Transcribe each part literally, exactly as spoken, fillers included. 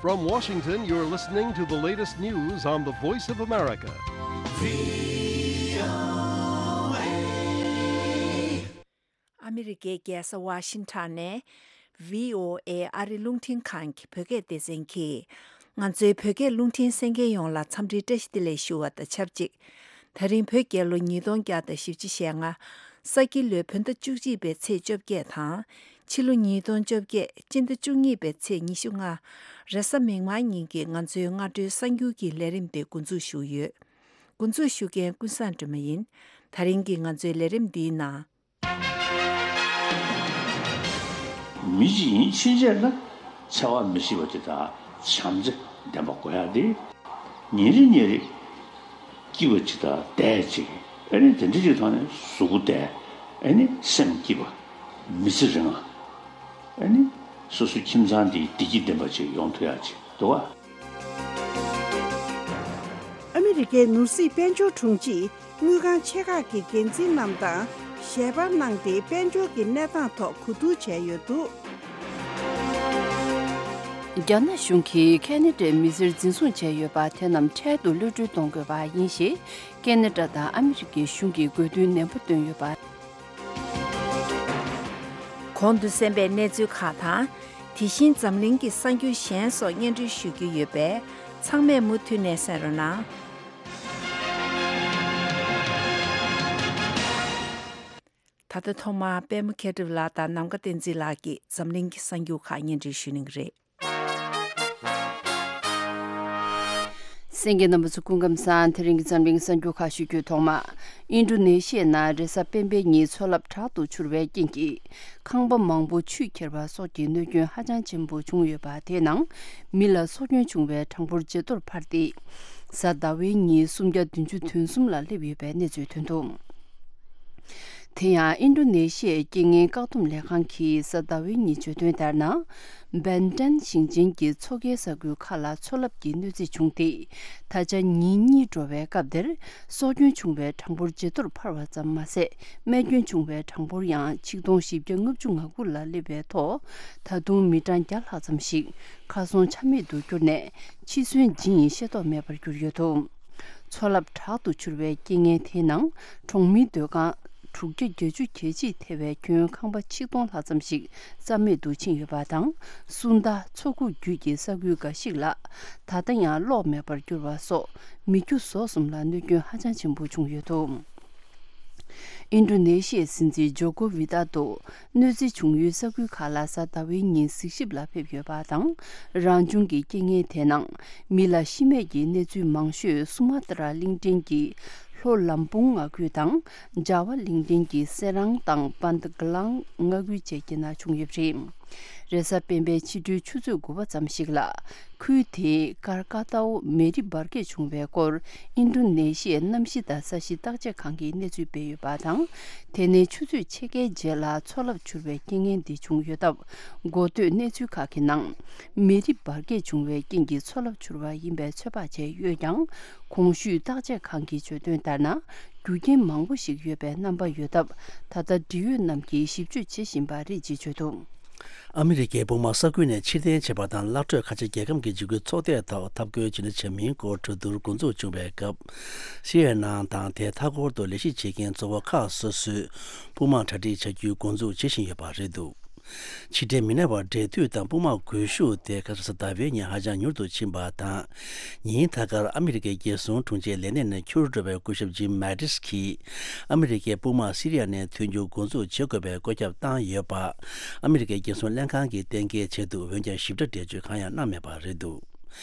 From Washington, you're listening to the latest news on the Voice of America. ཨ་མི་རི་ཀའི་རྒྱལ་ས་ཝ་ཤིང་ཊོན་ནས་བྷི་ཨོ་ཨེ་ཨ་རི་རླུང་འཕྲིན་ཁང་གི་བོད་སྐད་སྡེ་ཚན་གྱིས། ང་ཚོའི་བོད་སྐད་རླུང་འཕྲིན་གསན་མཁན་ཡོངས་ལ་འཚམས་འདྲིའི་བཀྲ་ཤིས་བདེ་ལེགས་ཞུ་བ་དང་ཆབས་ཅིག་ད་རིང་བོད་རྒྱལ་ལོ་ཉིས་སྟོང་བརྒྱ་དང་བཞི་བཅུ་ཞེ་ལྔ། ས་ཁྱི་ལོའི་བོད་ཟླ་བཅུ་གཅིག་པའི་ཚེས་བཅོ་བརྒྱད་དང་། ཕྱི་ལོ་ཉིས་སྟོང་བཅོ་བརྒྱད་སྤྱི་ཟླ་བཅུ་གཉིས་པའི་ཚེས་ཉི་ཤུ་ལྔ། རེས་གཟའ་མིག་དམར་ཉིན་གྱི་ང་ཚོའི་སྔ་དྲོའི་གསར་འགྱུར་གྱི་ལས་རིམ་དེ་འགོ་འཛུགས་ཞུ་ཡོད། འགོ་འཛུགས་ཞུ་མཁན་ཀུན་བཟང་སྒྲོལ་མ་ཡིན། ད་རིང་གི་ང་ཚོའི་ལས་རིམ་འདིའི་ནང་། མི་གཅིག་ཡིན་ཕྱིན་ཆད་ལ་འཚེ་བ་མི་བྱེད་པ་དེ་དང་བྱམས་བརྩེ་ལྡན་པ་དགོས་ཡ་དེ། ཉིན་རེ་ཉིན་རེ་སྐྱིད་པ་ཅིག་དང་བདེ་ཅིག་ཨེ་ནི་དེ་འདྲ་ཅིག་ཐོག་ནས་གཟུགས་པོ་བདེ། ཨེ་ནི་སེམས་སྐྱིད་པ། མི་ཚེ་རིང་བ། ཨེ་ནི་སོ་སོའི་ཁྱིམ་ཚང་འདི་བདེ་སྐྱིད་ལྡན་པ་ཅིག་ཡོང་ཐུབ་ཡ་ཅིག་འདུག་བ། ཨ་མི་རི་ཀའི་ནོར་སྲིད་དཔལ་འབྱོར་དྲུང་ཆེས་དངུལ་ཁང་ཆེ་ཁག་གི་འགན་འཛིན་རྣམས་དང་ཞལ་པར་གནང་སྟེ། དཔལ་འབྱོར་གྱི་གནས་སྟངས་ཐོག་གོ་བསྡུར་བྱས་ཡོད་འདུག། རྒྱ་ནག་གཞུང་གིས་ཁ་ན་ཌའི་མི་སེར་འཛིན་བཟུང་བྱས་ཡོད་པ་དེ་རྣམས་འཕྲལ་དུ་གློད་གྲོལ་གཏོང་དགོས་པ་ཡིན་ཞེས་ཁ་ན་ཌ་དང་ཨ་མི་རི་ཀའི་གཞུང་གིས་དགོས་འདུན་ནན་པོ་བཏོན་ཡོད་པ། གོང་དུ་གསན་པའི་གནས་ཚུལ་ཁག་དང་། དེ་བཞིན་འཛམ་གླིང་གི་གསར་འགྱུར་གཞན་སོགས་སྙན་སྒྲོན་ཞུ་རྒྱུ་ཡོད་པས། ཚང་མས་མུ་མཐུད་ནས་གསན་རོགས་གནང་། ད་ལྟ་ཐོག་མར་པད་མ་མཁས་གྲུབ་ལགས་དང་ནམ་མཁའ་བསྟན་འཛིན་ལགས་ཀྱིས་འཛམ་གླིང་གི་གསར་འགྱུར་ཁག་སྙན་སྒྲོན་ཞུ་གནང་གི་རེད། གསན་མཁན་རྣམ་པ་ཚོ་སྐུ་ཁམས་བཟང་། དེ་རིང་གི་འཛམ་གླིང་གསར་འགྱུར་ཁག་ཞུ་རྒྱུའི་ཐོག་མ། ཨིན་ཌོ་ནེ་ཤི་ཡའི་ནང་རེས་གཟའ་སྤེན་པའི་ཉིན་མཚོ་རླབས་དྲག་ཏུ་འཕྱུར་བའི་རྐྱེན་གྱིས། ཁང་པ་མང་པོ་ཆུས་ཁྱེར་བ་སོགས་ཀྱི་གནོད་སྐྱོན་ཧ་ཅང་ཆེན་པོ་བྱུང་ཡོད་པ། དེའི་ནང་མི་ལ་སྲོག་སྐྱོན་བྱུང་བའི་གྲངས་འབོར་ཇེ་མཐོར་འཕར་ཏེ། གཟའ་ཟླ་བའི་ཉིན་སུམ་བརྒྱ་བདུན་ཅུ་དོན་གསུམ་ལ་སླེབས་ཡོད་པའི་གནས་ཚུལ་ཐོན་འདུག། དེ་ཡང་ཨིན་ཌོ་ནེ་ཤི་ཡའི་རྐྱེན་ངན་བཀག་སྡོམ་ལས་ཁང་གིས་གཟའ་ཟླ་བའི་ཉིན་བརྗོད་དོན་ལྟར་ན། བན་ཏན་ཞིང་ཆེན་གྱི་མཚོ་ཁའི་ས་ཁུལ་ཁག་ལ་མཚོ་རླབས་ཀྱི་གནོད་འཚེ་བྱུང་སྟེ། ད་ཆ་ཉིན་གཉིས་འགྲོ་བའི་སྐབས་དེར་སྲོག་སྐྱོན་བྱུང་བའི་གྲངས་འབོར་ཇེ་མཐོར་འཕར་བ་ཙམ་མ་ཟད། རྨས་སྐྱོན་བྱུང་བའི་གྲངས་འབོར་ཡང་ཆིག་སྟོང་བཞི་བརྒྱ་ལྔ་བཅུ་ང་དགུ་ལ་སླེབས་པའི་ཐོག། ད་དུང་མི་གྲངས་བརྒྱ་ལྷག་ཙམ་ཞིག་ཁ་སང་ཆ་མེད་དུ་གྱུར་ནས་འཆི་གསོན་ཇི་ཡིན་ཤེས་རྟོགས་མེད་པར་གྱུར་ཡོད་འདུག། མཚོ་རླབས་དྲག་ཏུ་འཕྱུར་བའི་རྐྱེན་ངན་དེའི་ནང་གྲོང་མིའི་སྡོད་ཁང་དྲུག་བརྒྱ་བརྒྱད་ཅུ་གྱ་གཅིག་ཐེ་བའི་ཁྱོན་ཁང་པ་ཆིག་སྟོང་ལྷག་ཙམ་ཞིག་རྩ་མེད་དུ་ཕྱིན་ཡོད་པ་དང་། སུན་ད་མཚོ་ཁུག་བརྒྱུད་ཀྱི་ས་ཁུལ་འགའ་ཞིག་ལ་ད་ལྟ་ཡང་གློག་མེད་པར་གྱུར་བ་སོགས་མི་རྒྱུ་ཟོག་གསུམ་ལ་གནོད་སྐྱོན་ཧ་ཅང་ཆེན་པོ་བྱུང་ཡོད་འདུག། ཨིན་ཌོ་ནེ་ཤི་ཡའི་སྲིད་འཛིན་ཇོ་ཀོ་ཝི་ཏ་ཏོ་གནོད་འཚེ་བྱུང་ཡུལ་ས་ཁུལ་ཁག་ལ་གཟའ་ཟླ་བའི་ཉིན་གཟིགས་ཞིབ་ལ་ཕེབས་ཡོད་པ་དང་། རང་བྱུང་གི་རྐྱེན་ངན་དེའི་ནང་མི་ལ་ཤི་རྨས་ཀྱི་གནས་ཚུལ་མང་ཤོས་སུ་མ་ཏྲ་གླིང་ཕྲན་གྱི་ལྷོ་ལམ་བུང་མངའ་ཁུལ་དང་། ཇ་ཝ་གླིང་ཕྲན་གྱི་སེ་རང་དང་པན་ཏ་གི་ལང་མངའ་ཁུལ་བཅས་ཀྱི་ནང་བྱུང་ཡོད་པ་རེད། རེས་གཟའ་སྤེན་པའི་ཕྱི་དྲོའི་ཆུ་ཚོད་དགུ་པ་ཙམ་ཞིག་ལ། ཁུལ་དེའི་ཀར་ཀ་ཏའོ་མེ་རི་འབར་གས་བྱུང་བའི་སྐོར་ཨིན་ཌོ་ནེ་ཤི་ཡའི་གནམ་གཤིས་དང་ས་གཤིས་བརྟག་དཔྱད་ཁང་གིས་གནས་ཚུལ་སྤེལ་ཡོད་པ་དང་། དེ་ནས་ཆུ་ཚོད་ཕྱེད་ཀའི་རྗེས་ལ་མཚོ་རླབས་འཕྱུར་བའི་རྐྱེན་ངན་འདི་བྱུང་ཡོད་སྟབས། འགོ་སྟོད་གནས་ཚུལ་ཁག་གི་ནང་། མེ་རི་འབར་གས་བྱུང་བའི་རྐྱེན་གྱིས་མཚོ་རླབས་འཕྱུར་བ་ཡིན་པའི་ཚོད་དཔག་བྱས་ཡོད་ཀྱང་། གོང་ཞུས་བརྟག་དཔྱད་ཁང་གིས་བརྗོད་དོན་ལྟར་ན། རྒྱུ་རྐྱེན་མང་པོ་ཞིག་ཡོད་པའི་རྣམ་པ་ཡོད་སྟབས། ད་ལྟ་འབྲེལ་ཡོད་རྣམས་ཀྱིས་ཞིབ་དཔྱོད་བྱེད་བཞིན་པ་རེད་ཅེས་བརྗོད་འདུག། ཨ་མི་རི་ཀའི་དཔུང་དམག་ས་ཁུལ་ནས་ཕྱིར་འཐེན་བྱས་པ་དང་། སླར་གྲོལ་ཁ་ཆེ་རྒྱལ་ཁམས་ཀྱི་འཇིགས་སྐུལ་ཚོགས་སྡེའི་ཐོག་འཐབ་རྒོལ་ཇི་འདྲ་བྱེད་མིན་སྐོར་གྲོས་བསྡུར་འགོ་འཛུགས་བྱུང་བའི་སྐབས། སི་ཨེན་ཨེན་དང་དེའི་མཐའ་འཁོར་དུ་ལས་གཞི་བྱེད་མཁན་གཙོ་བོ་ཁག་སོ་སོས་དཔུང་དམག་གྲ་སྒྲིག་བྱ་རྒྱུའི་འགོ་འཛུགས་བྱེད་བཞིན་ཡོད་པ་རེད་འདུག། ཕྱིར་འཐེན་མི་གནང་བར་འབྲེལ་མཐུད་དང་དཔུང་དམག་སྒུལ་ཤུགས་དེ་ཁ་སང་གཟའ་ཟླ་བའི་ཉིན་ཧ་ཅང་མྱུར་དུ་ཕྱིན་པ་དང་། ཉིན་ད་གར་ཨ་མི་རི་ཀའི་རྒྱལ་སྲུང་དྲུང་ཆེའི་ལས་གནས་ནས་འཁྱུར་འགྲོ་བའི་སྐུ་ཞབས་ཇིམ་མེ་ཏིས་ཀྱིས། ཨ་མི་རི་ཀའི་དཔུང་དམག་སི་རི་ཡ་ནས་ཐོན་རྒྱུ་འགོ་འཛུགས་བྱེད་དགོས་པའི་བཀོད་ཁྱབ་བཏང་ཡོད་པ། ཨ་མི་རི་ཀའི་རྒྱལ་སྲུང་ལྷན་ཁང་གིས་གཏན་འཁེལ་བྱས་འདུག། འོན་ཀྱང་ཞིབ་ཕྲ་འགྲེལ་བརྗོད་གང་ཡང་གནང་མེད་པ་རེད་འདུག།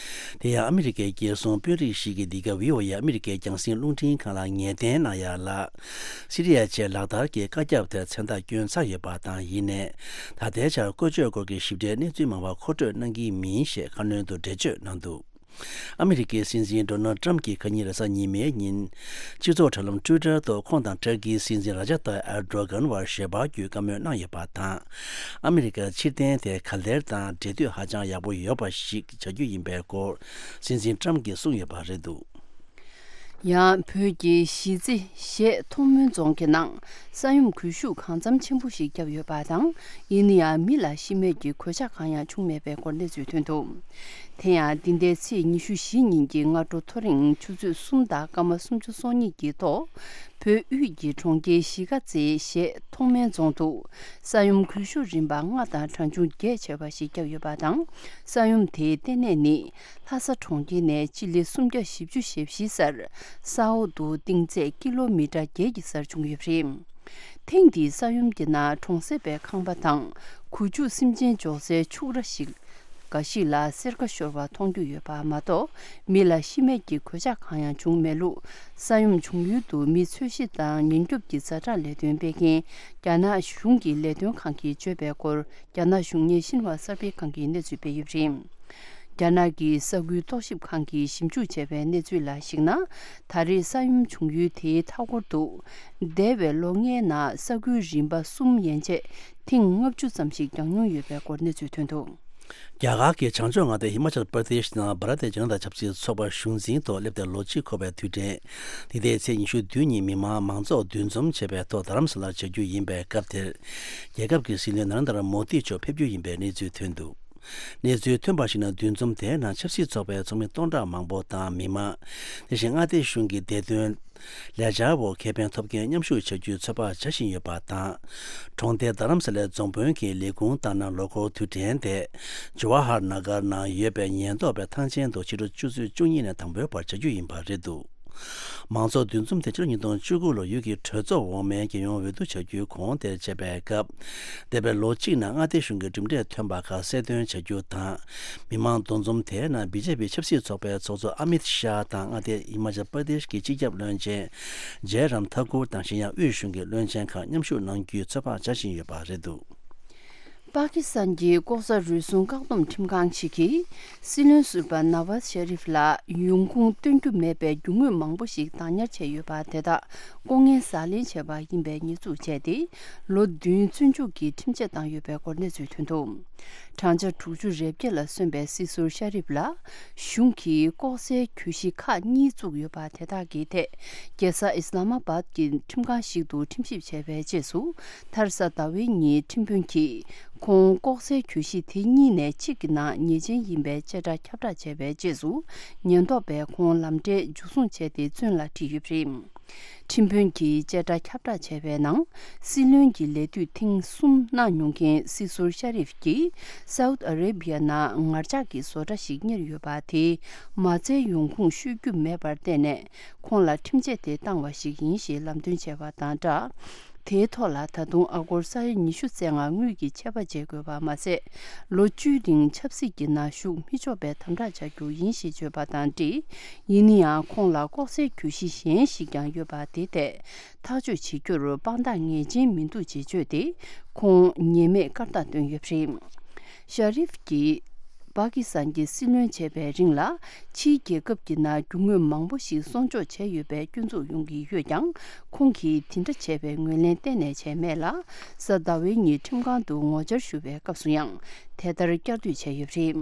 དེ་ཡང་ཨ་མི་རི་ཀའི་རྒྱལ་སྲུང་དཔོན་རིགས་ཤིག་གིས་འདི་ག་བྷི་ཨོ་ཨེ་ཨ་མི་རི་ཀའི་རྒྱང་སྲིང་རླུང་འཕྲིན་ཁང་ལ་ངེས་གཏན་གནང་ཡ་ལ། སི་རི་ཡ་ཆེད་ལག་བསྟར་གྱི་བཀའ་ཁྱབ་དེར་མཚན་རྟགས་བསྐྱོན་ཚར་ཡོད་པ་དང་། ཡིན་ནའི། ད་ལྟའི་ཆར་བཀོལ་སྤྱོད་སྐོར་གྱི་ཞིབ་ཕྲའི་གནས་ཚུལ་མང་བ་མཁོ་སྤྲོད་གནང་གི་མིན་ཞེས་ཁ་སྣོན་དུ་འགྲེལ་བརྗོད་གནང་འདུག། ཨ་མི་རི་ཀའི་སྲིད་འཛིན་ཌོ་ནལ་ཏྲམ་གྱིས་ཁ་ཉིན་རེས་གཟའ་ཉི་མའི་ཉིན། སྤྱི་ཚོགས་དྲ་ལམ་ཊུའི་ཊར་ཐོག་ཁོང་དང་ཏུར་ཀིའི་སྲིད་འཛིན་ར་ཇབ་ཏཱ་ཨེར་ཌོ་གྷན་བར་ཞལ་པར་བརྒྱུད་བཀའ་མོལ་གནང་ཡོད་པ་དང་། ཨ་མི་རི་ཀར་ཕྱིར་འཐེན་དེ་ག་ལེར་དང་འབྲེལ་མཐུད་ཧ་ཅང་ཡག་པོ་ཡོད་པ་ཞིག་བྱ་རྒྱུ་ཡིན་པའི་སྐོར་སྲིད་འཛིན་ཏྲམ་གྱིས་གསུངས་ཡོད་པ་རེད་འདུག། ཡང་བོད་ཀྱི་གཞིས་རྩེ་བཞད་མཐོང་སྨོན་རྫོང་གི་ནང་ས་ཡོམ་གུལ་ཤུགས་གང་འཚམ་ཆེན་པོ་ཞིག་བརྒྱབ་ཡོད་པ་དང་། ཡིན་ན་ཡང་མི་ལ་ཤི་རྨས་ཀྱི་གོད་ཆག་གང་ཡང་བྱུང་མེད་པའི་སྐོར་གནས་ཚུལ་ཐོན་འདུག་དེ་ཡང་འདི་ཟླའི་ཚེས་ཉི་ཤུ་བཞི་ཉིན་གྱི་སྔ་དྲོ་ཐོ་རེངས་ཆུ་ཚོད་གསུམ་དང་སྐར་མ་སུམ་ཅུ་སོ་གཉིས་ཀྱི་ཐོག་བོད་དབུས་ཀྱི་གྲོང་ཁྱེར་གཞིས་ཀ་རྩེའི་བཞད་མཐོང་སྨོན་རྫོང་དུ་ས་ཡོམ་གུལ་ཤུགས་རིམ་པ་ལྔ་དང་གྲངས་ཆུང་བརྒྱད་བྱས་པ་ཞིག་བརྒྱབ་ཡོད་པ་དང་། ས་ཡོམ་དེའི་ལྟེ་གནས་ནི་ལྷ་ས་གྲོང་ཁྱེར་ནས་སྤྱི་ལེ་སུམ་བརྒྱ་བཞི་བཅུ་ཞེ་བཞི་སར་ས་འོག་ཏུ་གཏིང་ཚད་ཀི་ལོ་མི་ཊར་བརྒྱད་ཀྱི་སར་བྱུང་ཡོད་པ་རེད། ཐེངས་འདིའི་ས་ཡོམ་གྱི་ནང་གྲོང་གསེབ་པའི་ཁང་པ་དང་། གུ་ཅུག་སེམས་ཅན་འཇོག་སའི་ཕྱུགས་ར་ཞིག་འགའ་ཞིག་ལ་སེར་ཁ་ཤོར་བ་མཐོང་རྒྱུ་ཡོད་པ་མ་གཏོགས། མི་ལ་ཤི་རྨས་ཀྱི་གོད་ཆག་གང་ཡང་བྱུང་མེད་ལུགས། ས་ཡོམ་བྱུང་ཡུལ་དུ་མི་འཚོལ་ཞིབ་དང་ཉེན་སྐྱོབ་ཀྱི་ཛ་དྲག་ལས་དོན་སྤེལ་མཁན་རྒྱ་ནག་གཞུང་གི་ལས་དོན་ཁང་གིས་བརྗོད་པའི་སྐོར། རྒྱ་ནག་གཞུང་གཉེར་ཤིན་ཧྭ་གསར་སྤེལ་ཁང་གིས་གནས་ཚུལ་སྤེལ་ཡོད་པ་རེད། རྒྱ་ནག་གི་ས་ཁུལ་རྟོག་ཞིབ་ཁང་གིས་ཞིབ་འཇུག་བྱས་པའི་གནས་ཚུལ་ལ་གཞིགས་ན། ད་རེས་ས་ཡོམ་བྱུང་ཡུལ་དེའི་མཐའ་འཁོར་དུ། འདས་པའི་ལོ་ལྔའི་ནང་ས་ཁུལ་རིམ་པ་གསུམ་ཡན་ཆད་ཐེངས་ལྔ་བཅུ་ཙམ་ཞིག་གྱང་མྱོང་ཡོད་པའི་སྐོར་གནས་ཚུལ་ཐོན་འདུག་རྒྱ་གར་གྱི་བྱང་ཕྱོགས་མངའ་སྡེ་ཧི་མ་ཅལ་པར་དེ་ཤི་ནང་བྷ་ར་ཏི་ཇ་ན་ཏ་ཆབ་སྲིད་ཚོགས་པ་གཞུང་འཛིན་ཐོག་སླེབས་ཏེ་ལོ་གཅིག་འཁོར་བའི་དུས་དྲན། འདི་ཟླའི་ཚེས་ཉི་ཤུ་བདུན་ཉིན་མི་མང་མང་ཚོགས་འདུ་འཛོམས་བྱེད་པའི་ཐོག་རྡ་རམ་ས་ལར་བྱ་རྒྱུ་ཡིན་པའི་སྐབས་དེར། རྒྱལ་ཁབ་ཀྱི་སྲིད་བློན་ན་རེན་དྲ་མོ་དི་མཆོག་ཕེབས་རྒྱུ་ཡིན་པའི་གནས་ཚུལ་ཐོན་འདུག་གནས་ཚུལ་ཐོན་པར་གཞིགས་ན། འདུ་འཛོམས་དེའི་ནང་ཆབ་སྲིད་ཚོགས་པའི་ཚོགས་མི་སྟོང་ཕྲག་མང་པོ་དང་མི་མང་། དེ་བཞིན་མངའ་སྡེ་གཞུང་གི་བདེ་དོན་ལས་འཆར་འོག་ཁེ་ཕན་ཐོབ་མཁན་མཉམ་ཞུགས་བྱ་རྒྱུའི་ཚོད་དཔག་བྱ་བཞིན་ཡོད་པ་དང་། གྲོང་སྡེ་རྡ་རམ་ས་ལའི་རྫོང་དཔོན་གྱིས་ལས་ཁུངས་བཏང་ན་ལོ་འཁོར་དུས་དྲན་དེ་ཇ་ཝ་ཧར་ན་གར་ནང་ཡོད་པའི་ཉེན་རྟོག་པའི་ཐང་ཆེན་དུ་ཕྱི་དྲོ་ཆུ་ཚོད་བཅུ་གཉིས་ནས་དང་པོའི་བར་བྱ་རྒྱུ་ཡིན་པ་རེད་འདུག་མང་ཚོགས་འདུ་འཛོམས་དེ་ཕྱི་ལོ་ཉིས་སྟོང་བཅུ་དགུ་ལོར་ཡུལ་གྱི་གྲོས་ཚོགས་འོག་མའི་རྒྱལ་ཡོངས་འོས་བསྡུ་བྱ་རྒྱུའི་གོང་དེར་བྱས་པའི་སྐབས། འདས་པའི་ལོ་གཅིག་ནང་མངའ་སྡེ་གཞུང་གི་གྲུབ་འབྲས་ཐོན་པ་ཁག་གསལ་སྟོན་བྱ་རྒྱུ་དང་། མི་མང་འདུ་འཛོམས་དེའི་ནང་བི་ཇེ་པི་ཆབ་སྲིད་ཚོགས་པའི་ཚོགས་གཙོ་ཨ་མིད་ཤཱ་དང་མངའ་སྡེ་ཧི་མ་ཅལ་པར་དེཤ་གི་སྤྱི་ཁྱབ་བློན་ཆེན་ཇེ་རམ་ཐ་ཀུར་དང་གཞན་ཡང་དབུས་གཞུང་གི་བློན་ཆེན་ཁག་མཉམ་ཞུགས་གནང་རྒྱུའི་ཚོད་དཔག་བྱ་བཞིན་ཡོད་པ་རེད་འདུག་པ་ཀི་སི་ཐན་གྱི་ལྐོག་ཟ་རུལ་སུངས་བཀག་སྡོམ་ཁྲིམས་ཁང་ཞིག་གིས། སྲིད་བློན་ཟུར་པ་ནཱ་ཝཱཛ་ཤ་རིཕ་ལ་ཡོང་ཁུངས་སྟོན་རྒྱུ་མེད་པའི་རྒྱུ་དངོས་མང་པོ་ཞིག་བདག་ཉར་བྱས་ཡོད་པ་དེ་དག་ལྐོག་རྔན་ཟ་ལེན་བྱས་པ་ཡིན་པའི་ཉེས་འཛུགས་བྱས་ཏེ། ལོ་བདུན་བཙོན་འཇུག་གི་ཁྲིམས་ཆད་བཏང་ཡོད་པའི་སྐོར་གནས་ཚུལ་ཐོན་འདུག་བགྲང་བྱ་དྲུག་ཅུ་རེ་བརྒྱད་ལ་སོན་པའི་སྲིད་ཟུར་ཤ་རིཕ་ལ། གཞུང་གིས་ལྐོག་ཟའི་གྱོད་གཞི་ཁག་གཉིས་བཙུགས་ཡོད་པ་དེ་དག་གི་ཐད། རྒྱལ་ས་ཨིས་ལ་མ་བཱད་ཀྱི་ཁྲིམས་ཁང་ཞིག་ཏུ་ཁྲིམས་ཞིབ་བྱས་པའི་རྗེས་སུ། མཐར་གཟའ་ཟླ་བའི་ཉིན་ཁྲིམས་དཔོན་གྱིས་ཁོང་ལྐོག་ཟའི་གྱོད་གཞི་དེ་གཉིས་ནས་གཅིག་གི་ནང་ཉེས་ཅན་ཡིན་པའི་བཅད་ཁྲ་ཁྱབ་བསྒྲགས་བྱས་པའི་རྗེས་སུ། ཉེན་རྟོག་པས་ཁོང་ལམ་འབྲས་འཇུ་བཟུང་བྱས་ཏེ་བཙོན་ལ་ཁྲིད་ཡོད་པ་རེད། ཁྲིམས་དཔོན་གྱིས་བཅད་ཁྲ་ཁྱབ་བསྒྲགས་བྱས་པའི་ནང་། སྲིད་བློན་གྱི་ལས་དུས་ཐེངས་གསུམ་གནང་མྱོང་མཁན་སྲིད་ཟུར་ཤ་རིཕ་གྱིས་སའུ་ཏི་ཨ་རེ་བྷི་ཡ་ནང་ངར་ལྕགས་ཀྱི་བཟོ་གྲྭ་ཞིག་གཉེར་ཡོད་པ་དེའི་མ་རྩའི་ཡོང་ཁུངས་ཤོད་རྒྱུ་མེད་པར་བརྟེན་ནས། ཁོང་ལ་ཁྲིམས་ཆད་དེ་བཏང་བ་ཞིག་ཡིན་ཞེས་ལམ་སྟོན་བྱས་པ་དང་སྦྲགས། དེའི་ཐོག་ལ་ད་དུང་ཨ་སྒོར་ས་ཡ་ཉི་ཤུ་རྩ་ལྔ་དངུལ་གྱི་ཆད་པ་འཇལ་དགོས་པ་མ་ཟད། ལོ་བཅུའི་རིང་ཆབ་སྲིད་ཀྱི་ནང་ཞུགས་མི་ཆོག་པའི་དམ་དྲག་བྱ་རྒྱུ་ཡིན་ཞེས་བརྗོད་པ་དང་འབྲེལ། ཡིན་ན་ཡང་ཁོང་ལ་ལྐོག་ཟའི་གྱོད་གཞི་གཞན་ཞིག་ཀྱང་ཡོད་པ་དེ་ཐད་ཐག་གཅོད་བྱེད་རྒྱུར་དཔང་རྟགས་ངེས་ཅན་མི་འདུག་ཅེས་བརྗོད་དེ། ཁོང་ཉེས་མེད་སྐར་རྟགས་བཏོན་ཡོད་པ་རེད། ཤ་རིཕ་གྱིས། པ་ཀི་སི་ཐན་གྱི་སྲིད་བློན་བྱས་པའི་རིང་ལ། ཕྱིའི་རྒྱལ་ཁབ་ཀྱི་ནང་རྒྱུ་དངོས་མང་པོ་ཞིག་སྲུང་སྐྱོབ་བྱས་ཡོད་པའི་སྐྱོན་འཛུགས་ཡོང་གི་ཡོད་ཀྱང་། ཁོང་གིས་དེ་འདྲ་བྱས་པའི་ངོས་ལེན་གཏན་ནས་བྱས་མེད་ལ། གཟའ་ཟླ་བའི་ཉིན་ཁྲིམས་ཁང་དུ་ངོ་བཅར་ཞུ་བའི་སྐབས་སུ་ཡང་། དེ་ལྟར་བསྐྱར་ཟློས་བྱས་ཡོད་པ་རེད།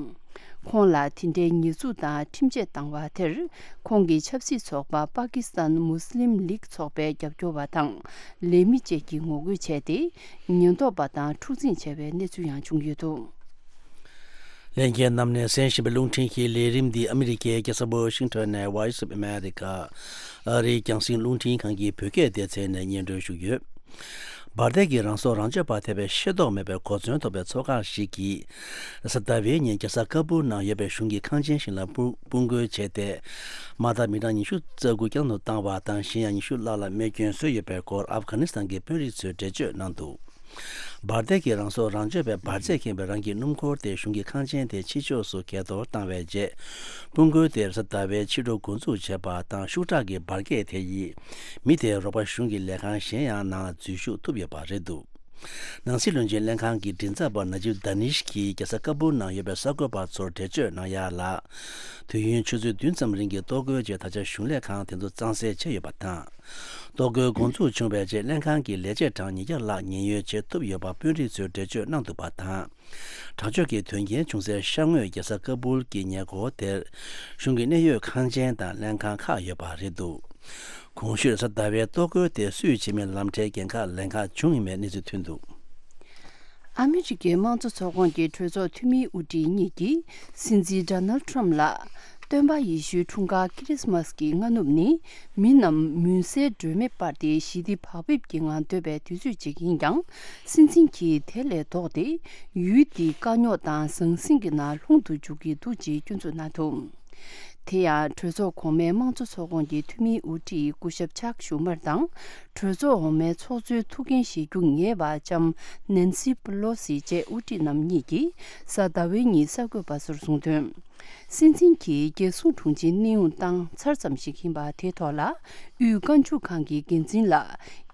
ཁོང་ལ་དེ་འདྲའི་ཉེས་འཛུགས་དང་ཁྲིམས་ཆད་བཏང་བ་དེར། ཁོང་གི་ཆབ་སྲིད་ཚོགས་པ་པ་ཀི་སི་ཐན་མུ་སི་ལིམ་ལིག་ཚོགས་པའི་རྒྱབ་སྐྱོར་བ་དང་། ལས་མི་བཅས་ཀྱིས་ངོ་རྒོལ་བྱས་ཏེ། ཉེན་རྟོག་པ་དང་འཁྲུག་འཛིང་བྱས་པའི་གནས་ཚུལ་ཡང་བྱུང་ཡོད་འདུག་ལྷན་རྒྱས་རྣམས་ནས་གསན་བཞིན་པའི་རླུང་འཕྲིན་གྱི་ལས་རིམ་འདི་ཨ་མི་རི་ཀའི་རྒྱལ་ས་ཝ་ཤིང་ཊོན་ནས་Voice of America ཨ་རིའི་རྒྱང་སྲིང་རླུང་འཕྲིན་ཁང་གི་བོད་སྐད་སྡེ་ཚན་ནས་སྙན་སྒྲོན་ཞུས་ཡོད། འབར་མདེལ་གྱིས་རང་སྲོག་རང་གཅོད་པ་ཐེབས་པའི་ཤེས་རྟོགས་མེད་པའི་གོ་མཚོན་ཐོབ་པའི་ཚོགས་ཁང་ཞིག་གིས། གཟའ་ཟླ་བའི་ཉིན་རྒྱལ་ས་ཀ་བུལ་ནང་ཡོད་པའི་གཞུང་གི་ཁང་ཆེན་ཞིག་ལ་དཔུང་དཔུང་རྒོལ་བྱས་ཏེ། མ་མཐའ་མི་གྲངས་ཉི་ཤུ་རྩ་དགུ་བསྐྱར་དུ་བཏང་བ་དང་། གཞན་ཡང་ཉི་ཤུ་ལྷག་ལ་རྨས་སྐྱོན་བཟོས་ཡོད་པའི་སྐོར་ཨབ་གྷ་ནི་སི་ཐན་གྱི་དཔོན་རིགས་ཚོས་འགྲེལ་བརྗོད་གནང་འདུག་འབར་མདེལ་གྱིས་རང་སྲོག་རང་གཅོད་པའི་འབར་རྫས་ཁེངས་པའི་རང་གི་སྣུམ་འཁོར་དེ་གཞུང་གི་ཁང་ཆེན་དེའི་ཕྱི་ཕྱོགས་སུ་གས་གཏོར་བཏང་བའི་རྗེས། དཔུང་རྒོལ་དེ་གཟའ་ཟླ་བའི་ཕྱི་དྲོ་འགོ་འཛུགས་བྱས་པ་དང་། ཤུགས་དྲག་གི་འབར་གས་དེ་ཡིས་མི་དེའི་རོགས་པ་གཞུང་གི་ལས་ཁང་གཞན་ཡང་ནང་འཛུལ་ཞུགས་ཐུབ་ཡོད་པ་རེད་འདུག་ནང་སྲིད་བློན་ཆེན་ལྷན་ཁང་གི་མགྲིན་ཚབ་པ་ན་ཇིབ་དཱ་ནིཤ་གིས་རྒྱལ་ས་ཀ་པུལ་ནང་ཡོད་པའི་གསར་འགོད་པ་ཚོར་འགྲེལ་བརྗོད་གནང་ཡ་ལ། དུས་ཡུན་ཆུ་ཚོད་བདུན་ཙམ་རིང་གི་གཏོར་རྒོལ་རྗེས་ད་ཆ་གཞུང་ལས་ཁང་དེ་ཚོ་གཙང་སེལ་བྱས་ཡོད་པ་དང་། གཏོར་རྒོལ་འགོ་འཛུགས་བྱུང་བའི་རྗེས་ལྷན་ཁང་གི་ལས་བྱེད་གྲངས་ཉིས་བརྒྱ་ལྷག་ཉེན་གཡོལ་བྱེད་ཐུབ་ཡོད་པ་དཔོན་རིགས་ཚོས་འགྲེལ་བརྗོད་གནང་འདུག་པ་དང་། དྲག་སྤྱོད་ཀྱི་དོན་རྐྱེན་བྱུང་སའི་ཤར་ངོས་རྒྱལ་ས་ཀ་པུལ་གྱི་ཉེ་འཁོར་དེར་གཞུང་གི་གནད་ཡོད་ཁང་ཆེན་དང་ལྷན་ཁང་ཁག་ཡོད་པ་རེད་འདུག་གོང་ཞུས་གཟའ་ཟླ་བའི་གཏོར་རྒོལ་དེ་སུས་བྱེད་མིན་ལམ་ཁྲལ་འགན་ཁག་ལེན་ཁག་བྱུང་ཡོད་མེད་གནས་ཚུལ་ཐོན་འདུག་ཨ་མི་རི་ཀའི་དམངས་གཙོ་ཚོགས་ཁོངས་ཀྱི་གྲོས་ཚོགས་འཐུས་མིའི་དབུ་ཁྲིད་གཉིས་ཀྱིས་སྲིད་འཛིན་ཌོ་ནལ་ཁྲམ་ལ། སྟོན་པ་ཡེ་ཤུའི་འཁྲུངས་སྐར་ཁི་རི་སི་མ་སི་གི་སྔ་ནུབ་ནི་མི་རྣམས་མུན་སེལ་སྒྲོན་མེ་སྤར་ཏེ་ཞི་བདེ་བག་ཕེབས་ཀྱི་ངང་སྡོད་པའི་དུས་ཚོད་ཅིག་ཡིན་ཀྱང་། སྲིད་འཛིན་གྱིས་དེ་ལས་ལྡོག་སྟེ་ཡུལ་འདི་དཀའ་རྙོག་དང་ཟང་ཟིང་གི་ནང་ལྷུང་དུ་འཇུག་གི་འདུག་ཅེས་སྐྱོན་འཛུགས་གནང་འདུག་དེ་ཡང་གྲོས་ཚོགས་གོང་མའི་དམངས་གཙོ་ཚོགས་ཁོངས་ཀྱི་འཐུས་མིའི་དབུ་ཁྲིད་སྐུ་ཞབས་ཆག་ཞུ་མར་དང་། གྲོས་ཚོགས་འོག་མའི་ཚོགས་གཙོའི་ཐུགས་འགན་བཞེས་རྒྱུ་ངེས་པ་ལྕམ་ནན་སི་པེ་ལོ་སི་བཅས་དབུ་ཁྲིད་རྣམ་གཉིས་ཀྱིས་གཟའ་ཟླ་བའི་ཉིན་གསར་འགོད་པ་ཚོར་གསུངས་དོན། སྲིད་འཛིན་གྱིས་རྒྱལ་སྲུང་དྲུང་ཆེའི་གནས་དབྱུང་བཏང་ཚར་ཙམ་ཞིག་ཡིན་པ་དེའི་ཐོག་ལ་དབུས་རྐང་བཅུག་ཁང་གི་འགན་འཛིན་ལ་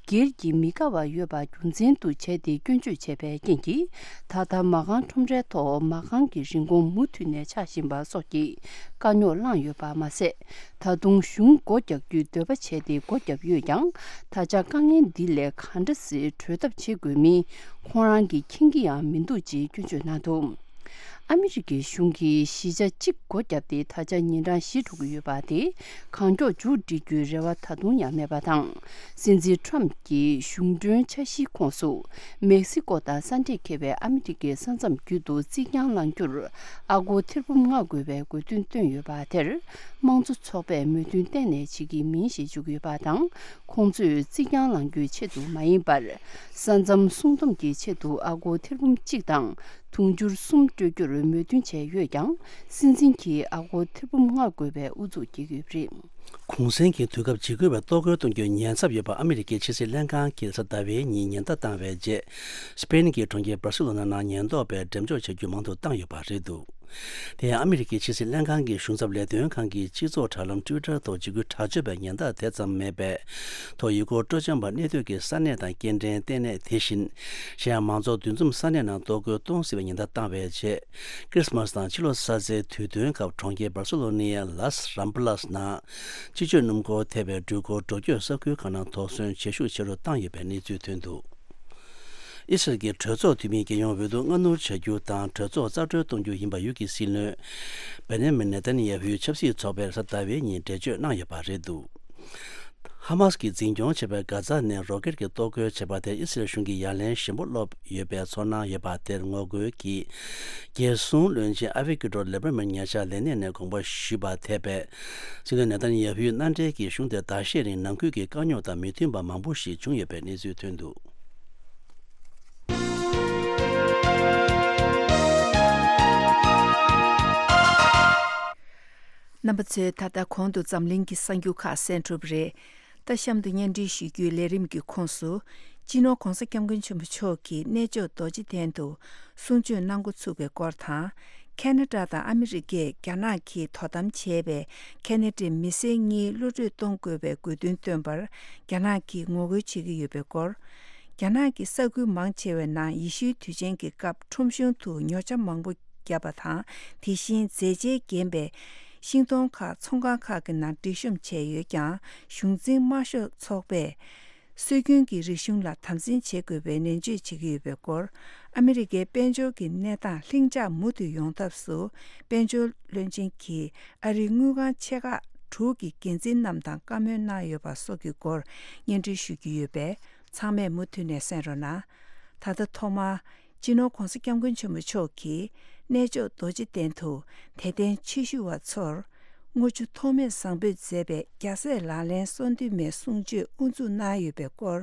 སྒེར་གྱི་མི་དགའ་བ་ཡོད་པ་རྒྱུ་མཚན་དུ་བྱས་ཏེ་སྐྱོན་བརྗོད་བྱས་པའི་རྐྱེན་གྱིས། ད་ལྟ་མ་རྐང་ཁྲོམ་རའི་ཐོག་མ་རྐང་གི་རིན་གོང་མུ་མཐུད་ནས་ཆག་བཞིན་པ་སོགས་ཀྱི་དཀའ་རྙོག་བསླངས་ཡོད་པ་མ་ཟད། ད་དུང་གཞུང་སྒོ་རྒྱག་རྒྱུའི་འདོད་པ་བྱས་ཏེ་སྒོ་བརྒྱབ་ཡོད་ཀྱང་། ད་ཆ་དཀའ་ངལ་འདི་ལས་གང་འདྲ་སེ་གྲོལ་ཐབས་བྱེད་དགོས་མིན་ཁོང་རང་གིས་མཁྱེན་གྱི་ཡང་མི་འདུག་ཅེས་སྐྱོན་བརྗོད་གནང་འདུག་ཨ་མི་རི་ཀའི་གཞུང་གིས་གཞིས་ཆགས་གཅིག་སྒོ་བརྒྱབ་སྟེ་ད་ཆ་ཉིན་གྲངས་བཞི་འགྲོ་གི་ཡོད་པ་དེ་གང་མགྱོགས་མཇུག་སྒྲིལ་རྒྱུའི་རེ་བ་ད་དུང་ཡང་མེད་པ་དང་། སྲིད་འཛིན་ཁྲམ་གྱིས་གཞུང་མགྲོན་འཆར་གཞིའི་ཁོངས་སུ་མེག་སི་ཀོ་དང་ས་འདྲེས་འཁེལ་བའི་ཨ་མི་རི་ཀའི་ས་མཚམས་བརྒྱུད་དུ་རྩིག་གྱང་ལང་རྒྱུར་ཨ་སྒོར་ཐེར་འབུམ་ལྔ་དགོས་པའི་དགོས་འདུན་བཏོན་ཡོད་པ་དེར་དམངས་གཙོ་ཚོགས་པས་མོས་མཐུན་གཏན་ནས་བྱེད་ཀྱི་མིན་ཞེས་བརྗོད་ཀྱི་ཡོད་པ་དང་། ཁོང་ཚོས་རྩིག་གྱང་ལང་རྒྱུའི་ཆེད་དུ་མ་ཡིན་པར། ས་མཚམས་སྲུང་སྡོམ་གྱི་ཆེད་དུ་ཨ་སྒོར་ཐེར་འབུམ་གཅིག་དང་དུང་ཕྱུར་གསུམ་སྤྲོད་རྒྱུར་མོས་མཐུན་བྱས་ཡོད་ཀྱང་། སྲིད་འཛིན་གྱིས་ཨ་སྒོར་ཐེར་འབུམ་ལྔ་དགོས་པའི་ཨུ་ཚུགས་བསྐྱེད་ཀྱི་ཡོད་པ་རེད། གུང་སེང་གི་དུས་སྐབས་འཇིགས་སྐུལ་བའི་གཏོར་རྒོལ་གཏོང་རྒྱུའི་ཉེན་ཚབས་ཡོད་པ་ཨ་མི་རི་ཀའི་ཕྱི་སྲིད་ལྷན་ཁང་གིས་གཟའ་ཟླ་བའི་ཉིན་ཉེན་བརྡ་བཏང་བའི་རྗེས། སྤེན་གྱི་གྲོང་ཁྱེར་སྦར་སི་ལོ་ན་ནང་ཉེན་རྟོག་པས་འགྲེམས་འཇོག་བྱ་རྒྱུ་མང་དུ་བཏང་ཡོད་པ་རེད་འདུག་དེ་ཡང་ཨ་མི་རི་ཀའི་ཕྱི་སྲིད་ལྷན་ཁང་གི་གཞུང་ཚབ་ལས་དོན་ཁང་གི་སྤྱི་ཚོགས་དྲ་ལམ་ཊུའི་ཊར་ཐོག་འཇིགས་སྐུལ་དྲག་སྤྱོད་པའི་ཉེན་བརྡ་དེ་ཙམ་མེད་པའི་ཐོག་ཡུལ་སྐོར་སྤྲོ་འཆམ་པ་གནས་སྡོད་ཀྱི་ས་གནས་དང་སྐྱེལ་འདྲེན་ལྟེ་གནས། དེ་བཞིན་གཞན་ཡང་མང་ཚོགས་འདུ་འཛོམས་ས་གནས་ནང་གཏོར་རྒོལ་གཏོང་སྲིད་པའི་ཉེན་བརྡ་བཏང་བའི་རྗེས། ཁྲི་སི་མ་སི་དང་ཕྱི་ལོ་གསར་ཚེས་དུས་སྟོན་སྐབས་གྲོང་ཁྱེར་སྦར་སི་ལོ་ནའི་ལཱས་རམ་པ་ལཱས་ནང་སྤྱི་སྤྱོད་སྣུམ་འཁོར་ཐེ་བའི་འགྲུལ་འཁོར་འགྲོ་སྐྱོད་ས་ཁུལ་ཁག་ནང་དོགས་ཟོན་བྱེད་ཤུགས་ཆེ་རུ་བཏང་ཡོད་པའི་གནས་ཚུལ་ཐོན་འདུག་ཨི་སི་རལ་གྱི་གྲོས་ཚོགས་འཐུས་མིའི་རྒྱལ་ཡོངས་འོས་བསྡུ་སྔ་སྣུར་བྱ་རྒྱུ་དང་གྲོས་ཚོགས་རྩ་གྲོལ་གཏོང་རྒྱུ་ཡིན་པ་ཡུལ་གྱི་སྲིད་བློན་བེན་ཡ་མིན་ནེ་ཐན་ཡ་ཧུའི་ཆབ་སྲིད་ཚོགས་པས་གཟའ་ཟླ་བའི་ཉིན་འགྲེལ་བརྗོད་གནང་ཡོད་པ་རེད་འདུག་ཧ་མཱས་ཀྱིས་འཛིན་སྐྱོང་བྱེད་པའི་གྷ་ཛ་ནས་རོ་ཀེད་ཀྱི་གཏོར་རྒོལ་བྱས་པ་དེར་ཨི་སི་རལ་གཞུང་གིས་ཡ་ལན་ཞིམ་པོ་སློག་ཡོད་པའི་ཚོར་སྣང་ཡོད་པ་དེར་ངོ་རྒོལ་གྱིས། རྒྱལ་སྲུང་བློན་ཆེན་ཨ་བི་ཀི་ཏོར་ལེ་བྷར་མན་ཉེ་ཆར་ལས་གནས་ནས་དགོངས་པ་ཞུས་པ་འཐད་པའི་སྲིད་བློན་ནེ་ཐན་ཡ་ཧུའི་མནའ་འབྲེལ་གྱིས་གཞུང་དེར་ཟླ་ཤས་རིང་ནང་ཁུལ་གྱི་དཀའ་རྙོག་དང་མི་མཐུན་པ་མང་པོ་ཞིག་བྱུང་ཡོད་པའི་གནས་ཚུལ་ཐོན་འདུག་རྣམ་པ་ཚོས་ད་ལྟ་གོང་དུ་འཛམ་གླིང་གི་གསར་འགྱུར་ཁག་གསན་གྲུབ་རེད། ད་གཤམ་དུ་སྙན་སྒྲོན་ཞུ་རྒྱུའི་ལས་རིམ་གྱི་ཁོངས་སུ། སྤྱི་ནོར་༧གོང་ས་༧སྐྱབས་མགོན་ཆེན་པོ་མཆོག་གིས་གནས་མཆོག་རྡོ་རྗེ་གདན་དུ་གསུང་ཆོས་གནང་འགོ་ཚུགས་པའི་སྐོར་དང་། ཁ་ན་ཌ་དང་ཨ་མི་རི་ཀས་རྒྱ་ནག་གིས་དོ་དམ་བྱས་པའི་ཁ་ན་ཌའི་མི་སེར་གཉིས་གློད་གྲོལ་གཏོང་དགོས་པའི་དགོས་འདུན་བཏོན་པར་རྒྱ་ནག་གིས་ངོ་རྒོལ་བྱེད་ཀྱི་ཡོད་པའི་སྐོར། རྒྱ་ནག་གི་ས་ཁུལ་མང་ཆེ་བའི་ནང་ཡེ་ཤུའི་དུས་ཆེན་གྱི་སྐབས་ཁྲོམ་གཞུང་དུ་ཉོ་ཆ་མང་པོ་བརྒྱབ་པ་དང་། དེ་བཞིན་མཛེས་ཆས་བརྒྱན་པའི་ཤིང་སྡོང་ཁག་ཚོང་ཁང་ཁག་གི་ནང་སྒྲིག་གཤོམ་བྱས་ཡོད་ཀྱང་། གཞུང་འཛིན་དམར་ཤོག་ཚོགས་པས་སྲོལ་རྒྱུན་གྱི་རིག་གཞུང་ལ་དམ་འཛིན་བྱེད་དགོས་པའི་ནན་བརྗོད་བྱེད་ཀྱི་ཡོད་པའི་སྐོར། ཨ་མི་རི་ཀའི་དཔལ་འབྱོར་གྱི་གནས་སྟངས་ལྷིང་འཇགས་མུ་མཐུད་ཡོང་ཐབས་སུ། དཔལ་འབྱོར་བློན་ཆེན་གྱིས་ཨ་རིའི་དངུལ་ཁང་ཆེ་ཁག་དྲུག་གི་འགན་འཛིན་རྣམས་དང་བཀའ་མོལ་གནང་ཡོད་པ་སོགས་ཀྱི་སྐོར་སྙན་སྒྲོན་ཞུ་རྒྱུ་ཡོད་པས། ཚང་མས་མུ་མཐུད་ནས་གསན་རོགས་གནང་། ད་ལྟ་ཐོག་མར། སྤྱི་ནོར་༧གོང་ས་༧སྐྱབས་མགོན་ཆེན་པོ་མཆོག་གིས་གནས་མཆོག་རྡོ་རྗེ་གདན་དུ་དད་ལྡན་ཆོས་ཞུ་བ་ཚོར་དངུལ་ཆུ་ཐོགས་མེད་བཟང་ཕུད་མཛད་པའི་རྒྱལ་སྲས་ལག་ལེན་སོ་བདུན་མའི་གསུང་ཆོས་དབུ་འཛུགས་གནང་ཡོད་པའི་སྐོར།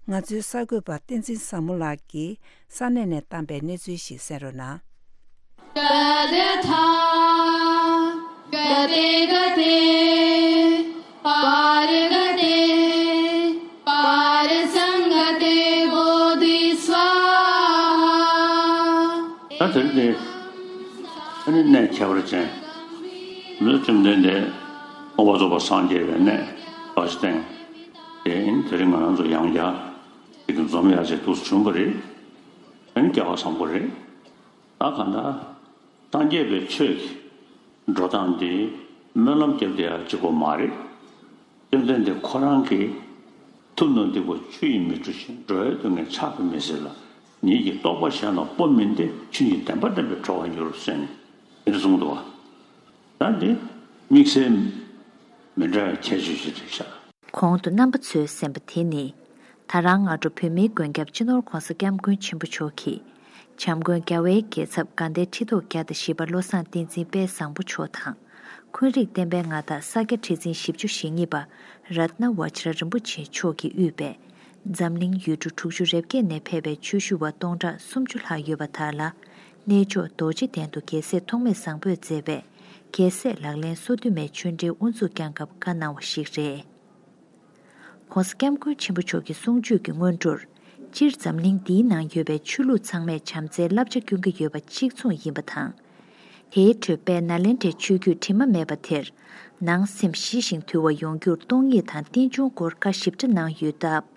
ང་ཚོའི་གསར་འགོད་པ་བསྟན་འཛིན་བཟང་མོ་ལགས་ཀྱིས་ས་གནས་ནས་བཏང་པའི་གནས་ཚུལ་ཞིག་གསན་རོགས་གནང་། गते गते पारगते पारसंगते बोधि स्वाहा। ད་དེ་རིང་འདི་ཨ་ནི་གནས་ཁྱད་པར་ཅན། འདི་བཅོམ་ལྡན་འདས་མངོན་པར་རྫོགས་པར་སངས་རྒྱས་པའི་གནས་རྡོ་རྗེ་གདན་དེ་ཨིན། དེ་རིང་ང་རང་ཚོ་ཡང་བསྐྱར་ དེ་གི་འཛོམས་ཡག་ཅིག་འདུག་བྱུང་བ་རེད། ཨ་ནི་སྐལ་བ་བཟང་པོ་རེད། ད་གང་ལྟར་སངས་རྒྱས་པའི་ཆོས་ཀྱི་འགྲོ་སྟངས་དེ་སྨོན་ལམ་བརྒྱབ་བསྡད་ཡག་གཅིག་པོ་མ་རེད། བཅོམ་ལྡན་འདས་ཁོ་རང་གིས་ཐུབ་རྣམས་འདི་ཀོ་ཆུ་ཡིས་མི་འཁྲུ་ཞིང་། འགྲོ་བའི་སྡུག་བསྔལ་ཕྱག་གིས་མི་སེལ་ལ། ཉིད་ཀྱི་རྟོགས་པ་གཞན་ལ་སྤོ་མིན་ཏེ། ཆོས་ཉིད་བདེན་པ་བསྟན་པས་གྲོལ་བར་འགྱུར་ཟེར་ནས་དེ་འདྲ་གསུངས་འདུག་བ། ད་འདི་དམིགས་བསལ་མི་འདྲ་བའི་ཁྱད་ཆོས་ཤིག་རེད་ཤག། གོང་དུ་རྣམ་པ་ཚོས་གསན་པ་དེ་ནི། ད་རང་སྔ་དྲོ་བོད་མིའི་མགོན་སྐྱབས་སྤྱི་ནོར་༧གོང་ས་༧སྐྱབས་མགོན་ཆེན་པོ་མཆོག་གིས། བྱམས་མགོན་རྒྱལ་བའི་རྒྱལ་ཚབ་དགའ་ལྡན་ཁྲི་ཐོག་བརྒྱ་དང་བཞི་པ་བློ་བཟང་བསྟན་འཛིན་དཔལ་བཟང་པོ་མཆོག་དང་། འཁོན་རིགས་བསྟན་པའི་མངའ་བདག་ས་སྐྱ་ཁྲི་འཛིན་བཞི་བཅུ་ཞེ་གཉིས་པ་རཏྣ་བཛྲ་རིན་པོ་ཆེ་མཆོག་གིས་དབུས་པའི་འཛམ་གླིང་ཡུལ་གྲུ་དྲུག་ཅུ་རེ་བརྒྱད་ནས་ཕེབས་པའི་ཆོས་ཞུ་བ་སྟོང་ཕྲག་སུམ་ཅུ་ལྷག་ཡོད་པ་དག་ལ། གནས་མཆོག་རྡོ་རྗེ་གདན་དུ་རྒྱལ་སྲས་ཐོགས་མེད་བཟང་པོས་མཛད་པའི་རྒྱལ་སྲས་ལག་ལེན་སོ་བདུན་མའི་ཆོས་འབྲེལ་དབུ་འཛུགས་བསྐྱངས་སྐབས་བཀའ་གནང་བ་ཞིག་རེད། ྋགོང་ས་ྋསྐྱབས་མགོན་ཆེན་པོ་མཆོག་གི་གསུང་ཆོས་ཀྱི་སྔོན་འགྲོར། སྤྱིར་འཛམ་གླིང་འདིའི་ནང་ཡོད་པའི་ཆོས་ལུགས་ཚང་མས་བྱམས་བརྩེའི་བསླབ་བྱ་སྐྱོན་གྱི་ཡོད་པ་གཅིག་མཚུངས་ཡིན་པ་དང་། དེའི་ཁྲོད་དཔལ་ནཱ་ལེནྡྲའི་ཆོས་བརྒྱུད་དྲི་མ་མེད་པ་དེར། ནང་སེམས་ཞི་ཞིང་དུལ་བ་ཡོང་རྒྱུར་སྟོང་ཉིད་དང་རྟེན་འབྱུང་སྐོར་བཀའ་ཞིབ་ཕྲ་གནང་ཡོད་སྟབས།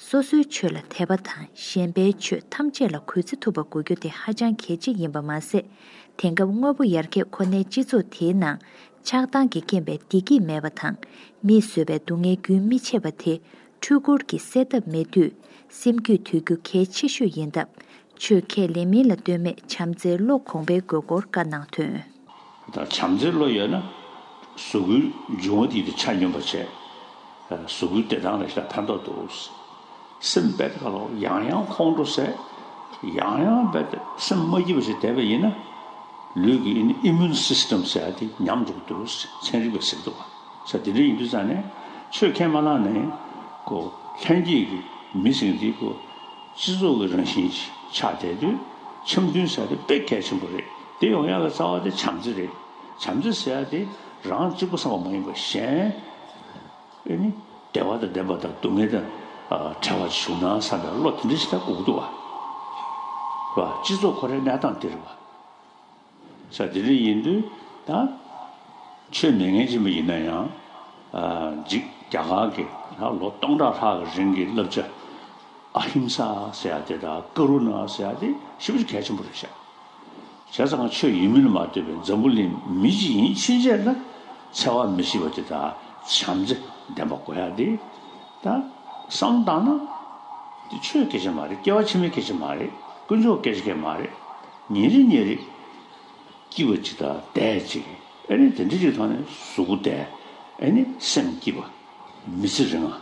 སོ་སོའི་ཆོས་ལ་དད་པ་དང་གཞན་པའི་ཆོས་ཐམས་ཅད་ལ་གུས་བརྩི་ཐུབ་པ་དགོས་རྒྱུ་དེ་ཧ་ཅང་གལ་ཆེ་ཡིན་པ་མ་ཟད། དེང་སྐབས་དངོས་པོ་ཡར་རྒྱས་ཁོ་ནའི་སྤྱི་ཚོགས་དེའི་ནང་ཆགས་སྡང་གི་རྐྱེན་པས་བདེ་སྐྱིད་མེད་པ་དང་། མིས་བཟོས་པའི་སྡུག་བསྔལ་རྒྱུན་མི་ཆད་པ་དེ་འཕྲུལ་འཁོར་གྱིས་སེལ་ཐབས་མེད་དུས། སེམས་རྒྱུད་དུལ་རྒྱུ་གལ་ཆེ་ཤོས་ཡིན་སྟབས། ཆོས་ཁས་ལེན་མིན་ལ་ལྟོས་མེད་བྱམས་བརྩེའི་བློ་གོང་འཕེལ་དགོས་སྐོར་བཀའ་གནང་དོན། ད་བྱམས་བརྩེའི་བློ་ཡོད་ན། གཟུགས་པོའི་འབྱུང་བ་དེ་དེ་ཆ་སྙོམས་པ་བྱས། གཟུགས་པོའི་བདེ་ཐང་ལ་ཞེ་དྲག་ཕན་ཐོགས་འདུག། སེམས་རྦད་དེ་ཁ་ལོ་ཡང་ཡང་ཁོང་ཁྲོ་ཟས། ཡང་ཡང་རྦད་དེ་སེམས་མ་སྐྱིད་པ་ཞིག་བསྡད་པ་ཡིན་ན། ལུས་ཀྱི་ཨི་ནི་ཨི་མུན་སིས་ཊམ་ཟེར་ཡ་དེ་ཉམས་འགྲོ་གི་འདུག། ཚན་རིག་པས་ཟེར་འདུག་བ། ས་དེ་འདྲ་ཡིན་དུས་ཙང་ནས་ཆོས་ཁས་མ་བླངས་ནས་ཁོ་ལྷན་སྐྱེས་ཀྱི་མི་ཟེར་མཁན་དེ་ཁོ་སྤྱི་ཚོགས་ཀྱི་རང་བཞིན་ཆགས་བསྡད་དུས་འཆམ་མཐུན་ཟེར་ཡ་དེ་དཔེ་གལ་ཆེན་པོ་རེད། དེ་ཡོང་ཡག་གི་རྩ་བ་དེ་བྱམས་བརྩེ་རེད། བྱམས་བརྩེ་ཟེར་ཡ་དེ་རང་གཅིག་པུ་བསམ་པ་མ་ཡིན་པར་གཞན། ཨེ་ནི། བདེ་བ་དང་ལྡན་པ་དང་སྡུག་བསྔལ་དང་། ཨ། བྲལ་བར་བྱུང་ན་བསམ་པའི་བློ་དེ་འདྲ་ཞིག་ད་དགོས་ཀྱི་འདུག་བ། བ། སྤྱི་ཚོགས་ཁོ་རའི་གནས་སྟངས་དེ་རེད་བ། ས་དེ་འདྲ་ཡིན་དུས་ད། ཆོས་མེད་མཁན་ཅིག་མ་ཡིན་ན་ཡང་། ཨ། འཇིག་རྒྱ་གར་གྱི་ད་ལོ་སྟོང་ཕྲག་ལྷག་གི་རིང་གི་བསླབ་བྱ། ཨ་ཧིམ་ས་ཟེར་ཡ་དེ་དང་ཀ་རུ་ཎ་ཟེར་ཡ་དེ་ཞེ་པོ་ཅིག་གལ་ཆེན་པོ་རེད་ཤག། བྱས་ཙང་ཆོས་ཡིན་མིན་ལ་མ་ལྟོས་པའི་འཛམ་བུ་གླིང་མི་གཅིག་ཡིན་ཕྱིན་ཆད་ལ་འཚེ་བ་མི་བྱེད་པ་དེ་དང་བྱམས་བརྩེ་ལྡན་པ་དགོས་ཡ་དེ། ད་བསམ་བཏང་ན་དེ་ཆོས་སྐད་ཆ་མ་རེད། སྐྱེ་བ་ཕྱི་མའི་སྐད་ཆ་མ་རེད། དཀོན་མཆོག་སྐད་ཆ་སྐད་མ་རེད། ཉིན་རེ་ཉིན་རེ་སྐྱིད་པ་ཅིག་དང་བདེ་ཅིག། ཨེ་ནི་དེ་འདྲ་ཅིག་ཐོག་ནས་གཟུགས་པོ་བདེ། ཨེ་ནི་སེམས་སྐྱིད་པ། མི་ཚེ་རིང་བ།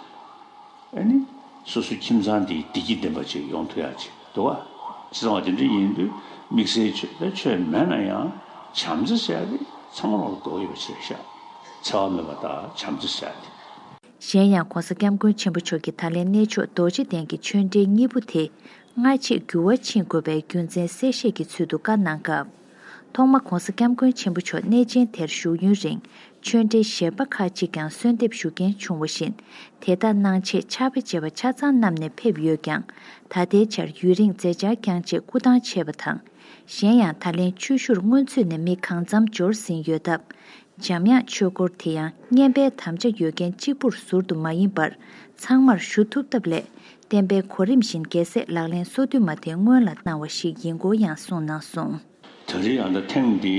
ཨ་ནི། སོ་སོའི་ཁྱིམ་ཚང་འདིའི་བདེ་སྐྱིད་ལྡན་པ་ཅིག་ཡོང་ཐུབ་ཡག་ཅིག་འདུག་བ། བྱས་ཙང་བ་དེ་འདྲ་ཡིན་དུས་དམིགས་བསལ་ཆོས་དེ་ཆོས་མེད་ན་ཡང་བྱམས་བརྩེ་ཟེར་ཡག་དེ་ཚང་མ་ལ་དགོས་ཡོད་པ་ཞིག་རེད་ཤག། འཚེ་བ་མེད་པ་དང་བྱམས་བརྩེ་ཟེར་ཡག་དེ། གཞན་ཡང་ྋགོང་ས་ྋསྐྱབས་མགོན་ཆེན་པོ་མཆོག་གིས་ད་ལན་གནས་མཆོག་རྡོ་རྗེ་གདན་གྱི་ཆོས་འབྲེལ་གཉིས་པོ་དེ་སྔ་ཕྱི་འགྱུར་བ་ཕྱིན་དགོས་པའི་རྒྱུ་མཚན་གསལ་བཤད་ཀྱི་ཚུལ་དུ་བཀའ་གནང་སྐབས། ཐོག་མ་ྋགོང་ས་ྋསྐྱབས་མགོན་ཆེན་པོ་མཆོག་གནས་ཆེན་དེར་བཞུགས་ཡུན་རིང་ཆོས་འབྲེལ་གཞན་པ་ཁག་ཅིག་ཀྱང་གསོལ་འདེབས་ཞུ་མཁན་བྱུང་བ་བཞིན། དེ་དག་གནང་ཆེད་ཕྱག་དཔེ་བཅས་པ་ཆ་ཚང་བསྣམས་ནས་ཕེབས་ཡོད་ཀྱང་། ད་ལྟའི་ཆར་ཡུན་རིང་མཛད་འཆར་འགྱངས་ཆེད་སྐུ་ཐང་ཆད་པ་དང་། གཞན་ཡང་ད་ལན་ཆོས་ཞུར་སྔོན་ཚུད་ནས་མི་གང་འཚམ་འབྱོར་ཟིན་ཡོད་སྟབས། འཇམ་དབྱངས་ཆོས་སྐོར་དེ་ཡང་བསྙེན་པའི་དམ་བཅའ་ཡོད་མཁན་གཅིག་པུར་ཟུར་དུ་མ་ཡིན་པར་ཚང་མར་ཞུ་ཐུབ་ཐབས་སླད། བསྟན་པའི་གོ་རིམ་བཞིན་རྒྱལ་སྲས་ལག་ལེན་སོ་བདུན་མ་དེ་སྔོན་ལ་གནང་བ་ཞིག་ཡིན་སྐོར་ཡང་གསུངས་གནང་སོང་། ད་རེས་ཡང་ད་ཐེངས་འདི།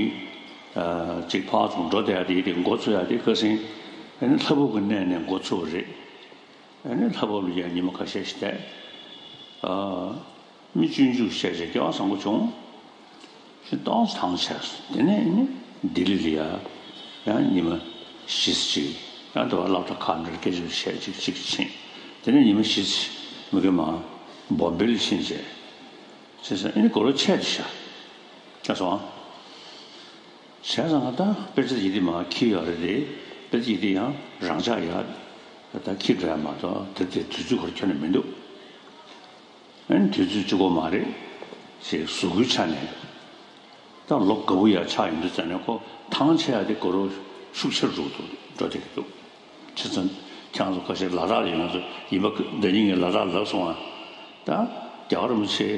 ཨ། ཅིག་ཕར་ཚུར་འགྲོ་བསྡད་ཡ་དེ་དེ་འགོ་ཚུགས་ཡ་དེ་ཁ་སང་། ཨ་ནི་ལྷ་བབས་ཀྱི་གནས་ནས་འགོ་ཚུགས་པ་རེད། ཨ་ནི་ལྷ་བབས་ལ་ཡང་ཉི་མ་ཁ་ཤས་ཤིག་བསྡད། ཨ། མི་སྤྱོད་འཇུག་བྱས་བྱས་སྐལ་བ་བཟང་པོ་བྱུང་། ཞེས་ཏོག་ཙམ་ཐང་ཆད་སོང་། དེ་ནས་ཨ་ནི་ལྡི་ལི་ལ་ཡ་ཡང་ཉི་མ་བཞི་ཙམ་ཅིག་ཡང་དེ་བ་སློབ་གྲྭ་ཁག་འདྲ་སྐད་ཆ་བཤད་ཅིག་ཅིག་ཕྱིན། དེ་ནས་ཉི་མ་བཞི་ཙམ་མི་དགོས་མ་བོམ་བེ་ལ་ཕྱིན་བྱས། བྱས་ཙང་ཨ་ནི་གོ་ལོ་ཆད་དུ་ཤག། ཆད་སོང་ཨ། བྱས་ཙང་ད་དཔེ་ཆ་ཡི་དེ་མར་འཁྱེར་ཡོད་རེད་དེ། དཔེ་ཆ་ཡི་དེ་ཡང་རང་འཇགས་ཡ། ད་འཁྱེར་འགྲོ་ཡ་མ་གཏོགས་དེ་དེ་དུས་ཚོད་ཁོ་ར་ཁྱོན་ནས་མི་འདུག། ཨ་ནི་དུས་ཚོད་གཅིག་པོ་མ་རེད། ཞེས་གཟུགས་པོའི་ཆ་ནས། ད་ལོ་དགའ་པོ་ཡ་ཆགས་ཡོང་དུས་ཙམ་ནས་ཁོ་ཐང་ཆད་ཡ་དེ་གོ་ལོ་ཤུགས་ཆེར་འགྲོ་འགྲོ་བསྡད་ཀྱི་འདུག། བྱས་ཙང་ཁྱེད་ཚོ་ཁ་ཤས་ལ་དྭགས་ལ་ཡོང་ཚོ་ཡིན་པ། ཟླ་ཉིན་ངས་ལ་དྭགས་ལབ་སོང་ཨ། ད་རྒྱལ་བ་རིན་པོ་ཆེ་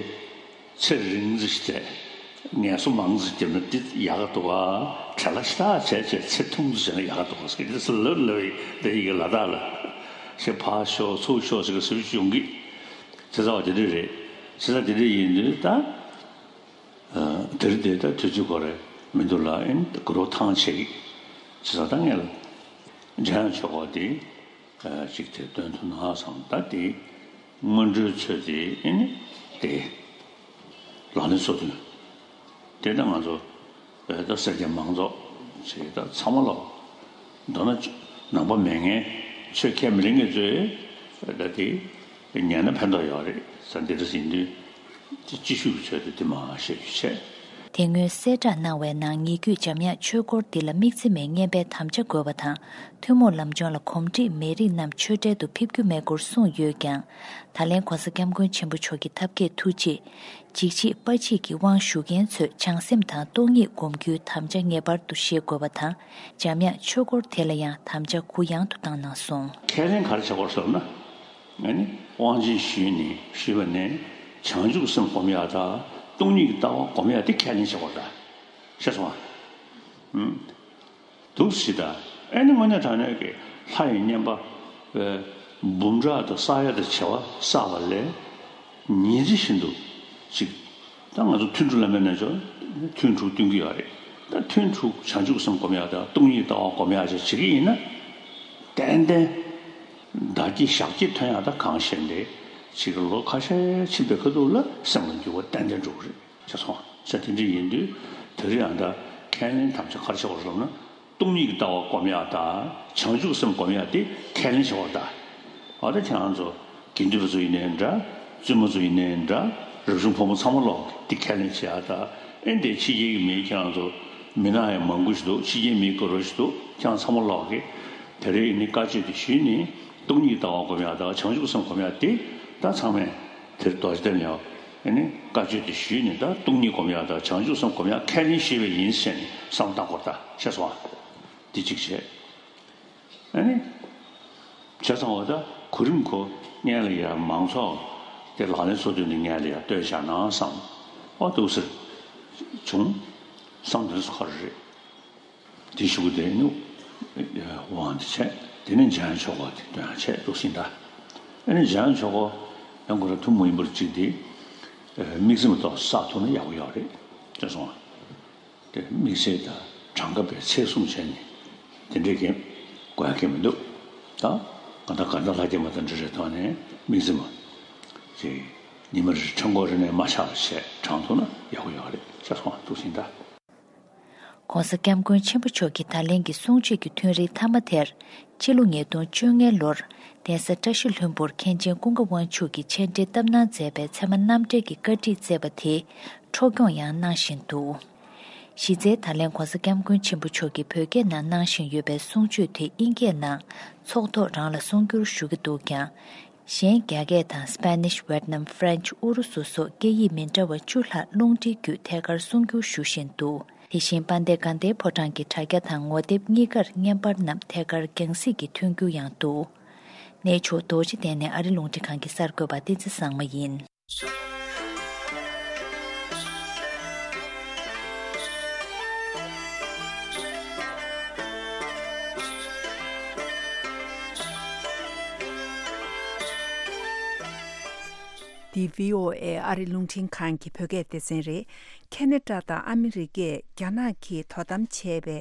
ཚེ་རིང་ཙམ་ཞིག་བསྡད། ངལ་གསོ་མང་ཙམ་བརྒྱབ་ན་འདི་ཡག་ག་འདུག་ཨ། བྲེལ་བ་ཞེ་དྲག་བྱས་བྱས་ཚེ་ཐུང་ཙམ་བྱས་ན་ཡག་ག་འདུག་ཨ་ཟེར་གྱི་འདུག་ཟེར་ལབ་ལབ་ཡིན། ཟླ་ཉིན་ངས་ལ་དྭགས་ལ་ཞེས་ཕར་ཤོག་ཚུར་ཤོག་ཟེར་གྱི་ཟེར་བྱུང་གི། བྱས་ཙང་དེ་འདྲ་རེད། བྱས་ཙང་དེ་འདྲ་ཡིན་དུས་ད། ཨ། དེ་རིང་དེ་ད་དུས་ཚོད་ཁོ་རེ་མི་འདུག་ལ། ཨིན་དགུ་རོ་ཐང་ཆད་ཀྱི། བྱས་ཙང་ད་ངས་ལ་འཇམ་དབྱངས་ཆོས་འཁོར་དེ། ཨ། ཅིག་དེ་སྟོན་ཐུབ་ན་བསམ། ད་དེ་སྔོན་འགྲོའི་ཚོད་དེ། ཨིན་དེ་ལག་ལེན་སོ་བདུན་དེ་ད་ང་ཚོ། ཨ། ད་སེར་སྐྱ་མང་ཚོགས་ཅིག་ད་ཚང་མ་ལ། མདོར་ན་ནང་པ་མེད་མཁན། ཆོས་ཁས་མི་ལེན་མཁན་ཚོས་ད་དེ་ཉན་ན་ཕན་ཐོགས་ཡོད་རེད་ཟེར། འདི་འདྲ་ཡིན་དུས་དེ་སྤྱི་ཤུགས་ཀྱི་ཆེད་དུ་དེ་མ་བཤད་རྒྱུ་བྱས། དེ་སྔོན་གསལ་བསྒྲགས་གནང་བའི་ནང་ཉེ་བརྒྱུད་འཇམ་དབྱངས་ཆོས་འཁོར་འདི་ལ་དམིགས་བརྩེ་མེད་སྙན་པའི་དམ་བཅའ་དགོས་པ་དང་། ཐུན་མོང་ལམ་སྦྱོང་ལ་གོམས་འདྲིས་མེད་རིགས་རྣམས་ཆོས་གྲལ་དུ་ཕེབས་རྒྱུ་མེད་སྐོར་གསུངས་ཡོད་ཀྱང་། ད་ལན་༧གོང་ས་༧སྐྱབས་མགོན་ཆེན་པོ་མཆོག་གི་ཐབས་མཁས་ཐུགས་རྗེས། འཇིགས་བྱེད་དཔའ་བྱེད་ཀྱི་དབང་ཞུ་མཁན་ཚོས་བྱང་སེམས་དང་སྟོང་ཉིད་སྒོམ་རྒྱུའི་དམ་བཅའ་ངེས་པར་དུ་བཞེས་དགོས་པ་དང་། འཇམ་དབྱངས་ཆོས་འཁོར་དེ་ལ་ཡང་དམ་བཅའ་གུ་ཡངས་དུ་བཏང་གནང་སོང་། ཁས་ལེན་ག་རེ་བྱེད་དགོས་ཟེར་ན། ཨ་ནི་དབང་ཆེན་ཞུས་ནས་ཞུས་པ་ནས་བྱང་ཆུབ་སེམས་སྒོམ་ཡག་དང་སྟོང་ཉིད་ཀྱི་ལྟ་བ་སྒོམ་ཡག་དེ་ཁས་ལེན་བྱེད་དགོས་ད། ཤེས་སོང་ཨ། ཨུམ། འདུག་སེ་ད། ཨེ་ནི་དངོས་གནས་དྲང་གནས་ཀྱི་ལྷ་ཡི་བསྙེན་པ། ཨེ། འབུམ་ཕྲག་དང་བསགས་ཡ་དང་བྱེ་བ་བསགས་པ་ལས་ཉིན་མཚན་བཞིན་དུ་ཅིག་ད་ང་ཚོ་ཐུན་དྲུག་བླ་མའི་རྣལ་འབྱོར། ཐུན་དྲུག་སྟོན་གྱི་ཡོད་རེད། ད་ཐུན་དྲུག་བྱང་ཆུབ་སེམས་སྒོམ་ཡ་དང་སྟོང་ཉིད་ལྟ་བ་སྒོམ་ཡ་ཅིག་བྱེད་ཀྱི་ཡིན་ན། ཏན་ཏན་བདག་སྐྱིད་ཞག་སྐྱིད་ཐོན་ཡ་ད་གང་ཤེས་འདི་ཅིག་ལོ་ཁ་ཤས་ཕྱིན་པའི་ཁ་ཐུག་ལ་སེམས་ལ་འགྱུར་བ་ཏན་ཏན་འགྲོ་གི་རེད། ཤེས་སོང་། ས་དེ་འདྲ་ཡིན་དུས་དེ་རིང་ཡང་ད་ཁས་ལེན་དམ་བཅའ་ག་རེ་བྱེད་དགོས་རེད་ཟེར་ན། སྟོང་ཉིད་ཀྱི་ལྟ་བ་སྒོམ་ཡག་དང་བྱང་ཆུབ་སེམས་སྒོམ་ཡག་དེ་ཁས་ལེན་བྱེད་དགོས་རེད་ད། འོ་ད་ཁྱེད་རང་ཚོ་དགེ་འདུན་པ་ཚོ་ཡིན་ནའི་འདྲ། བཙུན་མ་ཚོ་ཡིན་ནའི་འདྲ། རབ་བྱུང་ཕོ་མོ་ཚང་མ་ལོག་དེ་ཁས་ལེན་བྱེད་ཡག་ད། ཨེ་འདི་ཕྱི་རྒྱལ་གྱི་མི་ཁྱེད་རང་ཚོ་མི་ནག་ཡང་མང་པོ་ཞིག་འདུག་ཕྱི་རྒྱལ་མི་དགའ་རོགས་ཞིག་འདུག་ཁྱེད་རང་ཚང་མ་ལོག་གི་དེ་རིང་ནི་བཀའ་ཆོས་དེ་ཞུས་ནས་སྟོང་ཉིད་ལྟ་བ་སྒོམ་ཡག་དང་བྱང་ཆུབ་སེམས་སྒོམ་ཡག་དེ་ད་ཚང་མས། དེར་རྡོ་རྗེ་གདན་ལ་ཡང་ཨ་ནི་བཀའ་ཆོས་དེ་ཞུས་ནས་ད་སྟོང་ཉིད་སྒོམ་ཡག་དང་བྱང་ཆུབ་སེམས་སྒོམ་ཡག་ཁས་ལེན་ཞུས་པ་ཡིན་ཟེར་ནས་བསམ་བློ་བཏང་དགོས་རེད་ད། ཤེས་སོང་ཨ། འདི་གཅིག་བྱས། ཨ་ནི་བྱས་ཙང་འོ་ད་གོ་རིམ་ཁོ་སྔོན་ལ་ཡ་མང་ཚོགས་དེ་ལག་ལེན་སོ་བདུན་ནས་སྔོན་ལ་ཡ་སྟོན་བཞག་ན་བསམ། ཨོ་འདུག་སེ་བྱུང་། བསམ་དོན་སུ་ཁ་རེད། དེ་ཞུ་གི་དེ་ནི་དབང་དེ་བྱས། དེ་ནས་འཇམ་དབྱངས་ཆོས་འཁོར་དེ་སྟོན་ཡག་བྱས་འདུག་སེ་ད། ཨ་ནི་འཇམ་དབྱངས་ཆོས་འཁོར་ཡང་ཁོ་རང་ཐུན་མོང་མ་ཡིན་པར་གཅིག་དེ། ཨ། དམིགས་བརྩེ་མ་གཏོགས་བསགས་ཐུབ་ན་ཡག་པོ་ཡོད་རེད། ཤེས་སོང་ཨ། དེ་དམིགས་བསལ་དང་གྲངས་ཀ་བའི་ཚད་བཟུང་བྱས་ནས་དེ་འདྲའི་གི་དགོས་ཡག་གི་མི་འདུག་ད་གང་ལྟར་གང་ལྟར་ལྷ་སྐྱེས་མ་དང་འབྲེལ་བའི་ཐོག་ནས་དམིགས་བརྩེ་མ་ཅིག་ཉི་མ་རེ་ཕྲེང་སྐོར་རེ་ནས་མ་ཆག་པ་བྱས་བགྲང་ཐུབ་ན་ཡག་པོ་ཡོད་རེད། ཤེས་སོང་ཨ། འདུག་སེ་ད། ༸གོང་ས་༸སྐྱབས་མགོན་ཆེན་པོ་མཆོག་གི་ད་ལན་གྱི་གསུང་ཆོས་ཀྱི་ཐུན་རིང་མཐའ་མ་དེར། སྤྱི་ལོ་ཉིས་སྟོང་བཅོ་ལྔ་ལོར་གདན་ས་བཀྲ་ཤིས་ལྷུན་པོར་མཁན་ཆེན་ཀུན་དགའ་དབང་ཕྱུག་གིས་འཆད་འགྲེལ་བཏབ་གནང་མཛད་པའི་ཚད་མ་རྣམ་འགྲེལ་གྱི་བཀའ་ཁྲིད་བསྩལ་བ་དེ་འཕྲོ་སྐྱོང་ཡང་གནང་བཞིན་འདུག་གཞི་རྩའི་ད་ལན་༸གོང་ས་༸སྐྱབས་མགོན་ཆེན་པོ་མཆོག་གིས་བོད་སྐད་ནང་གནང་བཞིན་ཡོད་པའི་གསུང་ཆོས་དེ་དབྱིན་སྐད་ནང་ཚོགས་ཐོག་རང་ལ་གསུང་སྒྱུར་ཞུ་གི་འདུག་ཀྱང་། གཞན་རྒྱ་སྐད་དང་སི་པེ་ནིཤ། ཝེད་ནམ། ཧྥ་རན་ཆི། ཨུ་རུ་སུ་སོགས་སྐད་ཡིག་མི་འདྲ་བ་བཅུ་ལྷག་རླུང་འཕྲིན་བརྒྱུད་ཐད་ཀར་གསུང་སྒྱུར་ཞུ་བཞིན་འདུག་དེ་བཞིན་དཔལ་ལྡན་དགའ་ལྡན་ཕོ་བྲང་གི་དྲ་རྒྱ་དང་ངོ་དེབ་གཉིས་ཀར་བརྙན་པར་རྣམས་ཐད་ཀར་རྒྱང་སྲིང་གིས་ཐོན་རྒྱུ་ཡང་འདུག་གནས་མཆོག་རྡོ་རྗེ་གདན་ནས་ཨ་རི་རླུང་འཕྲིན་ཁང་གི་གསར་འགོད་པ་བསྟན་འཛིན་བཟང་མོ་ཡིན། འདི་བྷི་ཨོ་ཨེ་ཨ་རི་རླུང་འཕྲིན་ཁང་གི་བོད་སྐད་སྡེ་ཚན་རེད། ཁེ་ན་ཌ་དང་ཨ་མི་རི་ཀས་རྒྱ་ནག་གིས་དོ་དམ་བྱས་པའི་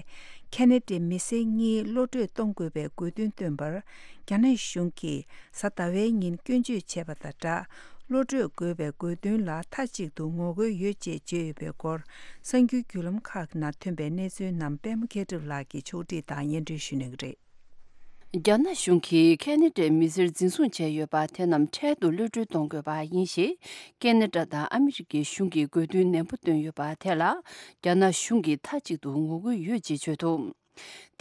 ཁེ་ན་ཌའི་མི་སེར་གཉིས་གློད་གྲོལ་གཏོང་དགོས་པའི་དགོས་འདུན་བཏོན་པར། རྒྱ་ནག་གཞུང་གིས་གཟའ་ཟླ་བའི་ཉིན་སྐྱོན་བརྗོད་བྱས་པ་དང་སྦྲགས། གློད་གྲོལ་དགོས་པའི་དགོས་འདུན་ལ་མཐའ་གཅིག་ཏུ་ངོ་རྒོལ་ཡོད་ཅེས་བརྗོད་ཡོད་པའི་སྐོར། གསར་འགྱུར་བརྒྱུད་ལམ་ཁག་ནང་ཐོན་པའི་གནས་ཚུལ་རྣམས་པད་མ་མཁས་གྲུབ་ལགས་ཀྱིས་ཕྱོགས་སྒྲིག་དང་སྙན་སྒྲོན་ཞུ་གནང་གི་རེད། རྒྱ་ནག་གཞུང་གིས་ཁེ་ན་ཌའི་མི་སེར་འཛིན་བཟུང་བྱས་ཡོད་པ་དེ་རྣམས་འཕྲལ་དུ་གློད་གྲོལ་གཏོང་དགོས་པ་ཡིན་ཞེས། ཁེ་ན་ཌ་དང་ཨ་མི་རི་ཀའི་གཞུང་གིས་དགོས་འདུན་ནན་པོ་བཏོན་ཡོད་པ་དེ་ལ། རྒྱ་ནག་གཞུང་གིས་མཐའ་གཅིག་ཏུ་ངོ་རྒོལ་ཡོད་ཅེས་བརྗོད་འདུག་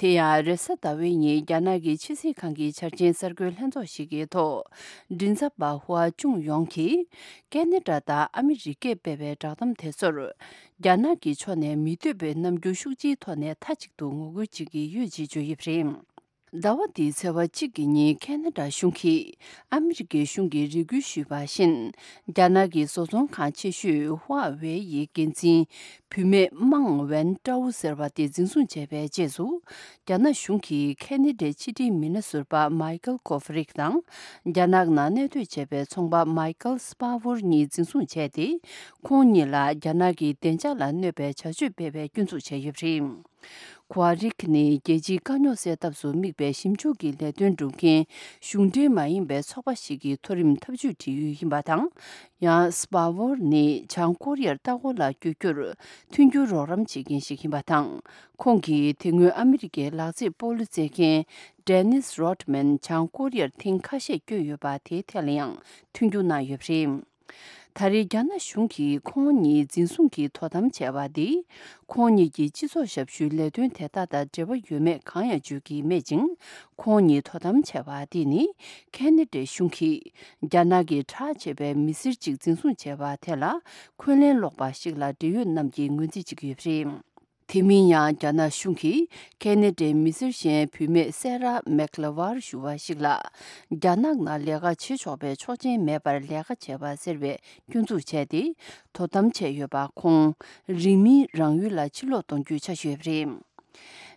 དེ་ཡང་རེས་གཟའ་ཟླ་བའི་ཉིན་རྒྱ་ནག་གི་ཕྱི་སྲིད་ཁང་གི་འཆར་ཅན་གསར་འགོད་ལྷན་ཚོགས་ཤིག་གི་ཐོག་མགྲིན་ཚབ་པ་ཧུའ་ཅུང་ཡོང་གིས། ཁེ་ན་ཌ་དང་ཨ་མི་རི་ཀས་སྤེལ་བའི་བསྒྲགས་གཏམ་དེ་ཚོར། རྒྱ་ནག་གི་ཕྱོགས་ནས་མི་འདོད་པའི་རྣམ་འགྱུར་ཤུགས་ཆེའི་ཐོག་ནས་མཐའ་གཅིག་ཏུ་ངོ་རྒོལ་བྱེད་ཀྱི་ཡོད་ཅེས་བརྗོད་ཡོད་པ་རེད། ཟླ་བ་འདིའི་ཚེས་པ་གཅིག་གི་ཉིན་ཁེ་ན་ཌ་གཞུང་གིས་ཨ་མི་རི་ཀའི་གཞུང་གིས་རེ་སྐུལ་ཞུས་པ་བཞིན། རྒྱ་ནག་གི་བཟོ་ཚོང་ཁང་ཆེ་ཤོས་ཧྭ་ཝེ་ཡི་འགན་འཛིན་བུད་མེད་མང་ཝན་ཀྲའུ་ཟེར་བ་དེ་འཛིན་བཟུང་བྱས་པའི་རྗེས་སུ། རྒྱ་ནག་གཞུང་གིས་ཁེ་ན་ཌའི་ཕྱི་འབྲེལ་མི་སྣ་ཟུར་པ་མའི་ཀལ་ཀོ་ཧྥ་རིག་དང་། རྒྱ་ནག་ནང་གནས་སྡོད་བྱས་པའི་ཚོང་པ་མའི་ཀལ་སྤ་ཝོར་གཉིས་འཛིན་བཟུང་བྱས་ཏེ། ཁོང་གཉིས་ལ་རྒྱ་ནག་གི་བདེ་འཇགས་ལ་གནོད་པའི་བྱ་སྤྱོད་སྤེལ་བའི་སྐྱོན་འཛུགས་བྱས་ཡོད་པ་རེད། ཁོ་ཧྥ་རིག་ནི་རྒྱལ་སྤྱིའི་དཀའ་རྙོག་སེལ་ཐབས་སུ་དམིགས་པའི་ཞིབ་འཇུག་གི་ལས་དོན་སྒྲུབ་མཁན་གཞུང་འབྲེལ་མ་ཡིན་པའི་ཚོགས་པ་ཞིག་གི་མཐོ་རིམ་ཐབས་ཇུས་འབྲེལ་ཡོད་ཡིན་པ་དང་། ཡང་སྤ་ཝོར་ནི་བྱང་ཀོ་རི་ཡར་ལྟ་སྐོར་ལ་བསྐྱོད་རྒྱུར་མཐུན་འགྱུར་རོགས་རམ་བྱེད་མཁན་ཞིག་ཡིན་པ་དང་། ཁོང་གིས་དེ་སྔོན་ཨ་མི་རི་ཀའི་ལག་རྩེད་སྤོ་ལོ་རྩེད་མཁན་ཌེ་ནིས་རོད་མན་བྱང་ཀོ་རི་ཡར་ཐེངས་ཁ་ཤས་བསྐྱོད་ཡོད་པ་དེའི་ཐད་ལ་ཡང་མཐུན་འགྱུར་གནང་ཡོད་པ་རེད། ད་རེས་རྒྱ་ནག་གཞུང་གིས་ཁོང་གཉིས་འཛིན་བཟུང་གིས་དོ་དམ་བྱས་པ་འདིས། ཁོང་གཉིས་ཀྱི་སྤྱི་ཚོགས་ཞབས་ཞུའི་ལས་དོན་དེ་དག་དང་འབྲེལ་བ་ཡོད་མེད་གང་ཡང་བརྗོད་ཀྱི་མེད་ཅིང་། ཁོང་གཉིས་དོ་དམ་བྱས་པ་འདི་ནི། ཁེ་ན་ཌའི་གཞུང་གིས། རྒྱ་ནག་གི་གྲགས་ཆེ་བའི་མི་སེར་གཅིག་འཛིན་བཟུང་བྱས་པ་དེ་ལ། འཁོན་ལན་སློག་པ་ཞིག་ལ་འབྲེལ་ཡོད་རྣམས་ཀྱིས་ངོས་འཛིན་བྱེད་ཀྱི་ཡོད་པ་རེད། དེ་མིན་ཡང་རྒྱ་ནག་གཞུང་གིས་ཁེ་ན་ཌའི་མི་སེར་གཞན་བུད་མེད་སེ་ར་མེག་ལ་ཝར་ཞུ་བ་ཞིག་ལ། རྒྱ་ནག་ནང་ལས་ཀ་བྱེད་ཆོག་པའི་ཆོག་མཆན་མེད་པར་ལས་ཀ་བྱས་པ་ཟེར་བའི་སྐྱོན་འཛུགས་བྱས་ཏེ། དོ་དམ་བྱས་ཡོད་པ་ཁོང་རིང་མིན་རང་ཡུལ་ལ་ཕྱིར་ལོག་གཏོང་རྒྱུའི་འཆར་གཞི་ཡོད་པ་རེད།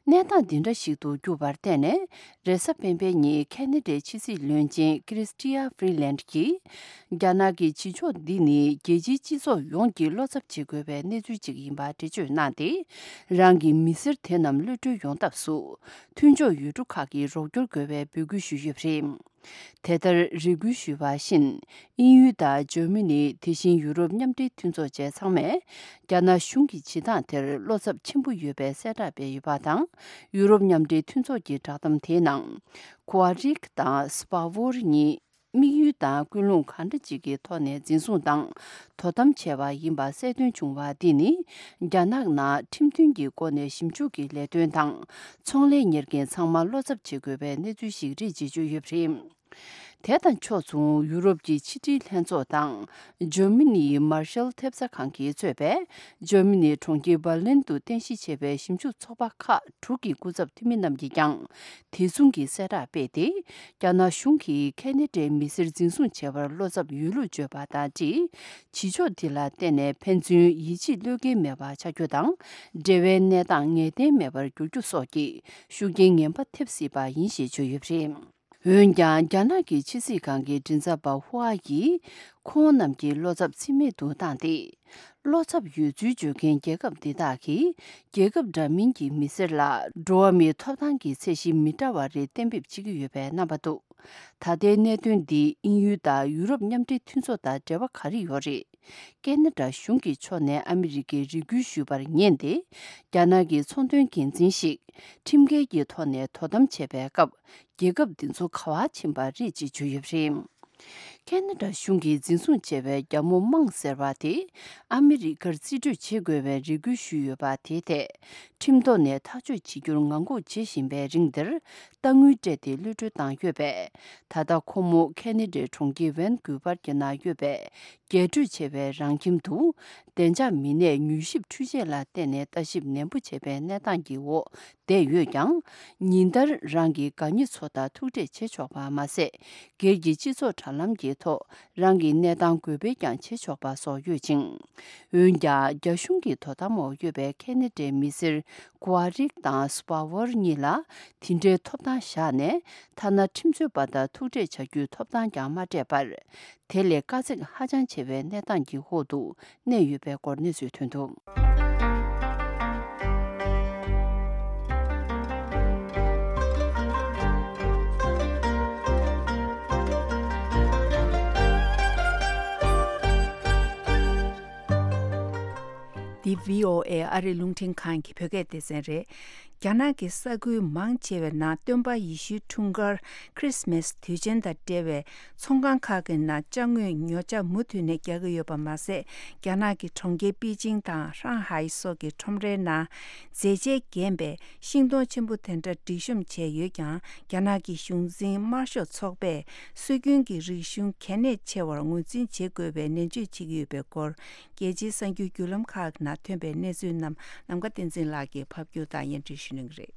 གནས་སྟངས་འདི་འདྲ་ཞིག་ཏུ་གྱུར་པར་བརྟེན་ནས། རེས་གཟའ་སྤེན་པའི་ཉིན་ཁེ་ན་ཌའི་ཕྱི་སྲིད་བློན་ཆེན་ཀྲིས་ཏི་ཡ་ཧྥི་རི་ལན་གྱིས། རྒྱ་ནག་གི་བྱེད་ཕྱོགས་འདི་ནི་རྒྱལ་སྤྱིའི་སྤྱི་ཚོགས་ཡོངས་ཀྱིས་བློ་འཚབ་བྱེད་དགོས་པའི་གནས་ཚུལ་ཅིག་ཡིན་པ་འགྲེལ་བརྗོད་གནང་སྟེ། རང་གི་མི་སེར་དེ་རྣམས་གློད་གྲོལ་ཡོང་ཐབས་སུ། མཐུན་ཕྱོགས་ཡུལ་གྲུ་ཁག་གིས་རོགས་སྐྱོར་དགོས་པའི་འབོད་སྐུལ་ཞུས་ཡོད་པ་རེད། དེ་ལྟར་རེ་སྐུལ་ཞུས་པ་བཞིན། དབྱིན་ཡུལ་དང་འཇར་མ་ནི། དེ་བཞིན་ཡུ་རོབ་མཉམ་འབྲེལ་མཐུན་ཚོགས་བཅས་ཚང་མས། རྒྱ་ནག་གཞུང་གི་བྱེད་སྟངས་དེར་བློ་འཚབ་ཆེན་པོ་ཡོད་པའི་གསལ་བསྒྲགས་སྤེལ་ཡོད་པ་དང་། ཡུ་རོབ་མཉམ་འབྲེལ་མཐུན་ཚོགས་ཀྱི་བསྒྲགས་གཏམ་དེའི་ནང་། ཁོ་ཧྥ་རིག་དང་སྤ་ཝོར་གཉིས། དམིགས་ཡུལ་དང་ཀུན་སློང་གང་འདྲ་ཅིག་གི་ཐོག་ནས་འཛིན་བཟུང་དང་དོ་དམ་བྱས་པ་ཡིན་པ་གསལ་སྟོན་བྱུང་བ་འདི་ནི། རྒྱ་ནག་ནང་ཁྲིམས་མཐུན་གྱི་སྒོ་ནས་ཞིབ་འཇུག་གི་ལས་དོན་དང་། ཚོང་ལས་གཉེར་མཁན་ཚང་མ་བློ་འཚབ་བྱེད་དགོས་པའི་གནས་ཚུལ་ཞིག་རེད་ཅེས་བརྗོད་ཡོད་པ་རེད། དེ་དང་ཕྱོགས་མཚུངས། ཡུ་རོབ་ཀྱི་ཕྱི་དྲིལ་ལྷན་ཚོགས་དང་། འཇར་མ་ནིའི་མར་ཤལ་ཐེབས་རྩ་ཁང་གིས་གཙོས་པའི། འཇར་མ་ནིའི་གྲོང་ཁྱེར་འབར་ལིན་དུ་རྟེན་གཞི་བྱས་པའི་ཞིབ་འཇུག་ཚོགས་པ་ཁག་དྲུག་གི་སྐུ་ཚབ་འཐུས་མི་རྣམས་ཀྱིས་ཀྱང་། དེ་མཚུངས་ཀྱི་གསལ་བསྒྲགས་སྤེལ་ཏེ། རྒྱ་ནག་གཞུང་གིས་ཁེ་ན་ཌའི་མི་སེར་འཛིན་བཟུང་བྱས་པར་བློ་འཚབ་ཡོད་ལུགས་བརྗོད་པ་དང་སྦྲགས། བྱེད་ཕྱོགས་འདི་ལ་བརྟེན་ནས་ཕན་ཚུན་ཡིད་ཆེས་བློས་འགེལ་མེད་པ་ཆགས་རྒྱུ་དང་། འབྲེལ་བའི་གནས་སྟངས་ངེས་གཏན་མེད་པར་འགྱུར་རྒྱུ་སོགས་ཀྱི་ཤུགས་རྐྱེན་ངན་པ་ཐེབས་སྲིད་པ་ཡིན་ཞེས་བརྗོད་ཡོད་པ་རེད། འོན་ཀྱང་། རྒྱ་ནག་གི་ཕྱི་སྲིད་ཁང་གི་མགྲིན་ཚབ་པ་ཧུའ་ཡིས། ཁོང་རྣམས་ཀྱི་བློ་འཚབ་རྩིས་མེད་དུ་བཏང་སྟེ། བློ་འཚབ་ཡོད་ཚུལ་བརྗོད་མཁན་རྒྱལ་ཁབ་འདི་དག་གིས། རྒྱལ་ཁབ་འདྲ་མིན་གྱི་མི་སེར་ལ། འགྲོ་བ་མིའི་ཐོབ་ཐང་གི་ཚད་གཞི་མི་འདྲ་བ་རེ་གཏན་འབེབས་བྱེད་ཀྱི་ཡོད་པའི་རྣམ་པ་འདུག་ད་ལྟའི་གནད་དོན་འདི་དབྱིན་ཡུལ་དང་ཡུ་རོབ་མཉམ་འབྲེལ་མཐུན་ཚོགས་དང་འབྲེལ་བ་ག་རེ་ཡོད་རེད། ཁེ་ན་ཌ་གཞུང་གི་ཕྱོགས་ནས་ཨ་མི་རི་ཀའི་རེ་སྐུལ་ཞུས་པར་ཉན་ཏེ། རྒྱ་ནག་གི་ཚོང་དོན་འགན་འཛིན་ཞིག་ཁྲིམས་འགལ་གྱི་ཐོག་ནས་དོ་དམ་བྱས་པའི་སྐབས། རྒྱལ་ཁབ་འདི་ཚོ་ག་བར་ཕྱིན་པ་རེད་ཅེས་བརྗོད་ཡོད་པ་རེད། ཁེ་ན་ཌ་གཞུང་གིས་འཛིན་བཟུང་བྱས་པའི་རྒྱ་མོ་མང་ཟེར་བ་དེ། ཨ་མི་རི་ཀར་རྩིས་སྤྲོད་བྱེད་དགོས་པའི་རེ་སྐུལ་ཞུས་ཡོད་པ་དེའི་ཐད། ཁྲིམས་ཐོག་ནས་ཐག་གཅོད་བྱེད་རྒྱུར་ངང་སྒུག་བྱེད་བཞིན་པའི་རིང་འདིར། རྟ་དངུལ་སྤྲད་དེ་གློད་གྲོལ་བཏང་ཡོད་པས། ད་ལྟ་ཁོ་མོ་ཁེ་ན་ཌའི་གྲོང་ཁྱེར་ཝན་ཀུ་ཝར་གྱི་ནང་ཡོད་པའི་རྒྱས་སྤྲོས་ཆེ་བའི་རང་ཁྱིམ་དུ། བདེ་འཇགས་མི་སྣས་མྱུལ་ཞིབ་འཕྲུལ་ཆས་ལ་བརྟེན་ནས་ལྟ་ཞིབ་ནན་པོ་བྱས་པའི་གནས་སྟངས་ཀྱི་འོག་བསྡད་ཡོད་ཀྱང་། ཉིན་ལྟར་རང་གི་དགའ་ཉེ་ཚོ་དང་ཐུག་འཕྲད་བྱེད་ཆོག་པ་མ་ཟད། སྒེར་གྱི་སྤྱི་ཚོགས་དྲ་ལམ་གྱི་ཐོག་རང་གི་གནས་སྟངས་འགོད་སྤེལ་ཀྱང་བྱེད་ཆོག་པ་སོགས་ཡོད་ཅིང་། འོན་ཀྱང་། རྒྱ་གཞུང་གི་དོ་དམ་འོག་ཡོད་པའི་ཁེ་ན་ཌའི་མི་སེར་ཀུ་ཝ་རིག་དང་སྤ་ཝར་གཉིས་ལ། དེ་འདྲའི་ཐོབ་ཐང་བཞག་ནས། ཐ་ན་ཁྲིམས་རྩོད་པ་དང་ཐུག་འཕྲད་བྱ་རྒྱུའི་ཐོབ་ཐང་ཀྱང་མ་སྤྲད་པར། དེ་ལས་དཀའ་ཚེགས་ཧ་ཅང་ཆེ་བའི་གནས་སྟངས་ཀྱི་འོག་ཏུ་གནས་ཡོད་པའི་སྐོར་གནས་ཚུལ་ཐོན་འདུག་འདི་བྷི་ཨོ་ཨེ་ཨ་རིའི་རླུང་འཕྲིན་ཁང་གི་བོད་སྐད་སྡེ་ཚན་རེད། རྒྱ་ནག་གི་ས་ཁུལ་མང་ཆེ་བའི་ནང་སྟོན་པ་ཡེ་ཤུའི་འཁྲུངས་སྐར་Christmas དུས་ཆེན་དང་འབྲེལ་བའི་ཚོང་ཁང་ཁག་གི་ནང་ཅ་དངོས་ཉོ་ཆ་མུ་མཐུད་ནས་རྒྱག་གི་ཡོད་པ་མ་ཟད། རྒྱ་ནག་གི་གྲོང་ཁྱེར་པེ་ཅིང་དང་ཧྲང་ཧའེ་སོགས་ཀྱི་ཁྲོམ་རའི་ནང་མཛེས་ཆས་བརྒྱན་པའི་ཤིང་སྡོང་ཆེན་པོ་དེ་འདྲ་སྒྲིག་གཤོམ་བྱས་ཡོད་ཀྱང་། རྒྱ་ནག་གི་གཞུང་འཛིན་དམར་ཤོག་ཚོགས་པས་སྲོལ་རྒྱུན་གྱི་རིག་གཞུང་གལ་གནད་ཆེ་བར་ངོས་འཛིན་བྱེད་དགོས་པའི་ནན་བརྗོད་བྱེད་ཀྱི་ཡོད་པའི་སྐོར། རྒྱལ་སྤྱིའི་གསར་འགྱུར་བརྒྱུད་ལམ་ཁག་ནང་ཐོན་པའི་གནས་ཚུལ་རྣམས་ནམ་མཁའ་བསྟན་འཛིན་ལགས་ཀྱིས་ཕབ་སྒྱུར་དང་སྙན་སྒྲོན་ཞུ་གནང་གི་རེད།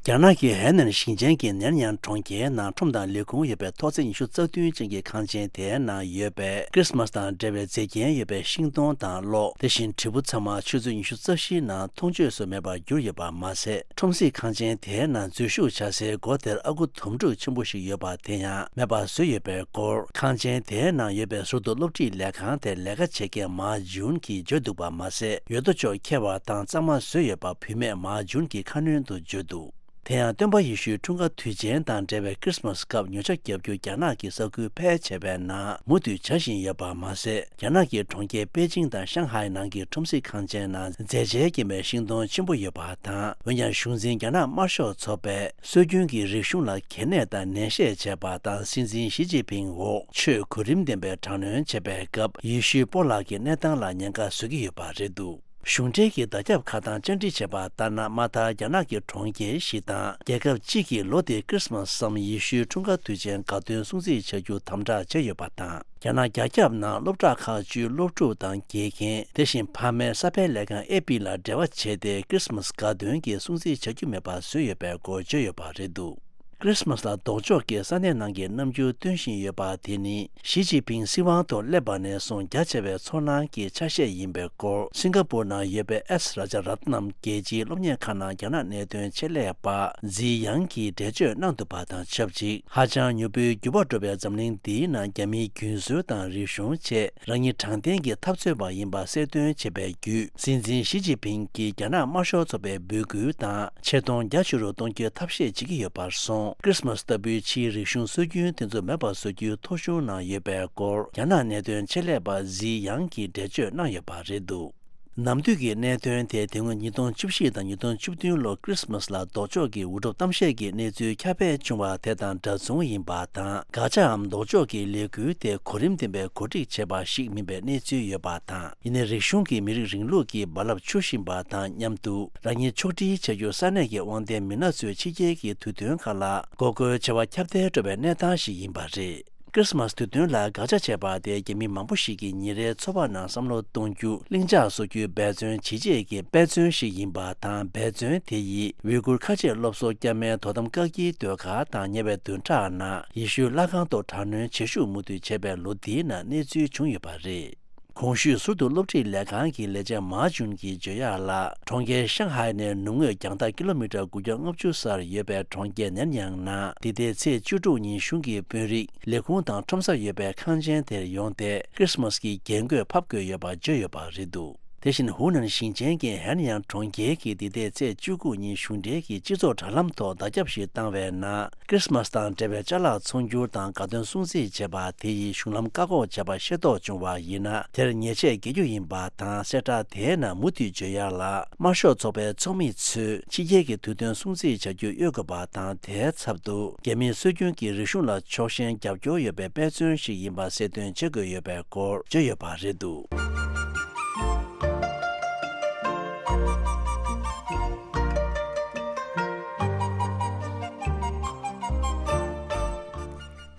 རྒྱ་ནག་གི་ཧའེ་ནན་ཞིང་ཆེན་གྱི་ནན་ཡང་གྲོང་ཁྱེར་ནང་ཁྲོམ་དང་ལས་ཁུངས་ཡོད་པའི་ཐོག་བརྩེགས་ཉི་ཤུ་རྩ་བདུན་ཅན་གྱི་ཁང་ཆེན་དེའི་ནང་ཡོད་པའི་ཁྲི་སི་མ་སི་དང་འབྲེལ་བའི་མཛེས་རྒྱན་ཡོད་པའི་ཤིང་སྡོང་དང་གློག་དེ་བཞིན་དྲིལ་བུ་ཚང་མ་ཆུ་ཚོད་ཉི་ཤུ་རྩ་བཞིའི་ནང་མཐོང་ཆོས་སུ་མེད་པར་གྱུར་ཡོད་པ་མ་ཟད། ཁྲོམ་གཟིགས་ཁང་ཆེན་དེའི་ནང་འཛུལ་ཞུགས་བྱ་སའི་སྒོ་དེར་ཨ་ཁུ་དོམ་ཕྲུག་ཆེན་པོ་ཞིག་ཡོད་པ་དེ་ཡང་མེད་པར་བཟོས་ཡོད་པའི་སྐོར། ཁང་ཆེན་དེའི་ནང་ཡོད་པའི་ཟུར་དུ་སློབ་ཁྲིད་ལས་ཁང་དེར་ལས་ཀ་བྱེད་མཁན་མཱ་ཇུན་གྱིས་བརྗོད་འདུག་པ་མ་ཟད། ཡོད་དོ་ཅོག་འཁྱེར་བ་དང་གཙང་མ་བཟོས་ཡོད་པ་བུད་མེད་མཱ་ཇུན་གྱིས་ཁ་སྣོན་དུ་བརྗོད་འདུག་དེ་ཡང་སྟོན་པ་ཡེ་ཤུའི་འཁྲུངས་སྐར་དུས་ཆེན་དང་འབྲེལ་བའི་ཁྲི་སི་མ་སི་སྐབས་ཉོ་ཆ་བརྒྱབ་རྒྱུ་རྒྱ་ནག་གི་ས་ཁུལ་ཕལ་ཆེ་བའི་ནང་མུ་མཐུད་བྱ་བཞིན་ཡོད་པ་མ་ཟད། རྒྱ་ནག་གི་གྲོང་ཁྱེར་པེ་ཅིང་དང་ཤང་ཧའེ་ནང་གི་ཁྲོམ་གཟིགས་ཁང་ཆེན་ནང་མཛེས་ཆས་ཀྱི་མའི་ཤིང་སྡོང་ཆེན་པོ་ཡོད་པ་དང་། འོན་ཀྱང་གཞུང་འཛིན་རྒྱ་ནག་དམར་ཤོག་ཚོགས་པས་སྲོལ་རྒྱུན་གྱི་རིག་གཞུང་ལ་གལ་གནད་དང་ནན་བཤད་བྱས་པ་དང་། སྲིད་འཛིན་ཞི་ཅིན་ཕིང་འོག་ཆོས་གོ་རིམ་ལྡན་པའི་དྲག་གནོན་བྱས་པའི་སྐབས་ཡེ་ཤུའི་སྤོ་ལགས་ཀྱི་གནས་སྟངས་ལ་ཉེན་ཁ་བཟོ་གི་ཡོད་པ་རེད་འདུག་གཞུང་འབྲེལ་གྱི་བརྡ་ཁྱབ་ཁག་དང་བཅར་འདྲི་བྱས་པ་ལྟར་ན། མ་མཐར་རྒྱ་ནག་གི་གྲོང་ཁྱེར་ཞིག་དང་རྒྱལ་ཁབ་གཅིག་གིས་ལོ་འདིར་ཁྲི་སི་མ་སི་སམ་ཡེ་ཤུའི་འཁྲུངས་སྐར་དུས་ཆེན་དགའ་སྟོན་སྲུང་བརྩི་བྱ་རྒྱུ་དམ་དྲག་བྱས་ཡོད་པ་དང་། རྒྱ་ནག་རྒྱ་ཁྱབ་ནང་སློབ་གྲྭ་ཁག་བཅུའི་སློབ་ཕྲུག་དང་དགེ་རྒན། དེ་བཞིན་ཕ་མའི་ས་ཕེབས་ལས་ཁང་ཨེ་པི་ལ་འབྲེལ་བ་བྱས་ཏེ་ཁྲི་སི་མ་སི་དགའ་སྟོན་གྱི་སྲུང་བརྩི་བྱ་རྒྱུ་མེད་པ་བཟོས་ཡོད་པའི་སྐོར་བརྗོད་ཡོད་པ་རེད་འདུག་ཁྲི་སི་མ་སི་ལ་ལྡོག་ཕྱོགས་ཀྱིས་ས་གནས་ནང་གི་རྣམ་འགྱུར་སྟོན་བཞིན་ཡོད་པ་དེ་ནི་ཞི་ཅིན་ཕིང་སྲིད་དབང་ཐོག་སླེབས་པ་ནས་བཟུང་རྒྱ་ཆེ་བའི་ཚོར་སྣང་གི་ཆ་ཤས་ཡིན་པའི་སྐོར། སིང་ག་པུར་ནང་ཡོད་པའི་ཨེས་ར་ཇ་རཏ་ནམ་རྒྱལ་སྤྱིའི་སློབ་གཉེར་ཁང་ནང་རྒྱ་ནག་གནད་དོན་ཆེད་ལས་པ་ཛི་ཡང་གིས་འགྲེལ་བརྗོད་གནང་འདུག་པ་དང་ཆབས་ཅིག་ཧ་ཅང་མྱུར་པོའི་འགྱུར་བ་འགྲོ་བའི་འཛམ་གླིང་འདིའི་ནང་རྒྱ་མིའི་རྒྱུན་སྲོལ་དང་རིག་གཞུང་ཆེད། རང་ཉིད་དྲང་བདེན་གྱི་འཐབ་རྩོད་པ་ཡིན་པ་གསལ་སྟོན་བྱེད་པའི་བརྒྱུད། སྲིད་འཛིན་ཞི་ཅིན་ཕིང་གིས་རྒྱ་ནག་དམར་ཤོག་ཚོགས་པའི་འབོད་སྐུལ་དང་ཆེ་མཐོང་རྒྱ་ཆེ་རུ་གཏོང་རྒྱུའི་ཐབས་ཤེས་བྱེད་ཀྱི་ཡོད་པར་སོང་། ཁྲི་སི་མ་སི་ལྟ་བུའི་ཕྱིའི་རིག་གཞུང་སྲོལ་རྒྱུན་དེ་ཚོ་མེད་པར་བཟོ་རྒྱུའི་ཐོ་གཞུང་ནང་ཡོད་པའི་སྐོར། རྒྱ་ནག་གནད་དོན་ཆེད་ལས་པ་ཛི་ཡང་གིས་འགྲེལ་བརྗོད་གནང་ཡོད་པ་རེད་འདུག་ནམ་དུས་ཀྱི་གནད་དོན་དེ་དེ་སྔོན་ཉིས་སྟོང་བཅུ་བཞི་དང་ཉིས་སྟོང་བཅུ་བདུན་ལོ་ཁྲི་སི་མ་སི་ལ་ལྡོག་ཕྱོགས་ཀྱི་འུར་སྒྲོག་གཏམ་བཤད་ཀྱི་གནས་ཚུལ་ཁྱབ་སྤེལ་བྱུང་བ་དེ་དང་འདྲ་མཚུངས་ཡིན་པ་དང་། དགག་བྱའམ་ལྡོག་ཕྱོགས་ཀྱི་ལས་འགུལ་དེ་གོ་རིམ་ལྡན་པའི་གོ་སྒྲིག་བྱས་པ་ཞིག་མིན་པའི་གནས་ཚུལ་ཡོད་པ་དང་། ཡིན་ནའི་རིག་གཞུང་གི་མི་རིགས་རིང་ལུགས་ཀྱི་རྦ་རླབས་འཕྱུར་བཞིན་པ་དང་མཉམ་དུ། རང་ཉིད་ཕྱོགས་སྒྲིལ་བྱ་རྒྱུར་ས་གནས་ཀྱི་དབང་ལྡན་མི་སྣ་ཚོས་ཕྱི་རྒྱལ་གྱི་དུས་སྟོན་ཁག་ལ་མགོ་སྐོར་བྱ་བ་ཁྱབ་གདལ་འགྲོ་བའི་གནས་སྟངས་ཤིག་ཡིན་པ་རེད། ཁྲི་སི་མ་སི་དུས་སྟོན་ལ་དགག་བྱ་བྱས་པ་དེ་རྒྱ་མི་མང་པོ་ཞིག་གིས་ཉིན་རེའི་འཚོ་བ་ནང་བསམ་བློ་གཏོང་རྒྱུ། ལྷིང་འཇགས་བཟོ་རྒྱུའི་འབད་བརྩོན་བྱེད་ཆེད་ཀྱི་དཔེ་མཚོན་ཞིག་ཡིན་པ་དང་། འབད་བརྩོན་དེ་ཡིས་ཝུའི་གུར་ཁ་ཆེ་སློབ་གསོ་བསྐྱར་མའི་དོ་དམ་བཀག་སྐྱིལ་སྡོད་སྒར་དང་ཉེ་བའི་བདུན་ཕྲག་ནང་ཡེ་ཤུའི་ལྷ་ཁང་ཐོག་དྲག་གནོན་བྱེད་ཤུགས་མུ་མཐུད་བྱས་པའི་ལོ་འདིའི་ནང་གནས་ཚུལ་བྱུང་ཡོད་པ་རེད། གོང་ཞུས་ཟུར་དུ་སློབ་ཁྲིད་ལས་ཁང་གི་ལས་བྱེད་མཱ་ཇུན་གྱིས་བརྗོད་ཡག་ལ། གྲོང་ཁྱེར་ཤང་ཧའེ་ནས་ནུབ་ངོས་རྒྱང་ཐག་ཀི་ལོ་མི་ཊར་དགུ་བརྒྱ་ལྔ་བཅུ་སར་ཡོད་པའི་གྲོང་ཁྱེར་ནན་ཡང་ནང་འདི་ཟླའི་ཚེས་བཅུ་དྲུག་ཉིན་གཞུང་གི་དཔོན་རིགས། ལས་ཁུངས་དང་ཁྲོམ་སར་ཡོད་པའི་ཁང་ཆེན་དེར་ཡོང་སྟེ་ཁྲི་སི་མ་སི་གི་རྒྱན་གོས་ཕབ་དགོས་ཡོད་པ་བརྗོད་ཡོད་པ་རེད་འདུག་དེ་བཞིན་ཧུའུ་ནན་ཞིང་ཆེན་གྱི་ཧན་ཡང་གྲོང་ཁྱེར་གྱིས་འདི་ཟླའི་ཚེས་བཅུ་དགུ་ཉིན་གཞུང་འབྲེལ་གྱི་སྤྱི་ཚོགས་དྲ་ལམ་ཐོག་བརྡ་ཁྱབ་ཞིག་བཏང་བའི་ནང་། ཁྲི་སི་མ་སི་དང་འབྲེལ་བའི་ཅ་ལག་ཚོང་སྒྱུར་དང་དགའ་སྟོན་སྲུང་བརྩི་བྱེད་པ་དེ་ཡིས་གཞུང་ལམ་བཀག་འགོག་བྱས་པ་ཤེས་རྟོགས་བྱུང་བ་ཡིན་ན། དེར་ཉེས་ཆད་འགེལ་རྒྱུ་ཡིན་པ་དང་། གསལ་བསྒྲགས་དེའི་ནང་མུ་མཐུད་བརྗོད་ཡག་ལ། དམར་ཤོག་ཚོགས་པའི་ཚོགས་མི་ཚོས་ཕྱི་རྒྱལ་གྱི་དུས་སྟོན་སྲུང་བརྩི་བྱ་རྒྱུ་གཡོལ་དགོས་པ་དང་། དེའི་ཚབ་ཏུ་རྒྱ་མིའི་སྲོལ་རྒྱུན་གྱི་རིག་གཞུང་ལ་ཕྱོགས་ཞེན་རྒྱབ་སྐྱོར་ཡོད་པའི་དཔེ་མཚོན་ཞིག་ཡིན་པ་གསལ་སྟོན་བྱེད་དགོས་ཡོད་པའི་སྐོར་བརྗོད་ཡོད་པ་རེད་འདུག་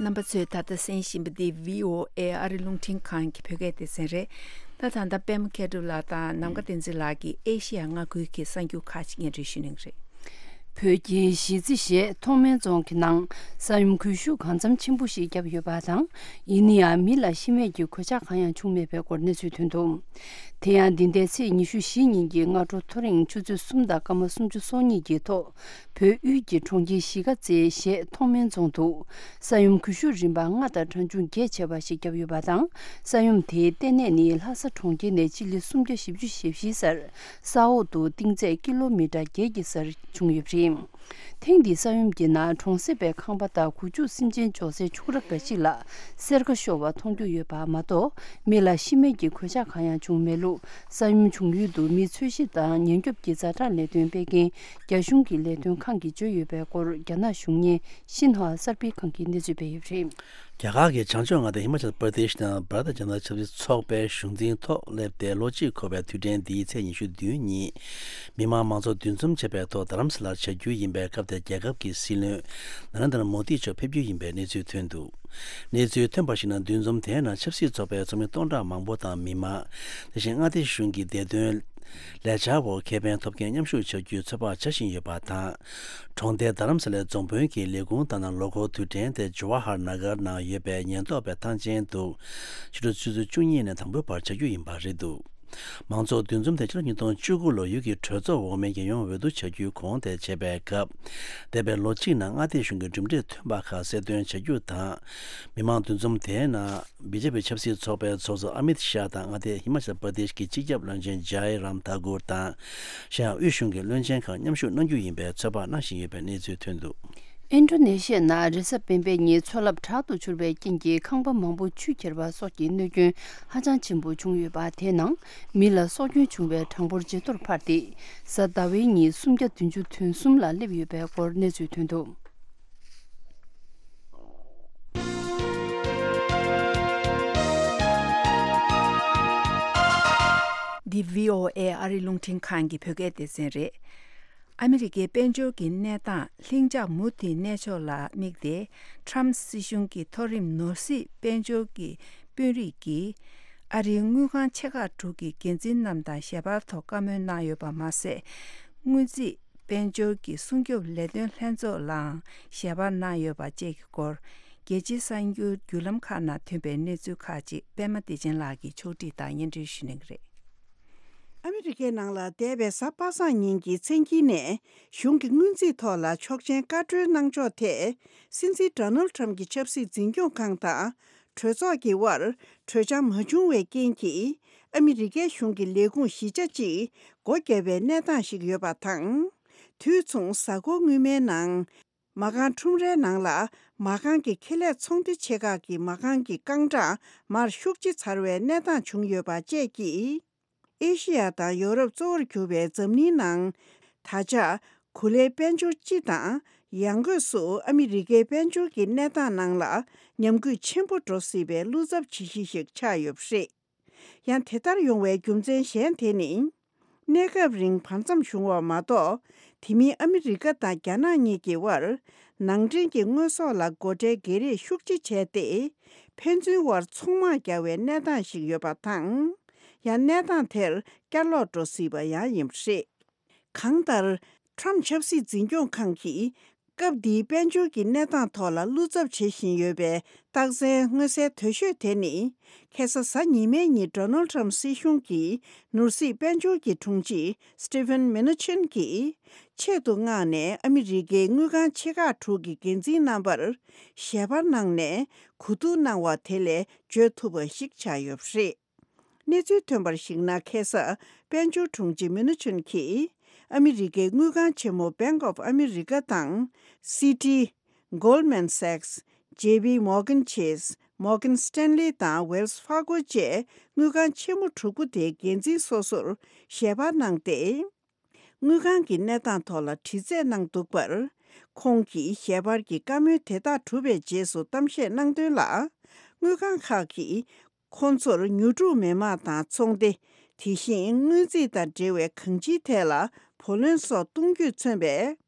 རྣམ་པ་ཚོས་ད་ལྟ་གསན་བཞིན་པ་འདི་བྷི་ཨོ་ཨེ་ཨ་རི་རླུང་འཕྲིན་ཁང་གི་བོད་སྐད་སྡེ་ཚན་རེད། ད་ད་ལྟ་པད་མ་མཁས་གྲུབ་ལགས་དང་ནམ་མཁའ་བསྟན་འཛིན་ལགས་ཀྱིས་ཨེ་ཤེ་ཡ་མངའ་ཁུལ་གྱི་གསར་འགྱུར་ཁག་ཅིག་སྙན་སྒྲོན་ཞུ་གནང་གི་རེད། བོད་ཀྱི་གཞིས་རྩེ་ཞེས་ཐོག་མའི་རྫོང་གི་ནང་ས་ཡོམ་གུལ་ཤུགས་གང་འཚམ་ཆེན་པོ་ཞིག་བརྒྱབ་ཡོད་པ་དང་། ཡིན་ན་ཡང་མི་ལ་ཤི་རྨས་ཀྱི་གོད་ཆག་གང་ཡང་བྱུང་མེད་པའི་སྐོར་གནས་ཚུལ་ཐོན་འདུག་དེ་ཡང་འདི་ཟླའི་ཚེས་ཉི་ཤུ་བཞི་ཉིན་གྱི་སྔ་དྲོ་ཐོ་རེངས་ཆུ་ཚོད་གསུམ་དང་སྐར་མ་སུམ་ཅུ་སོ་གཉིས་ཀྱི་ཐོག་བོད་དབུས་ཀྱི་གྲོང་ཁྱེར་གཞིས་ཀ་རྩེ་ཞེས་ཐོག་མའི་རྫོང་དུ་ས་ཡོམ་གུལ་ཤུགས་རིམ་པ་ལྔ་དང་གྲངས་ཆུང་བརྒྱད་བྱས་པ་ཞིག་བརྒྱབ་ཡོད་པ་དང་། ས་ཡོམ་དེའི་ལྟེ་གནས་ནི་ལྷ་ས་གྲོང་ཁྱེར་ནས་སྤྱི་ལེ་སུམ་བརྒྱ་བཞི་བཅུ་ཞེ་བཞི་སར་ས་འོག་ཏུ་གཏིང་ཚད་ཀི་ལོ་མི་ཊར་བརྒྱད་ཀྱི་སར་བྱུང་ཡོད་པ་རེད། ཐེངས་འདིའི་ས་ཡོམ་གྱི་ནང་གྲོང་གསེབ་པའི་ཁང་པ་དང་གུ་ཅུག་སེམས་ཅན་འཇོག་སའི་ཆུ་ར་འགའ་ཞིག་ལ་སེར་ཁ་ཤོར་བ་མཐོང་རྒྱུ་ཡོད་པ་མ་གཏོགས། མི་ལ་ཤི་རྨས་ཀྱི་གོད་ཆག་གང་ཡང་བྱུང་མེད་ལུགས། ས་ཡོམ་བྱུང་ཡུལ་དུ་མི་འཚོལ་ཞིབ་དང་ཉེན་སྐྱོབ་ཀྱི་ཛ་དྲག་ལས་དོན་སྤེལ་མཁན་རྒྱ་གཞུང་གི་ལས་དོན་ཁང་གིས་བརྗོད་ཡོད་པའི་སྐོར། རྒྱ་ནག་གཞུང་གཉེར་ཤིན་ཧྭ་གསར་སྤེལ་ཁང་གིས་གནས་ཚུལ་སྤེལ་ཡོད་པ་རེད། རྒྱ་གར་གྱི་བྱང་ཕྱོགས་མངའ་སྡེ་ཧི་མ་ཅལ་པར་དེཤ་ནང་བྷ་ར་ཏ་ཇན་ཏ་ཆབ་སྲིད་ཚོགས་པའི་གཞུང་འཛིན་ཐོག་སླེབས་ཏེ་ལོ་གཅིག་འཁོར་བའི་དུས་དྲན་འདིའི་ཚེས་ཉི་ཤུ་བདུན་ཉིན། མི་མང་མང་ཚོགས་འདུ་འཛོམས་བྱེད་པའི་ཐོག་རྡ་རམ་ས་ལར་བྱ་རྒྱུ་ཡིན་པའི་སྐབས་དེར་རྒྱལ་ཁབ་ཀྱི་སྲིད་བློན་ན་རེན་དྲ་མོ་དི་མཆོག་ཕེབས་རྒྱུ་ཡིན་པའི་གནས་ཚུལ་ཐོན་འདུག་གནས་ཚུལ་ཐོན་པར་གཞིགས་ན། འདུ་འཛོམས་དེའི་ནང་ཆབ་སྲིད་ཚོགས་པའི་ཚོགས་མི་སྟོང་ཕྲག་མང་པོ་དང་མི་མང་། དེ་བཞིན་མངའ་སྡེ་གཞུང་གི་བདེ་དོན་ ལས་འཆར་འོག་ཁེ་ཕན་ཐོབ་མཁན་མཉམ་ཞུགས་བྱ་རྒྱུའི་ཚོད་དཔག་བྱ་བཞིན་ཡོད་པ་དང་། གྲོང་རྡལ་རྡ་རམ་ས་ལའི་རྫོང་དཔོན་གྱིས་ལས་ཁུངས་ལྟར་ན་ལོ་འཁོར་དུས་དྲན་དེ་ཇོ་ཧ་ཧར་ན་གར་ནང་ཡོད་པའི་ཉེན་རྟོག་པའི་ཐང་ཆེན་དུ་ཕྱི་དྲོ་ཆུ་ཚོད་བཅུ་གཉིས་ནས་དང་པོའི་བར་བྱ་རྒྱུ་ཡིན་པ་རེད་འདུག། མང་ཚོགས་འདུ་འཛོམས་དེ་ཕྱི་ལོ་ཉིས་སྟོང་བཅུ་དགུ་ལོ་ཡུལ་གྱི་གྲོས་ཚོགས་འོག་མའི་རྒྱལ་ཡོངས་འོས་བསྡུ་བྱ་རྒྱུའི་གོང་དེ་བྱེད་པའི་སྐབས། འདས་པའི་ལོ་གཅིག་ནང་མངའ་སྡེ་གཞུང་གི་གྲུབ་འབྲས་ཐོན་པ་ཁག་གསལ་སྟོན་བྱ་རྒྱུ་དང་། མི་མང་འདུ་འཛོམས་དེའི་ནང་བི་ཇེ་པི་ཆབ་སྲིད་ཚོགས་པའི་ཚོགས་གཙོ་ཨ་མིད་ཤཱ་དང་མངའ་སྡེ་ཧི་མ་ཅལ་པར་དེཤ་གི་སྤྱི་ཁྱབ་བློན་ཆེན་ཇའི་རམ་ཐ་གུར་དང་། གཞན་ཡང་དབུས་གཞུང་གི་བློན་ཆེན་ཁག་མཉམ་ཞུགས་གནང་རྒྱུ་ཡིན་པའི་ཚོད་དཔག་གནང་བཞིན་ཡོད་པའི་གནས་ཚུལ་ཐོན་འདུག། ཨིན་ཌོ་ནེ་ཤི་ཡ་ནང་རེས་གཟའ་སྤེན་པའི་ཉིན་མཚོ་རླབས་དྲག་ཏུ་འཕྱུར་བའི་རྐྱེན་གྱིས་ཁང་པ་མང་པོ་ཆུས་ཁྱེར་བ་སོགས་ཀྱི་གནོད་སྐྱོན་ཧ་ཅང་ཆེན་པོ་བྱུང་ཡོད་པ། དེའི་ནང་མི་ལ་སྲོག་སྐྱོན་བྱུང་བའི་གྲངས་འབོར་ཇེ་མཐོར་འཕར་ཏེ། གཟའ་ཟླ་བའི་ཉིན་སུམ་བརྒྱ་བདུན་ཅུ་དོན་གསུམ་ལ་སླེབས་ཡོད་པའི་སྐོར་གནས་ཚུལ་ཐོན་འདུག། འདི་བྷི་ཨོ་ཨེ་ཨ་རིའི་རླུང་འཕྲིན་ཁང་གི་བོད་སྐད་སྡེ་ཚན་རེད། ཨ་མི་རི་ཀའི་དཔལ་འབྱོར་གྱི་གནས་སྟངས་ལྷིང་འཇགས་མུ་མཐུད་གནས་ཕྱོགས་ལ་དམིགས་ཏེ། ཊྲམ་སྲིད་གཞུང་གི་མཐོ་རིམ་ནོར་སྲིད་དཔལ་འབྱོར་གྱི་དཔོན་རིགས་ཀྱིས་ཨ་རིའི་དངུལ་ཁང་ཆེ་ཁག་དྲུག་གི་འགན་འཛིན་རྣམས་དང་ཞལ་པར་ཐོག་བཀའ་མོལ་གནང་ཡོད་པ་མ་ཟད། སྔོན་རྩིས་དཔལ་འབྱོར་གྱི་སྲུང་སྐྱོབ་ལས་དོན་ལྷན་ཚོགས་ལའང་ཞལ་པར་གནང་ཡོད་པ་བཅས་ཀྱི་སྐོར། རྒྱལ་སྤྱིའི་གསར་འགྱུར་བརྒྱུད་ལམ་ཁག་ནང་ཐོན་པའི་གནས་ཚུལ་ཁག་ཅིག་པད་མ་བདེ་ཆེན་ལགས་ཀྱིས་ཕྱོགས་སྒྲིག་དང་སྙན་སྒྲོན་ཞུ་གནང་གི་རེད། ཨ་མི་རི་ཀའི་ནང་ལ་འདས་པའི་གཟའ་པ་སངས་ཉིན་གྱི་མཚན་དཀྱིལ་ནས་གཞུང་གི་སྔོན་རྩིས་ཐོག་ལ་ཆོག་མཆན་བཀའ་འཁྲོལ་གནང་ཕྱོགས་ཐད། སྲིད་འཛིན་ཌོ་ནལ་ཊམ་གྱི་ཆབ་སྲིད་འཛིན་སྐྱོང་ཁང་དང་གྲོས་ཚོགས་ཀྱི་དབར་གྲོས་འཆམ་མ་བྱུང་བའི་རྐྱེན་གྱིས། ཨ་མི་རི་ཀའི་གཞུང་གི་ལས་ཁུངས་གཞིས་ཆགས་གཅིག་སྒོ་བརྒྱབ་པའི་གནས་སྟངས་ཤིག་ཡོད་པ་དང་། དུས་མཚུངས་གཟའ་འཁོར་སྔོན་མའི་ནང་། མ་རྐང་ཁྲོམ་རའི་ནང་ལ་མ་རྐང་གི་ཁེ་ལས་ཚོང་སྡེ་ཆེ་ཁག་གི་མ་རྐང་གི་རྐང་གྲངས་མར་ཤུགས་ཆེ་ཚར་བའི་གནས་སྟངས་བྱུང་ཡོད་པ་བཅས་ཀྱིས། ཨེ་ཤི་ཡ་དང་ཡོ་རོབ་གཙོ་བོར་གྱུར་པའི་འཛམ་གླིང་ནང་། ད་ཆ་གོ་ལའི་དཔལ་འབྱོར་སྤྱི་དང་ཡང་སྒོས་སུ་ཨ་མི་རི་ཀའི་དཔལ་འབྱོར་གྱི་གནས་སྟངས་ནང་ལ་ཉམས་རྒུད་ཆེན་པོ་འགྲོ་སྲིད་པའི་བློ་འཚབ་བྱེད་གཞི་ཞིག་ཆགས་ཡོད་པ་རེད། ཡང་དེ་ལྟར་ཡོང་བའི་རྒྱུ་མཚན་གཞན་དེ་ནི། གནས་སྐབས་རིང་བར་མཚམས་བྱུང་བ་མ་གཏོགས། དེ་མིན་ཨ་མི་རི་ཀ་དང་རྒྱ་ནག་གཉིས་ཀྱི་དབར། ནང་འདྲེན་གྱི་དངོས་ཟོག་ལ་སྒོ་ཁྲལ་སྒེར་རེས་ཤུགས་ཆེ་བྱས་ཏེ། ཕན་ཚུན་དབར་ཚོང་དམག་རྒྱག་པའི་གནས་སྟངས་ཤིག་ཡོད་པ་དང་། ཡང་གནས་སྟངས་དེར་བསྐྱར་ལོག་འགྲོ་སྲིད་པ་ཡང་ཡིན་པ་རེད། གང་ལྟར། ཊྲམ་ཆབ་སྲིད་འཛིན་སྐྱོང་ཁང་གིས། སྐབས་འདིའི་དཔལ་འབྱོར་གྱི་གནས་སྟངས་ཐོག་ལ་བློ་འཚབ་བྱེད་བཞིན་ཡོད་པའི་རྟགས་མཚན་མངོན་གསལ་དོད་ཤོས་དེ་ནི། ཁ་སང་གཟའ་ཉི་མའི་ཉིན་ཌོ་ནལ་ཊྲམ་སྲིད་གཞུང་གིས་ནོར་སྲིད་དཔལ་འབྱོར་གྱི་དྲུང་ཆེ་སི་ཊི་ཕན་མེ་ནུ་ཆིན་གྱིས་ཆེད་དུ་མངགས་ནས་ཨ་མི་རི་ཀའི་དངུལ་ཁང་ཆེ་ཁག་དྲུག་གི་འགན་འཛིན་རྣམ་པར་ཞལ་པར་གནང་ནས་གོ་བསྡུར་གནང་བ་དེ་ལས་བརྗོད་ཐུབ་པ་ཞིག་ཆགས་ཡོད་པ་རེད། གནས་ཚུལ་ཐོན་པར་གཞིགས་ན། ཁ་སང་དཔལ་འབྱོར་དྲུང་ཆེ་མེ་ནུ་ཆུན་གྱིས་ཨ་མི་རི་ཀའི་དངུལ་ཁང་ཆེན་མོ་Bank of America དང་། སི་ཊི། Goldman Sachs། ཇེ་པི་མོར་གན་ཆེས། མོར་གན་སི་ཊན་ལི་དང་ཝེལ་སི་ཧྥར་གོ་བཅས་དངུལ་ཁང་ཆེན་མོ་དྲུག་པོ་དེའི་འགན་འཛིན་སོ་སོར་ཞལ་པར་གནང་སྟེ། དངུལ་ཁང་གི་གནས་སྟངས་ཐོག་ལ་དྲི་རྩད་གནང་འདུག་པར། ཁོང་གིས་ཞལ་པར་གྱི་བཀའ་མོལ་དེ་དག་གྲུབ་པའི་རྗེས་སུ་གཏམ་བཤད་གནང་དོན་ལ། དངུལ་ཁང་ཁག་གིས་ཁོང་ཚོར་ཉོ་སྒྲུབ་མི་དམངས་དང་ཚོང་སྡེ། དེ་བཞིན་སྔོན་རྩིས་དང་འབྲེལ་བའི་གང་ཅིའི་ཐད་ལ་བུ་ལོན་སོགས་གཏོང་རྒྱུས་མཚོན་པའི་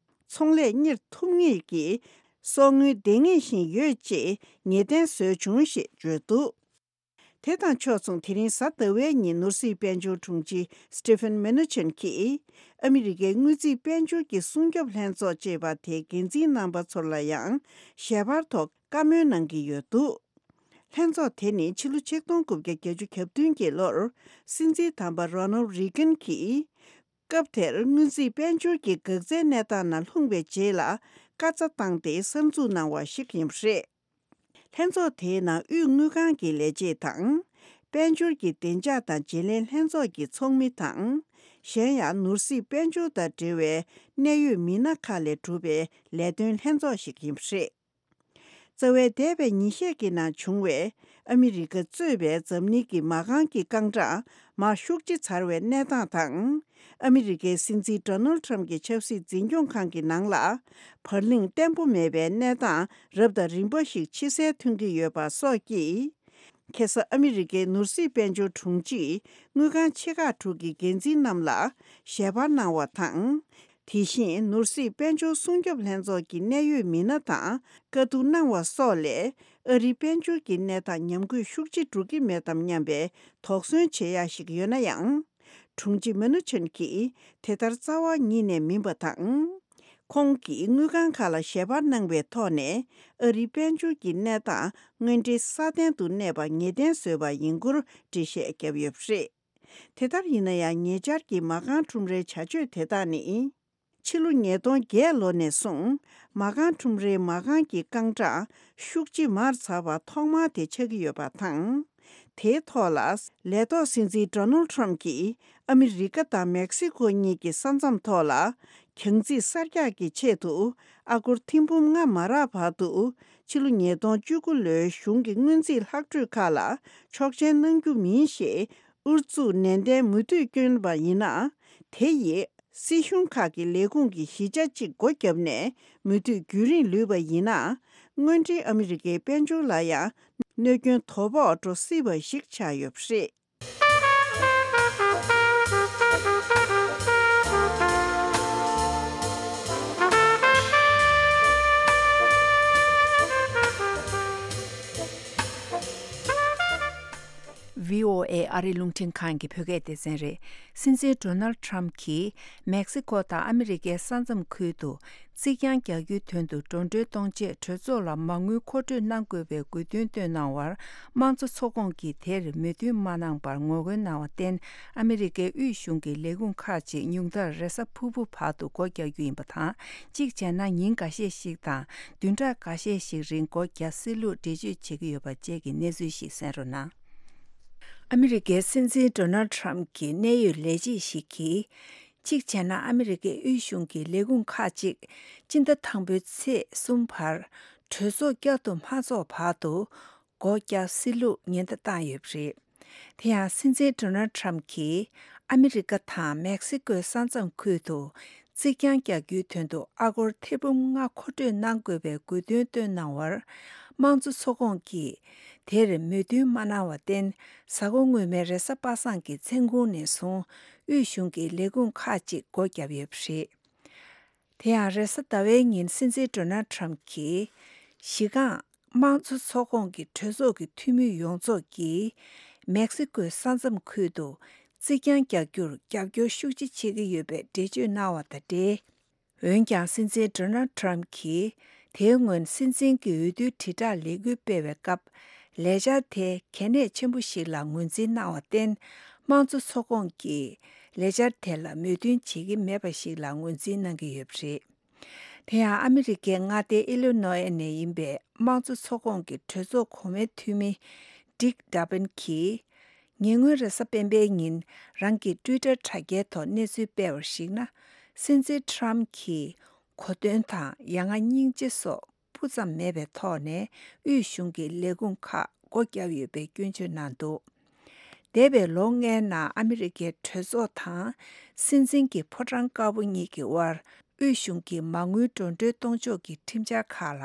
ཚོང་ལས་གཉེར་ཐུབ་ངེས་ཀྱི་སོགས་དངུལ་ལྡེང་ངེས་བཞིན་ཡོད་ཅེས་ངེས་གཏན་བཟོས་བྱུང་ཞེས་བརྗོད་འདུག། དེ་དང་ཕྱོགས་མཚུངས། དེ་རིང་གཟའ་ཟླ་བའི་ཉིན་ནོར་སྲིད་དཔལ་འབྱོར་དྲུང་ཆེ་སི་ཊི་ཕན་མེ་ནུ་ཆིན་གྱིས་ཨ་མི་རི་ཀའི་དངུལ་རྩིས་དཔལ་འབྱོར་གྱི་སྲུང་སྐྱོབ་ལྷན་ཚོགས་ཅེས་པ་དེའི་འགན་འཛིན་རྣམ་པ་ཚོར་ལ་ཡང་ཞལ་པར་ཐོག་བཀའ་མོལ་གནང་གི་ཡོད་འདུག། ལྷན་ཚོགས་དེ་ནི་ཕྱི་ལོ་ཆིག་སྟོང་དགུ་བརྒྱ་བརྒྱད་ཅུ་གྱ་བདུན་གྱི་ལོར་སྲིད་འཛིན་དམ་པ་རོ་ནལ་རི་གན་གྱིས། སྐབས་དེར་སྔོན་རྩིས་དཔལ་འབྱོར་གྱི་འགག་རྩའི་གནས་སྟངས་ནང་ལྷུང་བའི་རྗེས་ལ་བཀའ་རྩ་བཏང་སྟེ་གསར་འཛུགས་གནང་བ་ཞིག་ཡིན་པ་རེད། ལྷན་ཚོགས་དེའི་ནང་དབུས་དངུལ་ཁང་གི་ལས་བྱེད་དང་། དཔལ་འབྱོར་གྱི་བདེ་འཇགས་དང་བརྗེ་ལེན་ལྷན་ཚོགས་ཀྱི་ཚོགས་མི་དང་། གཞན་ཡང་ནོར་སྲིད་དཔལ་འབྱོར་དང་འབྲེལ་བའི་གནད་ཡོད་མི་སྣ་ཁག་ལས་གྲུབ་པའི་ལས་དོན་ལྷན་ཚོགས་ཤིག་ཡིན་པ་རེད། རྩ་བའི་འདས་པའི་ཉིན་ཤས་ཀྱི་ནང་བྱུང་བའི་ཨ་མི་རི་ཀ་གཙོས་པའི་འཛམ་གླིང་གི་མ་རྐང་གི་རྐང་གྲངས་མར་ཤུགས་ཆེ་ཚར་བའི་གནས་སྟངས་དང་། ཨ་མི་རི་ཀའི་སྲིད་འཛིན་ཌོ་ནལ་ཊྲམ་གྱི་ཆབ་སྲིད་འཛིན་སྐྱོང་ཁང་གི་ནང་ལ་བར་གླེང་བརྟན་པོ་མེད་པའི་གནས་སྟངས་རབ་དང་རིམ་པ་ཞིག་ཕྱི་གསལ་ཐོན་གྱི་ཡོད་པ་སོགས་ཀྱིས། ཁ་སང་ཨ་མི་རི་ཀའི་ནོར་སྲིད་དཔལ་འབྱོར་དྲུང་ཆེས་དངུལ་ཁང་ཆེ་ཁག་དྲུག་གི་འགན་འཛིན་རྣམས་ལ་ཞལ་པར་གནང་བ་དང་། དེ་བཞིན་ནོར་སྲིད་དཔལ་འབྱོར་སྲུང་སྐྱོབ་ལྷན་ཚོགས་ཀྱི་གནད་ཡོད་མི་སྣ་དང་བཀའ་བསྡུར་གནང་བ་སོགས་ལས། ཨ་རིའི་དཔལ་འབྱོར་གྱི་གནས་སྟངས་ཉམས་རྒུད་ཤུགས་ཆེ་འགྲོ་གི་མེད་དམ་སྙམ་པའི་དོགས་ཟོན་བྱེད་ཡ་ཞིག་ཡོད་ན་ཡང་། དྲུང་ཆེ་མ་ནུ་ཆན་གྱིས་དེ་ལྟར་རྩ་བ་ཉིད་ནས་མིན་པ་དང་། ཁོང་གིས་དངུལ་ཁང་ཁག་ལ་ཞལ་པར་གནང་བའི་ཐོག་ནས། ཨ་རིའི་དཔལ་འབྱོར་གྱི་གནས་སྟངས་དངོས་འབྲེལ་སྲ་བརྟན་དུ་གནས་པ་ངེས་གཏན་བཟོས་པ་ཡིན་སྐོར་འགྲེལ་བཤད་བརྒྱབ་ཡོད་པ་རེད། དེ་ལྟར་ཡིན་ན་ཡང་། ཉེ་ཆར་གྱི་མ་རྐང་ཁྲོམ་རའི་བྱ་སྤྱོད་དེ་དག་ནི། ཕྱི་ལོ་ཉིས་སྟོང་བརྒྱད་ལོ་ནས་བཟུང་། མ་རྐང་ཁྲོམ་རའི་མ་རྐང་གི་རྐང་གྲངས་ཤུགས་ཆེ་མར་ཚགས་པ་ཐོག་མ་དེ་ཆགས་ཀྱི་ཡོད་པ་དང་། དེའི་ཐོག་ལ། ལས་ཐོག་སྲིད་འཛིན་ཌོ་ནལ་ཊམ་གྱིས་ཨ་མི་རི་ཀ་དང་མེག་སི་ཀོ་གཉིས་ཀྱི་ས་མཚམས་ཐོག་ལ། གྱང་རྩིས་གསར་རྒྱག་གི་ཆེད་དུ། ཨ་སྒོར་ཐེར་འབུམ་ལྔ་མ་རག་བར་དུ། ཕྱི་ལོ་ཉིས་སྟོང་བཅུ་དགུ་ལོའི་གཞུང་གི་སྔོན་རྩིས་ལྷག་འཕྲོས་ཁག་ལ་ཆོག་མཆན་གནང་རྒྱུ་མིན་ཞེས། ཨུ་ཚུགས་ནན་ཏན་མུ་མཐུད་བསྐྱོན་པ་ཡིན་ན། དེ་ཡིས་སྲིད་གཞུང་ཁག་གི་ལས་ཁུངས་ཀྱི་གཞིས་ཆགས་གཅིག་སྒོ་བརྒྱབ་ནས་མུ་མཐུད་རྒྱུན་རིང་ལུས་པ་ཡིན་ན། དངོས་འབྲེལ་ཨ་མི་རི་ཀའི་དཔལ་འབྱོར་ལ་ཡང་གནོད་སྐྱོན་དོ་ཕོག་འགྲོ་སྲིད་པ་ཞིག་ཆགས་ཡོད་པ་རེད། ཝི་ཨོ་ཨེ་ཨ་རིའི་རླུང་འཕྲིན་ཁང་གི་བོད་སྐད་སྡེ་ཚན་རེད། སྲིད་འཛིན་ཌོ་ནལ་ཊམ་གྱིས་མེག་སི་ཀོ་དང་ཨ་མི་རི་ཀའི་ས་མཚམས་ཁུལ་དུ་རྩིག་གྱང་རྒྱག་རྒྱུའི་དོན་དུ་འགྲོ་གྲོན་གཏོང་ཆེད་གྲོས་ཚོགས་ལ་མ་དངུལ་མཁོ་སྤྲོད་གནང་དགོས་པའི་དགོས་འདུན་བཏོན་གནང་བར། དམངས་གཙོ་ཚོགས་ཁོངས་ཀྱིས་དེར་མོས་མཐུན་མ་གནང་བར་ངོ་རྒོལ་གནང་བར་བརྟེན། ཨ་མི་རི་ཀའི་དབུས་གཞུང་གི་ལས་ཁུངས་ཁག་ཅིག་ཉུང་མཐར་རེས་གཟའ་ཕུར་བུ་བར་དུ་སྒོ་རྒྱག་རྒྱུ་ཡིན་པ་དང་། གཅིག་བྱས་ན་ཉིན་འགའ་ཤས་ཤིག་དང་བདུན་ཕྲག་འགའ་ཤས་ཤིག་རིང་སྒོ་རྒྱག་སྲིད་ལུགས་འགྲེལ་བརྗོད་བྱེད་ཀྱི་ཡོད་པ་བཅས་ཀྱི་གནས་ཚུལ་ཞིག་གསན་རོགས་གནང་། ཨ་མི་རི་ཀའི་སྲིད་འཛིན་ཌོ་ནལ་ཊམ་གྱི་གནད་ཡོད་ལས་བྱེད་ཞིག་གིས། གཅིག་བྱས་ན་ཨ་མི་རི་ཀའི་དབུས་གཞུང་གི་ལས་ཁུངས་ཁག་ཅིག་སྤྱི་ཟླ་དང་པོའི་ཚེས་གསུམ་བར་གྲོས་ཚོགས་བསྐྱར་དུ་མ་ཚོགས་བར་དུ་སྒོ་བརྒྱབ་སྲིད་ལུགས་ཉེན་བརྡ་བཏང་ཡོད་པ་རེད། དེ་ཡང་སྲིད་འཛིན་ཌོ་ནལ་ཊམ་གྱིས་ཨ་མི་རི་ཀ་དང་མེག་སི་ཀོའི་ས་མཚམས་ཁུལ་དུ་རྩིག་གྱང་རྒྱག་རྒྱུའི་དོན་དུ་ཨ་སྒོར་ཐེར་འབུམ་ལྔ་མཁོ་སྤྲོད་གནང་དགོས་པའི་དགོས་འདུན་བཏོན་གནང་བར། དམངས་གཙོ་ཚོགས་ཁོངས་ཀྱིས་དེར་མོས་མཐུན་མ་གནང་བར་བརྟེན། གཟའ་འཁོར་སྔོན་མའི་རེས་གཟའ་པ་སངས་ཀྱི་མཚན་གུང་ནས་བཟུང་། དབུས་གཞུང་གི་ལས་ཁུངས་ཁག་ཅིག་སྒོ་བརྒྱབ་ཡོད་པ་རེད། དེ་ཡང་རེས་གཟའ་ཟླ་བའི་ཉིན་སྲིད་འཛིན་ཌོ་ནལ་ཊམ་གྱིས། གཞི་རྐང་དམངས་གཙོ་ཚོགས་ཁོངས་ཀྱི་གྲོས་ཚོགས་ཀྱི་འཐུས་མི་ཡོངས་རྫོགས་ཀྱིས། མེག་སི་ཀོའི་ས་མཚམས་ཁུལ་དུ་རྩིག་གྱང་རྒྱག་རྒྱུར་རྒྱབ་སྐྱོར་ཤུགས་ཆེ་བྱེད་ཀྱི་ཡོད་པའི་འགྲེལ་བརྗོད་གནང་བ་དང་འབྲེལ། འོན་ཀྱང་། སྲིད་འཛིན་ཌོ་ནལ་ཊམ་གྱིས་དེའི་སྔོན་སྲིད་འཛིན་གྱི་འོས་བསྡུའི་དྲིལ་བསྒྲགས་ལས་འགུལ་སྤེལ་བའི་སྐབས། ལས་འཆར་དེ་གལ་གནད་ཆེན་པོ་ཞིག་ལ་ངོས་འཛིན་གནང་བར་བརྟེན། དམངས་གཙོ་ཚོགས་ཁོངས་ཀྱིས་ལས་འཆར་དེ་ལ་མོས་མཐུན་བྱེད་ཀྱི་མེད་པ་ཞིག་ལ་ངོས་འཛིན་གནང་གི་ཡོད་པ་རེད། དེ་ཡང་ཨ་མི་རི་ཀའི་མངའ་སྡེ་ཨི་ལི་ནོ་ཨེ་ནས་ཡིན་པའི་དམངས་གཙོ་ཚོགས་ཁོངས་ཀྱི་གྲོས་ཚོགས་གོང་མའི་འཐུས་མི་ཌིག་ཌ་བིན་གྱིས། ཉེ་སྔོན་རེས་གཟའ་སྤེན་པའི་ཉིན་རང་གི་ཊུའི་ཊར་དྲ་རྒྱའི་ཐོག་གནས་ཚུལ་སྤེལ་བར་གཞིགས་ན། སྲིད་འཛིན་ཊམ་གྱིས་གོ་སྟོན་དང་ཡ་ང་སྙིང་རྗེ་སོགས་སྤུ་ཙམ་མེད་པའི་ཐོག་ནས་དབུས་གཞུང་གི་ལས་ཁུངས་ཁག་སྒོ་བརྒྱབ་ཡོད་པའི་སྐྱོན་བརྗོད་གནང་འདུག་འདས་པའི་ལོ་ལྔའི་ནང་ཨ་མི་རི་ཀའི་གྲོས་ཚོགས་དང་སྲིད་འཛིན་གྱི་ཕོ་བྲང་དཀར་པོ་གཉིས་ཀྱི་དབར་དབུས་གཞུང་གི་མ་དངུལ་འགྲོ་གྲོན་གཏོང་ཕྱོགས་ཀྱི་ཁྲིམས་འཆར་ཁག་ལ་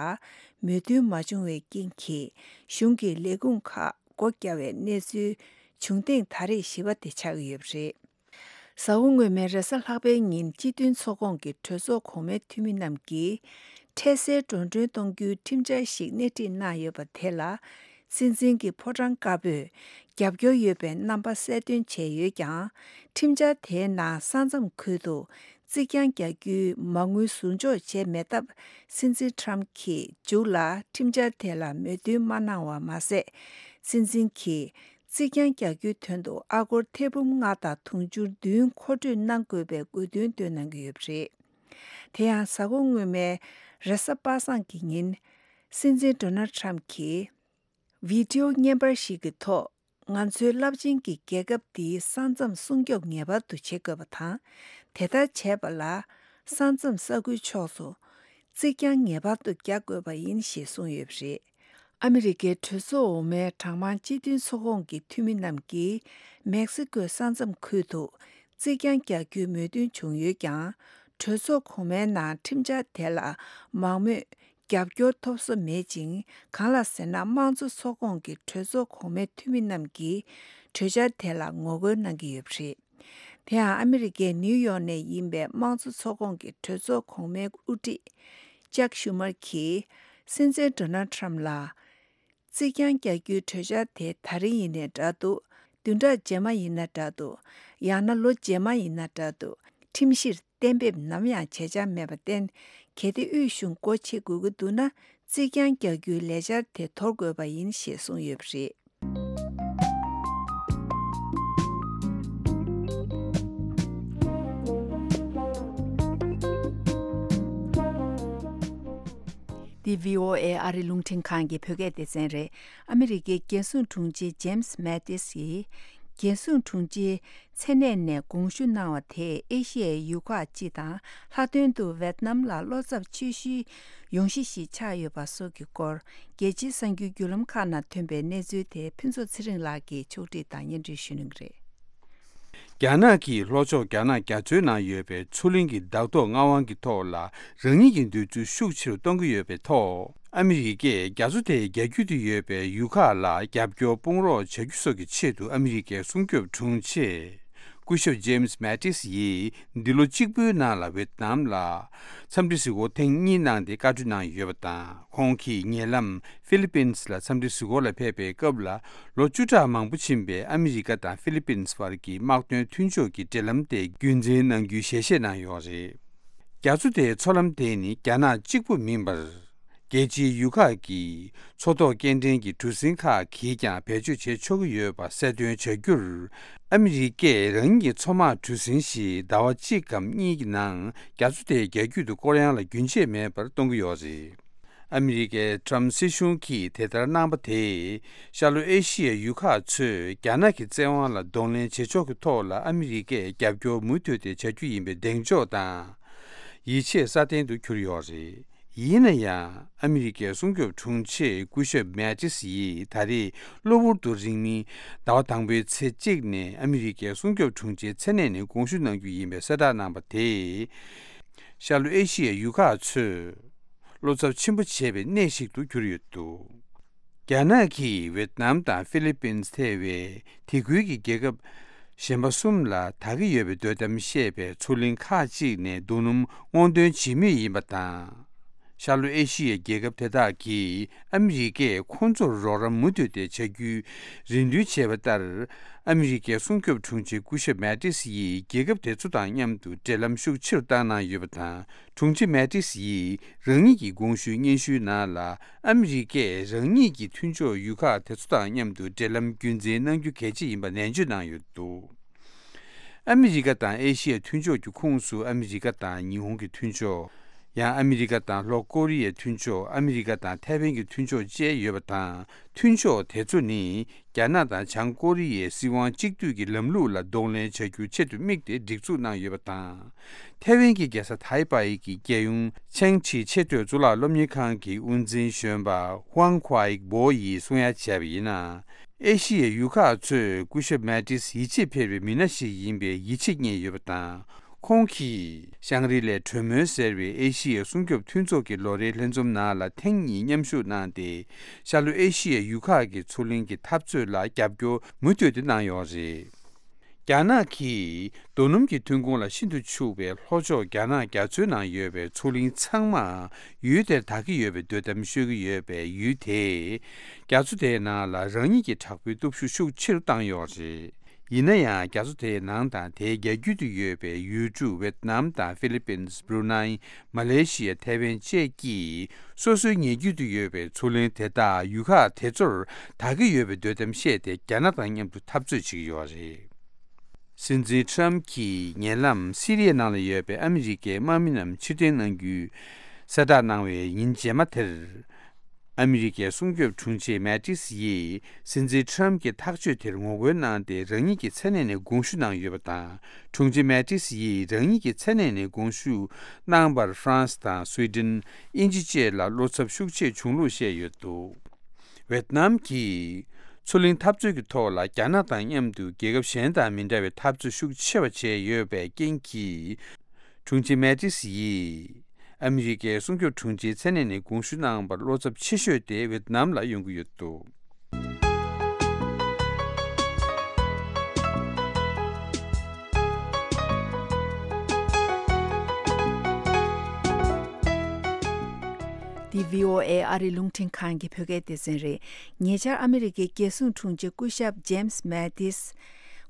མོས་མཐུན་མ་བྱུང་བའི་རྐྱེན་གྱིས་གཞུང་གི་ལས་ཁུངས་ཁག་སྒོ་བརྒྱབ་པའི་གནས་ཚུལ་བྱུང་ཐེངས་ད་རེས་བཞི་པ་དེ་ཆགས་ཀྱི་ཡོད་པ་རེད། གཟའ་འཁོར་སྔོན་མའི་རེས་གཟའ་ལྷག་པའི་ཉིན་སྤྱི་མཐུན་ཚོགས་ཁོངས་ཀྱི་གྲོས་ཚོགས་གོང་མའི་འཐུས་མི་རྣམས་ཀྱིས་འཕྲལ་སེལ་འགྲོ་གྲོན་གཏོང་རྒྱུའི་ཁྲིམས་འཆར་ཞིག་སྣེ་ཁྲིད་གནང་ཡོད་པ་དེ་ལ། སྲིད་འཛིན་གྱི་ཕོ་བྲང་དཀར་པོས་རྒྱབ་སྐྱོར་ཡོད་པའི་རྣམ་པ་གསལ་སྟོན་བྱས་ཡོད་ཀྱང་། ཁྲིམས་འཆར་དེའི་ནང་ས་མཚམས་ཁུལ་དུ་རྩིག་གྱང་རྒྱག་རྒྱུའི་མ་དངུལ་ཟུར་འཇོག་བྱས་མེད་སྟབས། སྲིད་འཛིན་ཊམ་གྱིས་མཇུག་ལ་ཁྲིམས་འཆར་དེ་ལ་མོས་མཐུན་མ་གནང་བ་མ་ཟད། སྲིད་འཛིན་གྱིས་རྩིག་གྱང་རྒྱག་རྒྱུའི་དོན་དུ་ཨ་སྒོར་ཐེར་འབུམ་ལྔ་དང་དུང་ཕྱུར་བདུན་མཁོ་སྤྲོད་གནང་དགོས་པའི་དགོས་འདུན་བཏོན་གནང་གི་ཡོད་པ་རེད། དེ་ཡང་གཟའ་འཁོར་སྔོན་མའི་རེས་གཟའ་པ་སངས་ཀྱི་ཉིན། སྲིད་འཛིན་ཌོ་ནལ་ཊམ་གྱིས། བི་ཌི་ཡོ་བརྙན་པར་ཞིག་གི་ཐོག་ང་ཚོའི་རླབས་ཆེན་གྱི་རྒྱལ་ཁབ་འདིའི་ས་མཚམས་སྲུང་སྐྱོབ་ངེས་པར་དུ་བྱེད་དགོས་པ་དང་། དེ་ལྟར་བྱས་པ་ལ། ས་མཚམས་ས་ཁུལ་ཕྱོགས་སུ་རྩིག་གྱང་ངེས་པར་དུ་རྒྱག་དགོས་པ་ཡིན་ཞེས་གསུངས་ཡོད་པ་རེད། ཨ་མི་རི་ཀའི་གྲོས་ཚོགས་འོག་མའི་གྲངས་མང་སྤྱི་མཐུན་ཚོགས་ཁོངས་ཀྱི་འཐུས་མི་རྣམས་ཀྱིས། མེག་སི་ཀོའི་ས་མཚམས་ཁུལ་དུ་རྩིག་གྱང་རྒྱག་རྒྱུའི་མོས་མཐུན་བྱུང་ཡོད་ཀྱང་། གྲོས་ཚོགས་གོང་མའི་ནང་ཁྲིམས་འཆར་དེ་ལ་མང་མོས། རྒྱབ་སྐྱོར་ཐོབ་ས་མེད་ཅིང་། གང་ལ་ཟེར་ན། དམངས་གཙོ་ཚོགས་ཁོངས་ཀྱི་གྲོས་ཚོགས་གོང་མའི་འཐུས་མི་རྣམས་ཀྱིས་གྲོས་འཆར་དེ་ལ་ངོ་རྒོལ་གནང་གི་ཡོད་པ་རེད། དེ་ཡང་ཨ་མི་རི་ཀའི་ནིའུ་ཡོག་ནས་ཡིན་པའི་དམངས་གཙོ་ཚོགས་ཁོངས་ཀྱི་གྲོས་ཚོགས་གོང་མའི་དབུ་ཁྲིད་ཅག་ཤུ་མར་གྱིས་སྲིད་འཛིན་ཌོ་ནལ་ཊམ་ལ། རྩིག་གྱང་རྒྱག་རྒྱུའི་གྲོས་འཆར་དེ་ད་རིང་ཡིན་ནའི་འདྲ་འདུག་བདུན་ཕྲག་རྗེས་མ་ཡིན་ན་འདྲ་འདུག་ཡང་ན་ལོ་རྗེས་མ་ཡིན་ན་འདྲ་འདུག་ཁྲིམས་གཞིར་གཏན་འབེབས་ནམ་ཡང་བྱེད་འཆར་མེད་པར་བརྟེན། གལ་ཏེ་དབུས་གཞུང་སྒོ་ཕྱེ་དགོས་ཀྱི་འདུག་ན། རྩིས་རྐྱང་རྒྱག་རྒྱུའི་ལས་འཆར་དེ་དོར་དགོས་པ་ཡིན་ཞེས་གསུངས་ཡོད་པ་རེད། འདི་བྷི་ཨོ་ཨེ་ཨ་རི་རླུང་འཕྲིན་ཁང་གི་བོད་སྐད་སྡེ་ཚན་རེད། ཨ་མི་རི་ཀའི་རྒྱལ་སྲུང་དྲུང་ཆེ་ཇེམ་སི་མེ་ཏིས་ཡིས། རྒྱལ་སྲུང་དྲུང་ཆེའི་མཚན་གནས་ནས་དགོངས་ཞུ་གནང་བ་དེས་ཨེ་ཤི་ཡའི་ཡུལ་ཁག་སྤྱི་དང་། ལྷག་དོན་དུ་ཝེད་ནམ་ལ་བློ་འཚབ་ཆེ་ཤོས་ཡོང་གཞི་ཞིག་ཆགས་ཡོད་པ་སོགས་ཀྱི་སྐོར། རྒྱལ་སྤྱིའི་གསར་འགྱུར་བརྒྱུད་ལམ་ཁག་ནང་ཐོན་པའི་གནས་ཚུལ་དེ་ཕུན་ཚོགས་ཚེ་རིང་ལགས་ཀྱིས་ཕྱོགས་སྒྲིག་དང་སྙན་སྒྲོན་ཞུ་གནང་གི་རེད། རྒྱ་ནག་གིས་ལྷོ་ཕྱོགས་རྒྱ་ནག་རྒྱ་མཚོའི་ནང་ཡོད་པའི་མཚོ་གླིང་གི་བདག་ཐོག་མངའ་དབང་གི་ཐོག་ལ་རང་ཉིད་ཀྱི་འདོད་ཚུལ་ཤུགས་ཆེ་རུ་གཏོང་གི་ཡོད་པའི་ཐོག་ཨ་མི་རི་ཀས་རྒྱ་མཚོ་དེའི་རྒྱ་རྒྱུད་དུ་ཡོད་པའི་ཡུལ་ཁག་ལ་རྒྱབ་སྐྱོར་སྤོང་རོགས་བྱ་རྒྱུ་སོགས་ཀྱི་ཆེད་དུ་ཨ་མི་རི་ཀའི་སྲུང་སྐྱོབ་དྲུང་ཆེ། སྐུ་ཞབས་ཇེམ་སི་མེ་ཏིས་ཡིས་འདི་ལོ་གཅིག་པུའི་ནང་ལ་ཝེད་ནམ་ལ་འཚམས་འདྲི་གཟིགས་སྐོར་ཐེངས་གཉིས་གནང་སྟེ་བཀའ་འཁྲོལ་གནང་ཡོད་པ་དང་། ཁོང་གིས་ཉེ་ལམ་ཧྥི་ལི་པིན་སི་ལ་འཚམས་འདྲི་གཟིགས་སྐོར་ལ་ཕེབས་པའི་སྐབས་ལ། ལོ་བཅུ་ཕྲག་མང་པོ་ཕྱིན་པའི་ཨ་མི་རི་ཀ་དང་ཧྥི་ལི་པིན་སི་བར་གྱི་དམག་དོན་མཐུན་ཕྱོགས་ཀྱི་འབྲེལ་ལམ་དེ་རྒྱུན་འཛིན་གནང་རྒྱུའི་ཞལ་བཞེས་གནང་ཡོད་རེད། རྒྱ་མཚོ་དེའི་མཚོ་ལམ་དེ་ནི་རྒྱ་ནག་གཅིག་པུ་མིན་པར། རྒྱལ་སྤྱིའི་ཡུལ་ཁག་གིས་མཚོ་ཐོག་སྐྱེལ་འདྲེན་གྱི་གྲུ་གཟིངས་ཁག་གིས་ཀྱང་བེད་སྤྱོད་བྱེད་ཆོག་གི་ཡོད་པ་གསལ་སྟོན་བྱ་རྒྱུར། ཨ་མི་རི་ཀས་རང་ཉིད་ཀྱི་མཚོ་དམག་གྲུ་གཟིངས་ཤིག་ཟླ་བ་གཅིག་གམ་གཉིས་ཀྱི་ནང་རྒྱ་མཚོ་དེའི་རྒྱ་རྒྱུད་དུ་སྐོར་གཡང་ལ་རྒྱུན་ཆད་མེད་པར་གཏོང་གི་ཡོད་རེད། ཨ་མི་རི་ཀའི་ཊྲམ་སྲིད་གཞུང་གིས་དེ་ལྟར་གནང་པ་དེས། ཤར་ལྷོ་ཨེ་ཤི་ཡའི་ཡུལ་ཁག་ཚོས་རྒྱ་ནག་གི་བཙན་དབང་ལ་གདོང་ལེན་བྱེད་ཕྱོགས་ཀྱི་ཐོག་ལ་ཨ་མི་རི་ཀས་རྒྱབ་སྐྱོར་མུ་མཐུད་དེ་བྱ་རྒྱུ་ཡིན་པའི་གདེང་འཇོག་དང་། ཡིད་ཆེས་སྲ་བརྟན་དུ་གྱུར་ཡོད་རེད། ཡིན་ན་ཡང་། ཨ་མི་རི་ཀའི་སྲུང་སྐྱོབ་དྲུང་ཆེ་སྐུ་ཞབས་མེ་ཏིས་ཡིས་ད་རེས་གློ་བུར་དུ་རིང་མིན་ཟླ་བ་དང་པོའི་ཚེས་གཅིག་ནས་ཨ་མི་རི་ཀའི་སྲུང་སྐྱོབ་དྲུང་ཆེའི་མཚན་གནས་ནས་དགོངས་ཞུ་གནང་རྒྱུ་ཡིན་པའི་གསལ་བསྒྲགས་གནང་པ་དེས། ཤར་ལྷོ་ཨེ་ཤི་ཡའི་ཡུལ་ཁག་ཚོས་བློ་འཚབ་ཆེན་པོ་བྱེད་པའི་གནས་ཤིག་ཏུ་གྱུར་ཡོད་འདུག་རྒྱ་ནག་གིས་ཝེད་ནམ་དང་ཧྥི་ལི་པིན་སི་ཐེ་བའི་དེ་ཁུལ་གྱི་རྒྱལ་ཁབ་གཞན་པ་གསུམ་ལ་དག་གི་ཡོད་པའི་འདོད་གཏམ་བཤད་པའི་མཚོ་གླིང་ཁག་ཅིག་ནས་རྡོ་སྣུམ་སྔོག་འདོན་བྱེད་མུས་ཡིན་པ་དང་། ཤར་ལྷོ་ཨེ་ཤི་ཡའི་རྒྱལ་ཁབ་དེ་དག་གིས་ཨ་མི་རི་ཀས་ཁོང་ཚོར་རོགས་རམ་མུ་མཐུད་དེ་བྱ་རྒྱུའི་རེ་འདུན་བྱས་པ་ལྟར། ཨ་མི་རི་ཀའི་སྲུང་སྐྱོབ་དྲུང་ཆེ་སྐུ་ཞབས་མེ་ཏིས་ཡིས་རྒྱལ་ཁབ་དེ་ཚོ་དང་མཉམ་དུ་འབྲེལ་ལམ་ཤུགས་ཆེ་རུ་བཏང་གནང་ཡོད་པ་དང་། དྲུང་ཆེ་མེ་ཏིས་ཡིས་རང་ཉིད་ཀྱི་དགོངས་ཞུའི་སྙན་ཞུའི་ནང་ལ། ཨ་མི་རི་ཀས་རང་ཉིད་ཀྱི་མཐུན་ཕྱོགས་ཡུལ་ཁག་དེ་ཚོ་དང་མཉམ་དུ་འབྲེལ་ལམ་རྒྱུན་འཛིན་གནང་རྒྱུ་གལ་ཆེ་ཡིན་པ་ནན་བརྗོད་གནང་ཡོད་འདུག་ཨ་མི་རི་ཀ་དང་ཨེ་ཤི་ཡ་མཐུན་ཕྱོགས་ཀྱི་ཁོངས་སུ་ཨ་མི་རི་ཀ་དང་ཉི་ཧོང་གི་མཐུན་ཕྱོགས། ཡང་ཨ་མི་རི་ཀ་དང་ལྷོ་ཀོ་རི་ཡའི་མཐུན་ཕྱོགས། ཨ་མི་རི་ཀ་དང་ཐའེ་ཝན་གྱི་མཐུན་ཕྱོགས་བཅས་ཡོད་པ་དང་། མཐུན་ཕྱོགས་དེ་ཚོ་ནི། རྒྱ་ནག་དང་བྱང་ཀོ་རི་ཡའི་སྲིད་དབང་གཅིག་སྡུད་ཀྱི་ལམ་ལུགས་ལ་གདོང་ལེན་བྱ་རྒྱུའི་ཆེད་དུ་དམིགས་ཏེ་སྒྲིག་འཛུགས་གནང་ཡོད་པ་དང་། ཐའེ་ཝན་གྱི་རྒྱལ་ས་ཐའེ་པའེ་གི་རྒྱལ་ཡོངས་ཆེང་ཆི་ཆེས་མཐོའི་གཙུག་ལག་སློབ་གཉེར་ཁང་གི་དབུ་འཛིན་གཞོན་པ་ཧུའང་ཁུའེ་པོ་ཡིས་གསུང་ཡ་བྱས་པ་ཡིན་ན། ཨེ་ཤི་ཡའི་ཡུལ་ཁག་ཚོས་སྐུ་ཞབས་མེ་ཏིས་ཡིད་ཆེས་འཕེར་བའི་མི་སྣ་ཞིག་ཡིན་པའི་ཡིད་ཆེས་རྙེད་ཡོད་པ་དང་། ཁོང་གིས་ཤང་རི་ལའི་གྲོས་མོལ་ཟེར་བའི་ཨེ་ཤི་ཡའི་སྲུང་སྐྱོབ་མཐུན་ཚོགས་ཀྱི་ལོ་རེའི་ལྷན་འཛོམས་ནང་ལ་ཐེངས་གཉིས་མཉམ་ཞུགས་གནང་སྟེ། ཤར་ལྷོ་ཨེ་ཤི་ཡའི་ཡུལ་ཁག་གི་མཚོ་གླིང་གི་འཐབ་རྩོད་ལ་རྒྱབ་སྐྱོར་མུ་མཐུད་དེ་གནང་ཡོད་རེད། རྒྱ་ནག་གིས་རྡོ་སྣུམ་གྱི་ཐོན་ཁུངས་ལ་ཤིན་ཏུ་ཕྱུག་པའི་ལྷོ་ཕྱོགས་རྒྱ་ནག་རྒྱ་མཚོའི་ནང་ཡོད་པའི་མཚོ་གླིང་ཚང་མ་ཡུལ་དེར་དག་གི་ཡོད་པའི་འདོད་གཏམ་ཤོད་ཀྱི་ཡོད་པས། ཡུལ་དེས་རྒྱ་མཚོ་དེའི་ནང་ལ་རང་ཉིད་ཀྱི་དྲག་པོའི་སྟོབས་ཤུགས་ཤུགས་ཆེ་རུ་བཏང་ཡོད་རེད། ཡིན་ན་ཡང་། རྒྱ་མཚོ་དེའི་ནང་དང་དེའི་རྒྱ་རྒྱུད་དུ་ཡོད་པའི་ཡུལ་གྲུ་ཝེད་ནམ་དང་ཧྥི་ལི་པིན། བྷུ་རུ་ནའི། མ་ལེ་ཤི་ཡ། ཐའེ་ཝན་བཅས་ཀྱིས་སོ་སོའི་ཉེ་རྒྱུད་དུ་ཡོད་པའི་མཚོ་གླིང་དེ་དག་ཡུལ་ཁག་དེ་ཚོར་དག་གི་ཡོད་པའི་འདོད་གཏམ་བཤད་དེ། རྒྱ་ནག་དང་མཉམ་དུ་འཐབ་རྩོད་བྱེད་ཀྱི་ཡོད་རེད། སྲིད་འཛིན་ཁྲམ་གྱིས་ཉེ་ལམ་སི་རི་ཡའི་ནང་ལ་ཡོད་པའི་ཨ་མི་རི་ཀའི་དམག་མི་རྣམས་ཕྱིར་འཐེན་གནང་རྒྱུའི་གསལ་བསྒྲགས་གནང་བའི་ཉིན་རྗེས་མ་དེར། ཨ་མི་རི་ཀའི་སྲུང་སྐྱོབ་དྲུང་ཆེ་མེ་ཏིས་ཡིས་སྲིད་འཛིན་ཁྲམ་གྱི་ཐག་གཅོད་དེར་ངོ་རྒོལ་གནང་སྟེ། རང་ཉིད་ཀྱི་མཚན་གནས་ནས་དགོངས་ཞུ་གནང་ཡོད་པ་དང་། དྲུང་ཆེ་མེ་ཏིས་ཡིས་རང་ཉིད་ཀྱི་མཚན་གནས་ནས་དགོངས་ཞུ་གནང་བར་ཧྥ་རན་སི་དང་སུའེ་ཏེན། དབྱིན་ཇི་བཅས་ལ་བློ་འཚབ་ཤུགས་ཆེ་བྱུང་ལུགས་བཤད་ཡོད་འདུག་ཝེད་ནམ་གྱིས་མཚོ་གླིང་འཐབ་རྩོད་ཀྱི་ཐོག་ལ་རྒྱ་ནག་དང་མཉམ་དུ་རྒྱལ་ཁབ་གཞན་དང་མི་འདྲ་བའི་འཐབ་རྩོད་ཤུགས་ཆེ་བ་བྱས་ཡོད་པའི་རྐྱེན་གྱིས། དྲུང་ཆེ་མེ་ཏིས་ཡིས་ཨ་མི་རི་ཀའི་སྲུང་སྐྱོབ་དྲུང་ཆེའི་མཚན་གནས་ནས་དགོངས་ཞུ་གནང་བར་བློ་འཚབ་ཆེ་ཤོས་དེ་ཝེད་ནམ་ལ་ཡོང་གི་ཡོད་འདུག་འདི་བྷི་ཨོ་ཨེ་ཨ་རིའི་རླུང་འཕྲིན་ཁང་གི་བོད་སྐད་སྡེ་ཚན་རེད། ཉེ་ཆར་ཨ་མི་རི་ཀའི་རྒྱལ་སྲུང་དྲུང་ཆེ་སྐུ་ཞབས་ཇེམ་སི་མེ་ཏིས་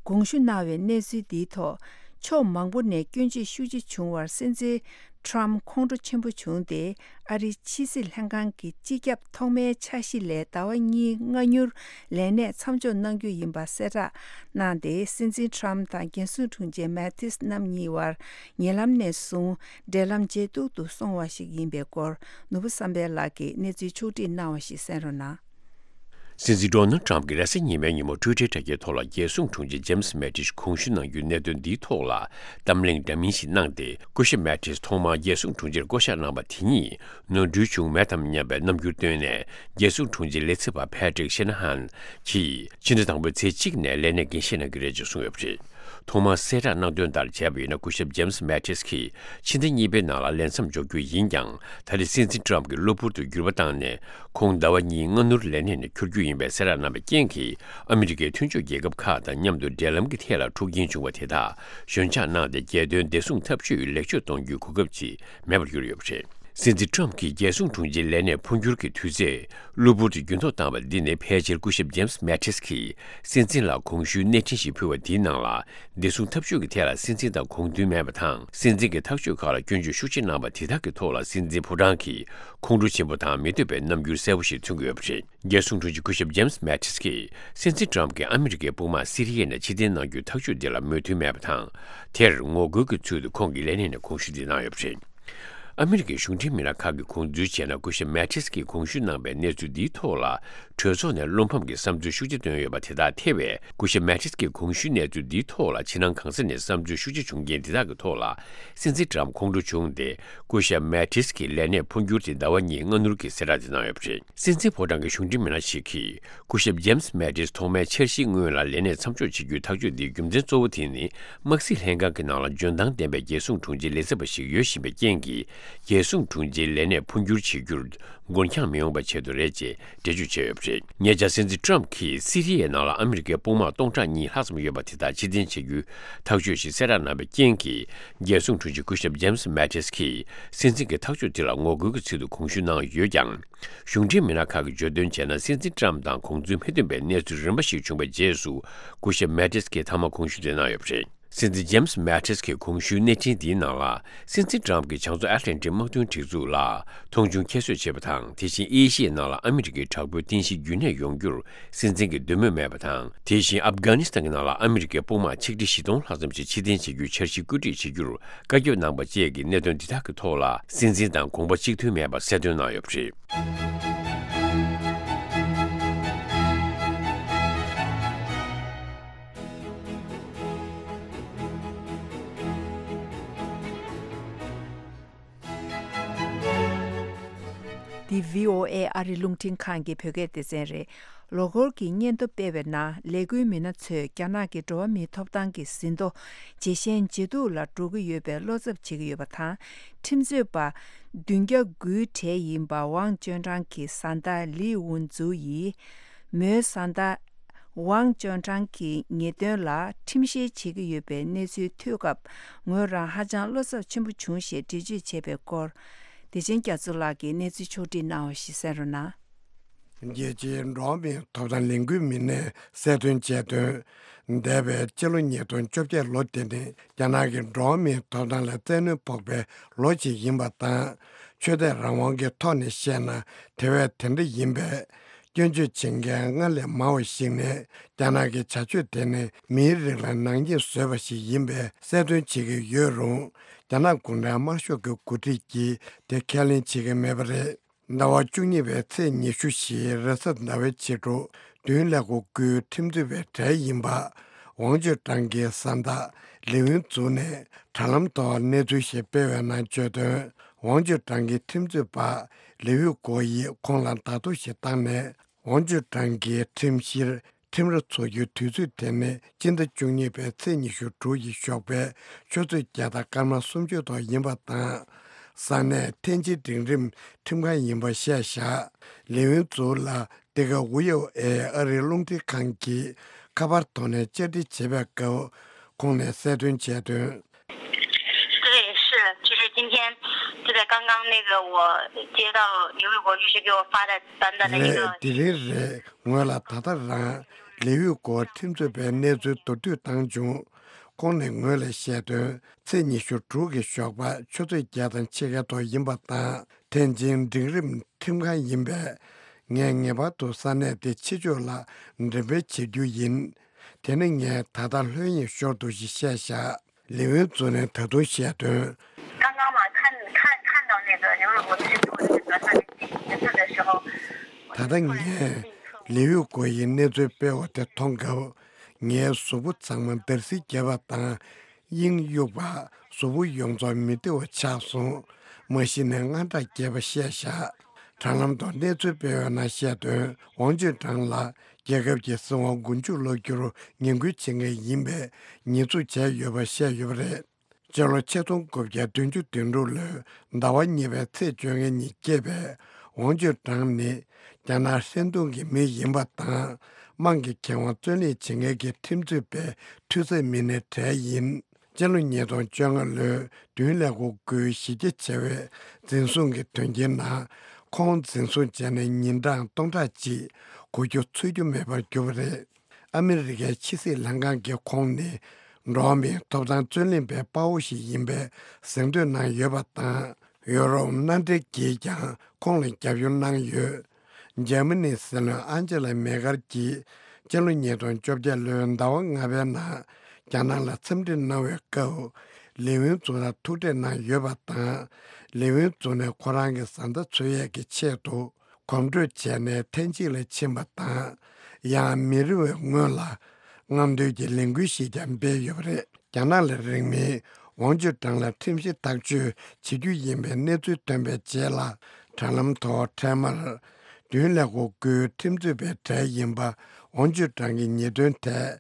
དགོངས་ཞུ་གནང་བའི་གནས་ཚུལ་འདིའི་ཐོག་ཕྱོགས་མང་པོ་ནས་སྐྱོན་བརྗོད་ཤུགས་ཆེ་བྱུང་བར་སྲིད་འཛིན་ཊརམ་ཁོང་ཁྲོ་ཆེན་པོ་བྱུང་སྟེ། ཨ་རིའི་ཕྱི་སྲིད་ལྷན་ཁང་གི་སྤྱི་ཁྱབ་ཐོག་མའི་འཆར་གཞི་ལས་ཟླ་བ་གཉིས་སྔ་སྣུར་ལས་གནས་མཚམས་འཇོག་གནང་རྒྱུ་ཡིན་པ་གསལ་བསྒྲགས་གནང་སྟེ། སྲིད་འཛིན་ཊརམ་དང་རྒྱལ་སྲུང་དྲུང་ཆེ་མེ་ཏིས་རྣམ་གཉིས་བར་ཉེ་ལམ་ནས་བཟུང་འབྲེལ་ལམ་ཇེ་སྡུག་ཏུ་སོང་བ་ཞིག་ཡིན་པའི་སྐོར། ནོར་བུ་བསམ་འཕེལ་ལགས་ཀྱིས་གནས་ཚུལ་ཕྱོགས་བསྒྲིགས་གནང་བ་ཞིག་གསན་རོགས་གནང་། སྲིད་འཛིན་ཌོ་ནལ་ཊམ་གྱིས་རེས་གཟའ་ཉི་མའི་ཉིན་མོ་ཊུའི་ཊར་དྲ་རྒྱའི་ཐོག་ལ་རྒྱལ་སྲུང་དྲུང་ཆེ་ཇེམ་སི་མེ་ཏིས་དགོངས་ཞུ་གནང་རྒྱུའི་གནད་དོན་འདིའི་ཐོག་ལ་གཏམ་གླེང་འདྲ་མིན་ཞིག་གནང་སྟེ། སྐུ་ཞབས་མེ་ཏིས་ཐོག་མར་རྒྱལ་སྲུང་དྲུང་ཆེར་བསྐོ་གཞག་གནང་བ་དེ་ཉིད་ནོར་འཁྲུལ་བྱུང་མེད་དམ་སྙམ་པའི་རྣམ་འགྱུར་བཏོན་ནས། རྒྱལ་སྲུང་དྲུང་ཆེ་ལས་བྱེད་པ་ཕེ་ཏྲིག་ཤེ་ན་ཧན་གྱིས་ཕྱི་ཟླ་དང་པོའི་ཚེས་གཅིག་ནས་ལས་གནས་འགན་བཞེས་གནང་གི་རེད་ཅེས་གསུངས་ཡོད་པ་རེད། ཐོག་མར་གསལ་བསྒྲགས་གནང་དོན་ལྟར་བྱས་པ་ཡིན་ན། སྐུ་ཞབས་ཇེམ་སི་མེ་ཏིས་ཀྱིས་ཕྱི་ཟླ་གཉིས་པའི་ནང་ལ་ལས་མཚམས་འཇོག་རྒྱུ་ཡིན་ཀྱང་། ད་རེས་སྲིད་འཛིན་ཊརམ་གྱིས་གློ་བུར་དུ་འགྱུར་བ་བཏང་ནས། ཁོང་ཟླ་བ་གཉིས་སྔ་སྣུར་ལས་གནས་ནས་འཁྱུར་རྒྱུ་ཡིན་པའི་གསལ་བསྒྲགས་གནང་བའི་རྐྱེན་གྱིས། ཨ་མི་རི་ཀའི་མཐུན་ཕྱོགས་རྒྱལ་ཁབ་ཁག་དང་མཉམ་དུ་འབྲེལ་ལམ་གྱི་ཐད་ལ་འཁྲུག་རྐྱེན་བྱུང་བ་དེ་དག་ཞོད་འཇགས་གནང་སྟེ། རྒྱལ་དོན་བདེ་སྲུང་ཐབས་ཇུས་ལེགས་བཅོས་གཏོང་རྒྱུའི་གོ་སྐབས་ཅིག་མེད་པར་གྱུར་ཡོད་པ་རེད། སྲིད་འཛིན་ཊརམ་གྱིས་རྒྱལ་སྲུང་དྲུང་ཆེའི་ལས་གནས་འཕོ་འགྱུར་གྱི་དུས་ཚོད་གློ་བུར་དུ་འགྱུར་ལྡོག་བཏང་བ་འདི་ནི། ཕལ་ཆེར་སྐུ་ཞབས་ཇེམ་སི་མེ་ཏིས་ཀྱིས་སྲིད་འཛིན་ལ་གོང་ཞུའི་གནས་འཕྲིན་ཞིག་ཕུལ་བ་དེའི་ནང་ལ། བདེ་སྲུང་ཐབས་ཇུས་ཀྱི་ཐད་ལ་སྲིད་འཛིན་དང་དགོངས་མཐུན་མེད་པ་དང་། སྲིད་འཛིན་གྱི་ཐག་གཅོད་ཁག་ལ་སྐྱོན་བརྗོད་ཤུགས་ཆེ་གནང་བ་དེ་དག་གི་ཐོག་ལ། སྲིད་འཛིན་ཕོ་བྲང་གིས་ཁོང་ཁྲོ་ཆེན་པོ་དང་མི་འདོད་པའི་རྣམ་འགྱུར་གསལ་པོ་ཞིག་མཚོན་གྱི་ཡོད་པ་རེད། རྒྱལ་སྲུང་དྲུང་ཆེ་སྐུ་ཞབས་ཇེམ་སི་མེ་ཏིས་ཀྱིས། སྲིད་འཛིན་ཊརམ་གྱིས་ཨ་མི་རི་ཀའི་དཔུང་དམག་སི་རི་ཡ་ནས་ཕྱིར་འཐེན་གནང་རྒྱུའི་ཐག་གཅོད་འདི་ལ་མོས་མཐུན་མེད་པ་དང་། དེར་ངོ་རྒོལ་གྱི་ཚུལ་དུ་ཁོང་གིས་ལས་གནས་ནས་དགོངས་ཞུ་འདི་གནང་ཡོད་པ་རེད། ཨ་མི་རི་ཀའི་གཞུང་འབྲེལ་མི་སྣ་ཁག་གིས་དགོངས་ཚུལ་བྱས་ན། སྐུ་ཞབས་མེ་ཏིས་ཀྱིས་དགོངས་ཞུ་གནང་པའི་གནས་ཚུལ་འདིའི་ཐོག་ལ། གྲོས་ཚོགས་ནས་བློ་ཕམ་གྱི་བསམ་ཚུལ་ཤུགས་ཆེ་བཏོན་ཡོད་པ་དེ་དག་ཐེ་བས། སྐུ་ཞབས་མེ་ཏིས་ཀྱི་དགོངས་ཞུའི་གནས་ཚུལ་འདིའི་ཐོག་ལ་ཕྱི་ནང་གང་ས་ནས་བསམ་ཚུལ་ཤུགས་ཆེ་བྱུང་རྐྱེན་དེ་དག་གི་ཐོག་ལ། སྲིད་འཛིན་ཊརམ་ཁོང་ཁྲོ་བྱུང་སྟེ། སྐུ་ཞབས་མེ་ཏིས་ཀྱི་ལས་གནས་འཕོ་འགྱུར་དེ་ཟླ་བ་གཉིས་སྔ་སྣུར་གྱི་གསལ་བསྒྲགས་དེ་གནང་ཡོད་པ་རེད། སྲིད་འཛིན་ཕོ་བྲང་གི་གཞུང་འབྲེལ་མི་སྣ་ཞིག་གིས། སྐུ་ཞབས་ཇེམ་སི་མེ་ཏིས་ཐོག་མའི་འཆར་གཞིའི་སྔོན་ལ་ལས་གནས་མཚམས་འཇོག་བྱེད་རྒྱུའི་ཐག་གཅོད་འདིའི་རྒྱུ་མཚན་གཙོ་བོ་དེ་ནི། དམག་སྲིད་ལྷན་ཁང་གི་ནང་ལ་འཇོན་ཐང་ལྡན་པའི་རྒྱལ་སྲུང་དྲུང་ཆེའི་ལས་བྱེད་པ་ཞིག་ཡོད་བཞིན་པའི་རྐྱེན་གྱིས། རྒྱལ་སྲུང་དྲུང་ཆེའི་ལས་གནས་འཕོ་འགྱུར་བྱེད་རྒྱུར་འགོར་འགྱངས་མི་ཡོང་བའི་ཆེད་དུ་རེད་ཅེས་འགྲེལ་བརྗོད་བྱས་ཡོད་པ་རེད། ཉེ་ཆར་སྲིད་འཛིན་ཊརམ་གྱིས་སི་རི་ཡའི་ནང་ལ་ཨ་མི་རི་ཀའི་དཔུང་དམག་སྟོང་ཕྲག་གཉིས་ལྷག་ཙམ་ཡོད་པ་དེ་དག་ཕྱིར་འཐེན་བྱེད་རྒྱུའི་ཐག་གཅོད་ཞིག་གསལ་བསྒྲགས་གནང་བའི་རྐྱེན་གྱིས། རྒྱལ་སྲུང་དྲུང་ཆེ་སྐུ་ཞབས་ཇེམ་སི་མེ་ཏིས་ཀྱིས་སྲིད་འཛིན་གྱི་ཐག་གཅོད་དེ་ལ་ངོ་རྒོལ་གྱི་ཚུལ་དུ་དགོངས་ཞུ་གནང་ཡོད་ཀྱང་། གཞུང་འབྲེལ་མི་སྣ་ཁག་གིས་བརྗོད་དོན་བྱས་ན། སྲིད་འཛིན་ཊརམ་དང་དགོངས་ཚུལ་མི་མཐུན་པའི་གནས་ཚུལ་རིམ་པ་ཞིག་བྱུང་བའི་རྗེས་སུ། སྐུ་ཞབས་མེ་ཏིས་ཀྱིས་མཐའ་མ་དགོངས་ཞུ་དེ་གནང་ཡོད་པ་རེད། སྲིད་འཛིན་ཇེམ་སི་མེ་ཏིས་ཀྱི་དགོངས་ཞུའི་གནས་འཕྲིན་འདིའི་ནང་ལ། སྲིད་འཛིན་ཊརམ་གྱིས་བྱང་མཚོ་ཨེཊ་ལན་ཊིག་དམག་དོན་སྒྲིག་འཛུགས་ལ་མཐོང་ཆུང་ཁྱད་གསོད་བྱས་པ་དང་། དེ་བཞིན་ཨེ་ཤི་ཡའི་ནང་ལ་ཨ་མི་རི་ཀའི་དྲག་པོའི་རྟེན་གཞི་རྒྱུན་གནས་ཡོང་རྒྱུར་སྲིད་འཛིན་གྱི་འདོད་མོས་མེད་པ་དང་། དེ་བཞིན་ཨབ་གྷ་ནི་སི་ཐན་གྱི་ནང་ལ་ཨ་མི་རི་ཀའི་དཔུང་དམག་ཆིག་ཁྲི་བཞི་སྟོང་ལྷག་ཙམ་ཞིག་ཕྱིར་འཐེན་བྱེད་རྒྱུའི་འཆར་གཞི་བཀོད་སྒྲིག་བྱེད་རྒྱུར་བཀའ་བཀྱོན་གནང་པ་བཅས་ཀྱི་གནད་དོན་འདི་དག་གི་ཐོག་ལ། སྲིད་འཛིན་དང་དགོངས་པ་གཅིག་མཐུན་མེད་པ་གསལ་སྟོན་གནང་ཡོད་པ་རེད། འདི་བྷི་ཨོ་ཨེ་ཨ་རི་རླུང་འཕྲིན་ཁང་གི་བོད་སྐད་སྡེ་ཚན་རེད། ལོ་འཁོར་གྱི་སྙན་ཐོ་སྤེལ་བའི་ནང་ལས་འགུལ་མི་སྣ་ཚོས་རྒྱ་ནག་གི་འགྲོ་བ་མིའི་ཐོབ་ཐང་གི་ཟིན་ཐོ་ཇེ་ཞན་ཇེ་སྡུག་ལ་འགྲོ་གི་ཡོད་པའི་བློ་འཚབ་བྱེད་ཀྱི་ཡོད་པ་དང་། ཁྲིམས་རྩོད་པ་བདུན་བརྒྱ་དགུའི་གྲས་ཡིན་པ་ཝང་ཅོན་ཀྲང་གི་བཟའ་ཟླ་ལི་ཝུན་ཙུའུ་ཡིས། མོའི་བཟའ་ཟླ་ཝང་ཅོན་ཀྲང་གི་ཉེས་དོན་ལ་ཁྲིམས་བཤེར་བྱེད་ཀྱི་ཡོད་པའི་གནས་ཚུལ་ཐོས་སྐབས། ངོས་རང་ཧ་ཅང་བློ་འཚབ་ཆེན་པོ་བྱུང་ཞེས་འགྲེལ་བརྗོད་བྱས་པའི་སྐོར། བདེ་ཆེན་རྒྱ་མཚོ་ལགས་ཀྱིས་གནས་ཚུལ་ཕྱོགས་བསྒྲིགས་གནང་བ་ཞིག་གསན་རོགས་གནང་། རྒྱལ་སྤྱིའི་འགྲོ་བ་མིའི་ཐོབ་ཐང་ལས་འགུལ་མི་སྣས་གསལ་སྟོན་བྱས་དོན། འདས་པའི་སྤྱི་ལོ་ཉིས་སྟོང་བཅོ་བརྒྱད་ལོ་དེ་ནི་རྒྱ་ནག་གི་འགྲོ་བ་མིའི་ཐོབ་ཐང་ལ་བཙན་གནོན་ཕོག་པའི་ལོ་ཞིག་ཡིན་པ་དང་། ཆོས་དད་རང་དབང་གི་ཐོག་ནས་བཤད་ན་དེ་བས་དེ་འདྲ་ཡིན་པས། སྐྱོན་བརྗོད་བྱེད་མཁན་སྔར་ལས་མང་བ་ཞིག་ནས་རྒྱ་ནག་གི་བྱ་སྤྱོད་དེ་ནི་མིའི་རིགས་ལ་ནག་ཉེས་བཟོས་པ་ཞིག་ཡིན་པའི་གསལ་སྟོན་བྱེད་ཀྱི་ཡོད་རུང་། རྒྱ་ནག་གུང་ཁྲན་དམར་ཤོག་གི་འགོ་ཁྲིད་ཀྱིས་དེ་ཁས་ལེན་བྱེད་ཀྱི་མེད་པ་རེད། ཟླ་བ་བཅུ་གཉིས་པའི་ཚེས་ཉི་ཤུ་བཞིའི་རེས་གཟའ་ཟླ་བའི་ཕྱི་དྲོ། བདུན་ཀླད་ཀོར་དགུའི་ཁྲིམས་རྩོད་པའི་གྲས་ཡིན་པ། ཝང་ཅུན་ཀྲང་གི་བཟའ་ཟླ་ལི་ཝུན་ཙུའུ་ནས་དྲ་ལམ་ཐོག་གནས་ཚུལ་ཞིག་སྤེལ་བའི་ནང་བརྗོད་དོན། ཝང་ཅུན་ཀྲང་གི་ཁྲིམས་རྩོད་པ་ལི་ཝུན་ཀོ་ཡིས་ཁོང་ལ་བརྡ་ཐོ་ཞིག་བཏང་ནས། ཝང་ཅུན་ཀྲང་གི་ཁྲིམས་བཤེར་ཁྲིམས་ར་འཚོགས་རྒྱུའི་དུས་ཚོད་དེ་ནི་སྤྱི་ཟླ་བཅུ་གཉིས་པའི་ཚེས་ཉི་ཤུ་དྲུག་ཡི་ཞོགས་པའི་ཆུ་ཚོད་བརྒྱད་དང་སྐར་མ་སུམ་ཅུ་ཐོག་ཡིན་པ་དང་། ས་གནས་ཐེན་ཅིན་འབྲིང་རིམ་ཁྲིམས་ཁང་ཡིན་པ་བཤད་བཞག་ལི་ཝུན་ཙུའུ་ལ་འདི་ག་ཝི་ཨོ་ཨེ་ཨ་རིའི་རླུང་འཕྲིན་ཁང་གིས་ཁ་པར་ཐོག་ནས་བཅར་འདྲི་བྱེད་པའི་སྐབས་ཁོང་ནས་གསལ་སྟོན་བྱས་དོན། 对，是，其实今天就在刚刚，那个我接到刘卫国律师给我发的短短的一个 རེད། དེ་རིང་རེད། ངོས་ལ་ད་ལྟ་རང་ལི་ཝི་གོ་ཁྲིམས་རྩོད་པའི་གནས་ཚུལ་མདོར་བསྡུས་བཏང་བྱུང་། ཁོང་ནས་ངོས་ལ་བཤད་དོན། ཚེས་ཉི་ཤུ་དྲུག་གི་ཞོགས་པ་ཆུ་ཚོད་བརྒྱད་དང་ཕྱེད་ཀའི་ཐོག་ཡིན་པ་དང་། ཐེན་ཅིན་འབྲིང་རིམ་ཁྲིམས་ཁང་ཡིན་པས། ངས་ངེས་པར་དུ་ས་གནས་དེ་ཕྱི་ཕྱོགས་ལ་འགྲེམས་སྤེལ་བྱེད་རྒྱུ་ཡིན། དེ་ནི་ངས་ད་ལྟ་ལྷོད་གཡེང་ཤོར་འདུག་ཞེས་བཤད་བཞག་ལི་ཝུན་ཙུ་ནས་ད་དུང་བཤད་དོན། 刚刚嘛，看看看到那个刘卫国律师给我那个短短的一个字的时候，ད་ལྟ་ངས་ལི་ཝུན་ཙུ་ཡི་གནས་ཚུལ་སྤེལ་བ་དེ་མཐོང་སྐབས། ངའི་གཟུགས་པོ་ཚང་མ་འདར་སིག་བརྒྱབ་པ་དང་། དབྱིངས་གཡུགས་པ། གཟུགས་པོ་ཡོངས་རྫོགས་མི་བདེ་བ་ཆགས་སོང་། མ་གཞི་ནས་དངངས་སྐྲག་རྒྱས་པ་བཤད་བཞག་དྲ་ལམ་ཐོག་གནས་ཚུལ་སྤེལ་བའི་ནང་བཤད་དོན། ཝང་ཅུན་ཀྲང་ལ་རྒྱལ་ཁབ་ཀྱི་སྲིད་དབང་མགོ་མཇུག་སློག་རྒྱུར་ངན་སྐུལ་བྱེད་མཁན་ཡིན་པའི་ཉེས་འཛུགས་བྱས་ཡོད་པ་བཤད་ཡོད་པ་རེད། སྤྱི་ལོ་ཆིག་སྟོང་དགུ་བརྒྱ་བདུན་ཅུ་དོན་དྲུག་ལོའི་ཟླ་བ་གཉིས་པའི་ཚེས་བཅོ་ལྔ་ཉིན་སྐྱེས་པའི་ཝང་ཅུན་ཀྲང་ནི་རྒྱ་ནག་ཧྲན་ཏུང་གི་མི་ཡིན་པ་དང་། དམངས་ཀྱི་ཁེ་དབང་རྩོད་ལེན་བྱེད་མཁན་གྱི་ཁྲིམས་རྩོད་པའི་འཐུས་ཚབ་མི་སྣའི་གྲས་ཡིན། སྤྱི་ལོ་ཉིས་སྟོང་བཅོ་ལྔ་ལོའི་བདུན་ལས་འགོ་དགུའི་གཞི་རྒྱ་ཆེ་བའི་འཛིན་བཟུང་གི་དོན་རྐྱེན་ནང་། ཁོང་འཛིན་བཟུང་བྱས་ནས་ཉིན་གྲངས་སྟོང་ཕྲག་གཅིག་འགོར་རྒྱུ་ཚོད་རྒྱུ་མེད་པར་གྱུར་པ་རེད། ཨ་མི་རི་ཀའི་ཕྱི་སྲིད་ལྷན་ཁང་གིས་ཁོང་ནི་འགྲོ་བ་མིའི་ཐོབ་ཐང་རྩོད་ལེན་པའི་དཔའ་བོ་ཞིག་ཡིན་པའི་གཟེངས་བསྟོད་གནང་ཡོད་པ་དང་། ཡོ་རོབ་མནའ་འབྲེལ་གྱིས་ཀྱང་ཁོང་ལ་རྒྱབ་སྐྱོར་གནང་ཡོད། འཇར་མ་ནིའི་སྲིད་བློན་ཨན་ཇེ་ལ་མེ་ཀར་གྱིས་སྤྱི་ལོ་ཉིས་སྟོང་བཅོ་བརྒྱད་ལོའི་ཟླ་བ་ལྔ་པའི་ནང་རྒྱ་ནག་ལ་འཚམས་འདྲི་གནང་བའི་སྐབས། ལི་ཝུན་ཙུ་ལ་ཐུག་འཕྲད་གནང་ཡོད་པ་དང་། ལི་ཝུན་ཙུ་ནས་ཁོ་རང་གི་བཟའ་ཟླ་འཚོལ་ཡས་ཀྱི་ཆེད་དུ། གོམ་བགྲོད་བྱས་ནས་ཐེན་ཅིན་ལ་ཕྱིན་པ་དང་། ཡང་མི་རིང་བའི་སྔོན་ལ་རྔམ་སྟོན་གྱི་ལས་འགུལ་ཞིག་ཀྱང་སྤེལ་ཡོད་པ་རེད། རྒྱ་ནག་ལ་རིང་མིན་ཝང་ཅུན་ཀྲང་ལ་ཁྲིམས་བཤེར་ཐག་གཅོད་བྱེད་རྒྱུ་ཡིན་པའི་གནས་ཚུལ་ཐོན་པའི་རྗེས་ལ། དྲ་ལམ་ཐོག་འཕྲལ་མར་བདུན་ལས་འགོ་དགུའི་ཁྲིམས་རྩོད་པའི་གྲས་ཡིན་པ་ཝང་ཅུན་ཀྲང་གི་ཉེས་དོན་ཐད་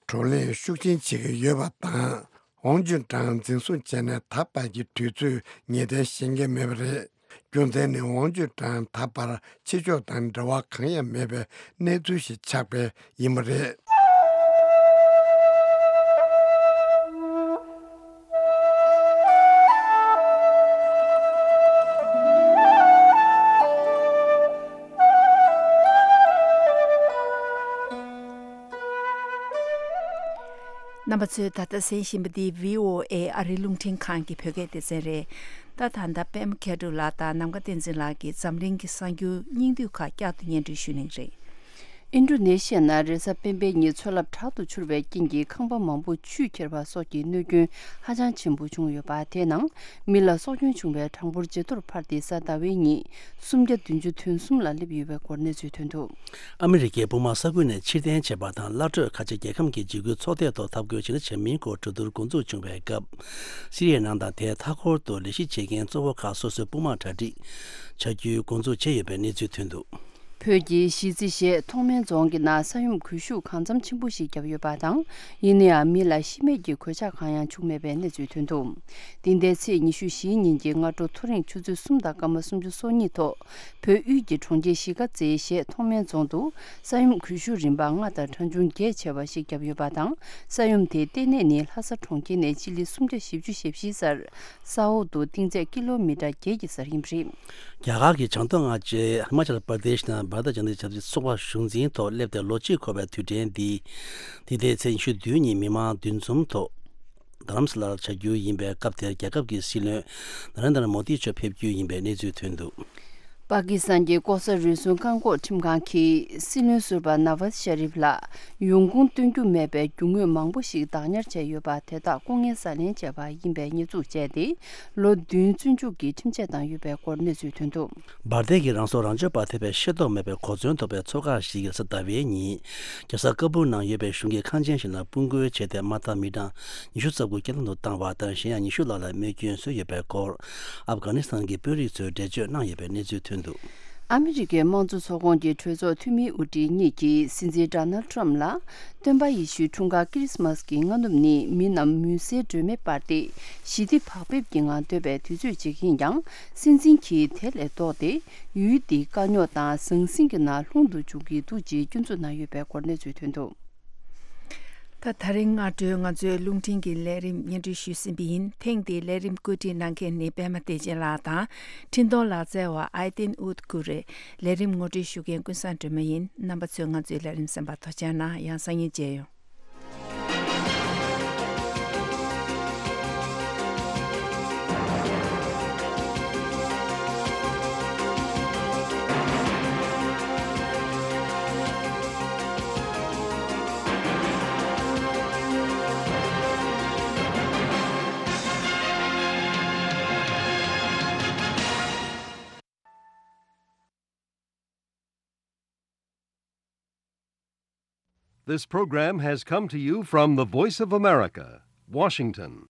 བགྲོ་གླེང་ཤུགས་ཆེན་བྱེད་ཀྱི་ཡོད་པ་དང་། ཝང་ཅུན་ཀྲང་འཛིན་བཟུང་བྱས་ནས་ད་བར་གྱི་དུས་ཚོད་ངེས་གཏན་ཤེས་ཀྱི་མེད་པ་རེད། རྒྱུ་མཚན་ནི་ཝང་ཅུན་ཀྲང་ད་བར་ཕྱི་ཕྱོགས་དང་འབྲེལ་བ་གང་ཡང་མེད་པའི་གནས་ཚུལ་ཞིག་ཆགས་པས་ཡིན་པ་རེད། རྣམ་པ་ཚོས་ད་ལྟ་གསན་བཞིན་པ་འདི་བྷི་ཨོ་ཨེ་ཨ་རིའི་རླུང་འཕྲིན་ཁང་གི་བོད་སྐད་སྡེ་ཚན་རེད། ད་ད་ལྟ་པད་མ་མཁས་གྲུབ་ལགས་དང་ནམ་མཁའ་བསྟན་འཛིན་ལགས་ཀྱིས་འཛམ་གླིང་གི་གསར་འགྱུར་སྙིང་བསྡུས་ཁག་བསྐྱར་དུ་སྙན་སྒྲོན་ཞུ་གནང་གི་རེད། ཨིན་ཌོ་ནེ་ཤི་ཡ་ནང་རེས་གཟའ་སྤེན་པའི་ཉིན་མཚོ་རླབས་དྲག་ཏུ་འཕྱུར་བའི་རྐྱེན་གྱིས་ཁང་པ་མང་པོ་ཆུས་ཁྱེར་བ་སོགས་ཀྱི་གནོད་སྐྱོན་ཧ་ཅང་ཆེན་པོ་བྱུང་ཡོད་པ། དེའི་ནང་མི་ལ་སྲོག་སྐྱོན་བྱུང་བའི་གྲངས་འབོར་ཇེ་མཐོར་འཕར་ཏེ་གཟའ་ཟླ་བའི་ཉིན་སུམ་བརྒྱ་བདུན་ཅུ་དོན་གསུམ་ལ་སླེབས་ཡོད་པའི་སྐོར་གནས་ཚུལ་ཐོན་འདུག་ཨ་མི་རི་ཀའི་སྤོ་མ་ས་ཁུལ་ནས་ཕྱིར་འཐེན་བྱས་པ་དང་། སླར་སྤྲོད་ཁ་ཆེ་རྒྱལ་ཁམས་ཀྱི་འཇིགས་སྐུལ་ཚོགས་སྡེ་ཐོག་འཐབ་རྒོལ་ཇི་འདྲ་བྱེད་མིན་སྐོར་གྲོས་བསྡུར་འགོ་འཛུགས་བྱུང་བའི་སྐབས། སི་རི་ཡའི་ནང་དང་དེའི་མཐའ་འཁོར་དུ་ལས་གཞི་བྱེད་མཁན་གཙོ་བོ་ཁག་སོ་སོའི་དཔུང་དམག་གྲ་སྒྲིག་བྱ་རྒྱུའི་འགོ་འཛུགས་བྱས་ཡོད་པའི་གནས་ཚུལ་ཐོན་འདུག་བོད་ཀྱི་གཞིས་རྩེ་ཞེས་ཐོག་མའི་རྫོང་གི་ནང་ས་ཡོམ་གུལ་ཤུགས་གང་འཚམ་ཆེན་པོ་ཞིག་བརྒྱབ་ཡོད་པ་དང་། ཡིན་ན་ཡང་མི་ལ་ཤི་རྨས་ཀྱི་གོད་ཆག་གང་ཡང་བྱུང་མེད་པའི་གནས་ཚུལ་ཐོན་འདུག་འདི་ཟླའི་ཚེས་ཉི་ཤུ་བཞིའི་ཉིན་གྱི་སྔ་དྲོ་ཐོ་རེངས་ཆུ་ཚོད་གསུམ་དང་སྐར་མ་སུམ་ཅུ་སོ་གཉིས་ཐོག་བོད་དབུས་ཀྱི་གྲོང་ཁྱེར་གཞིས་ཀ་རྩེ་ཞེས་ཐོག་མའི་རྫོང་དུ་ས་ཡོམ་གུལ་ཤུགས་རིམ་པ་ལྔ་དང་གྲངས་ཆུང་བརྒྱད་བྱས་པ་ཞིག་བརྒྱབ་ཡོད་པ་དང་། ས་ཡོམ་དེའི་ལྟེ་གནས་ནི་ལྷ་ས་གྲོང་ཁྱེར་ནས་སྤྱི་ལེ་སུམ་བརྒྱ་བཞི་བཅུ་ཞེ་བཞི་སར། ས་འོག་ཏུ་གཏིང་ཚད་ཀི་ལོ་མི་ཊར་བརྒྱད་ཀྱི་སར་ཡིན་པ་རེད། རྒྱ་གར་གྱི་བྱང་ཐོག་མངའ་ཆེན་ཧི་མ་ཅལ་པར་དེཤ་ནང་བྷ་ར་ཏ་ཇན་ཏ་ཆབ་སྲིད་ཚོགས་པ་གཞུང་འཛིན་ཐོག་སླེབས་ཏེ་ལོ་གཅིག་འཁོར་བའི་དུས་དྲན་འདི། འདི་ཟླའི་ཚེས་ཉི་ཤུ་བདུན་ཉིན་མི་མང་འདུ་འཛོམས་ཐོག་རྡ་རམ་ས་ལར་བྱ་རྒྱུ་ཡིན་པའི་སྐབས་དེར་རྒྱལ་ཁབ་ཀྱི་སྲིད་བློན་ན་རེན་དྲ་མོ་དི་མཆོག་ཕེབས་རྒྱུ་ཡིན་པའི་གནས་ཚུལ་ཐོན་འདུག་པ་ཀི་སི་ཐན་གྱི་ལྐོག་ཟ་རུལ་སུངས་བཀག་འགོག་ཁྲིམས་ཁང་གིས་སྲིད་བློན་ཟུར་པ་ནཱ་ཝཱཛ་ཤ་རིབ་ལ་ཡོང་ཁུངས་སྟོན་རྒྱུ་མེད་པའི་རྒྱུ་དངོས་མང་པོ་ཞིག་བདག་ཉར་བྱས་ཡོད་པ་དེ་དག་ལྐོག་རྔན་ཟ་ལེན་བྱས་པ་ཡིན་པའི་ཉེས་འཛུགས་བྱས་ཏེ། ལོ་བདུན་བཙོན་འཇུག་གི་ཁྲིམས་ཆད་བཏང་ཡོད་པའི་སྐོར་གནས་ཚུལ་ཐོན་འདུག་འབར་མདེལ་གྱི་རང་སྲོག་རང་གཅོད་པ་ཐེ་བའི་ཤེས་རྟོགས་མེད་པའི་གོ་མཚོན་ཐོབ་པའི་ཚོགས་ཁག་ཞིག་གིས་གཟའ་ཟླ་བའི་ཉིན། རྒྱལ་ས་ཀ་སྦུལ་ནང་ཡོད་པའི་གཞུང་གི་ཁང་ཆེན་ཞིག་ནང་དཔུང་རྒོལ་བྱས་ཏེ། དམག་འཐབ་མི་གྲངས་ཉི་ཤུ་རྩ་དགུ་རྐྱེན་ལམ་དུ་བཏང་བ་དང་། གཞན་ཡང་ཉི་ཤུ་ལྷག་ལ་རྨས་སྐྱོན་བཟོས་ཡོད་པའི་སྐོར། ཨབ་གྷ་ནི་སི་ཐན་གྱི་དཔོན་རིགས་ཚོས་འགྲེལ་བརྗོད་གནང་ཡོད་པའི་གནས་ཚུལ་ཐོན་འདུག་ཨ་མི་རི་ཀའི་དམངས་གཙོ་ཚོགས་ཁོངས་ཀྱི་གྲོས་ཚོགས་འཐུས་མིའི་དབུ་ཁྲིད་གཉིས་ཀྱིས་སྲིད་འཛིན་ཌོ་ནལ་ཊམ་ཕ་ལ། སྟོན་པ་ཡེ་ཤུའི་འཁྲུངས་སྐར་ཀི་རི་སི་མ་སི་གི་སྔ་ནུབ་ནི་མི་རྣམས་མུན་སེལ་སྒྲོན་མེ་སྤར་ཏེ་ཞི་བདེ་བག་ཕེབས་ཀྱི་ངང་སྡོད་པའི་དུས་ཚོད་ཅིག་ཡིན་ཀྱང་། སྲིད་འཛིན་གྱིས་དེ་ལས་ལྡོག་སྟེ། ཡུལ་འདིའི་དཀའ་རྙོག་དང་ཟང་ཟིང་གི་ནང་ལྷུང་དུ་འཇུག་གི་འདུག་ཅེས་སྐྱོན་འཛུགས་གནང་ཡོད་པའི་སྐོར་གནས་ཚུལ་ཐོན་འདུག་ད་ད་རིང་སྔ་དྲོའི་ང་ཚོའི་རླུང་འཕྲིན་གྱི་ལས་རིམ་སྙན་སྒྲོན་ཞུས་ཟིན་པ་ཡིན། ཐེངས་འདིའི་ལས་རིམ་བཀོད་སྒྲིག་གནང་མཁན་ནི་པད་མ་བདེ་ཆེན་ལགས་དང་། འཕྲིན་གཏོང་ལག་རྩལ་བ་ཨའི་ཏིན་ཨུད་ཀུ་རེ། ལས་རིམ་ངོ་སྤྲོད་ཞུ་མཁན་ཀུན་བཟང་སྒྲོལ་མ་ཡིན། རྣམ་པ་ཚོས་ང་ཚོའི་ལས་རིམ་གསན་པར་ཐུགས་རྗེ་གནང་། ཡང་སང་ཉིན་མཇལ་ཡོང་། This program has come to you from the Voice of America, Washington.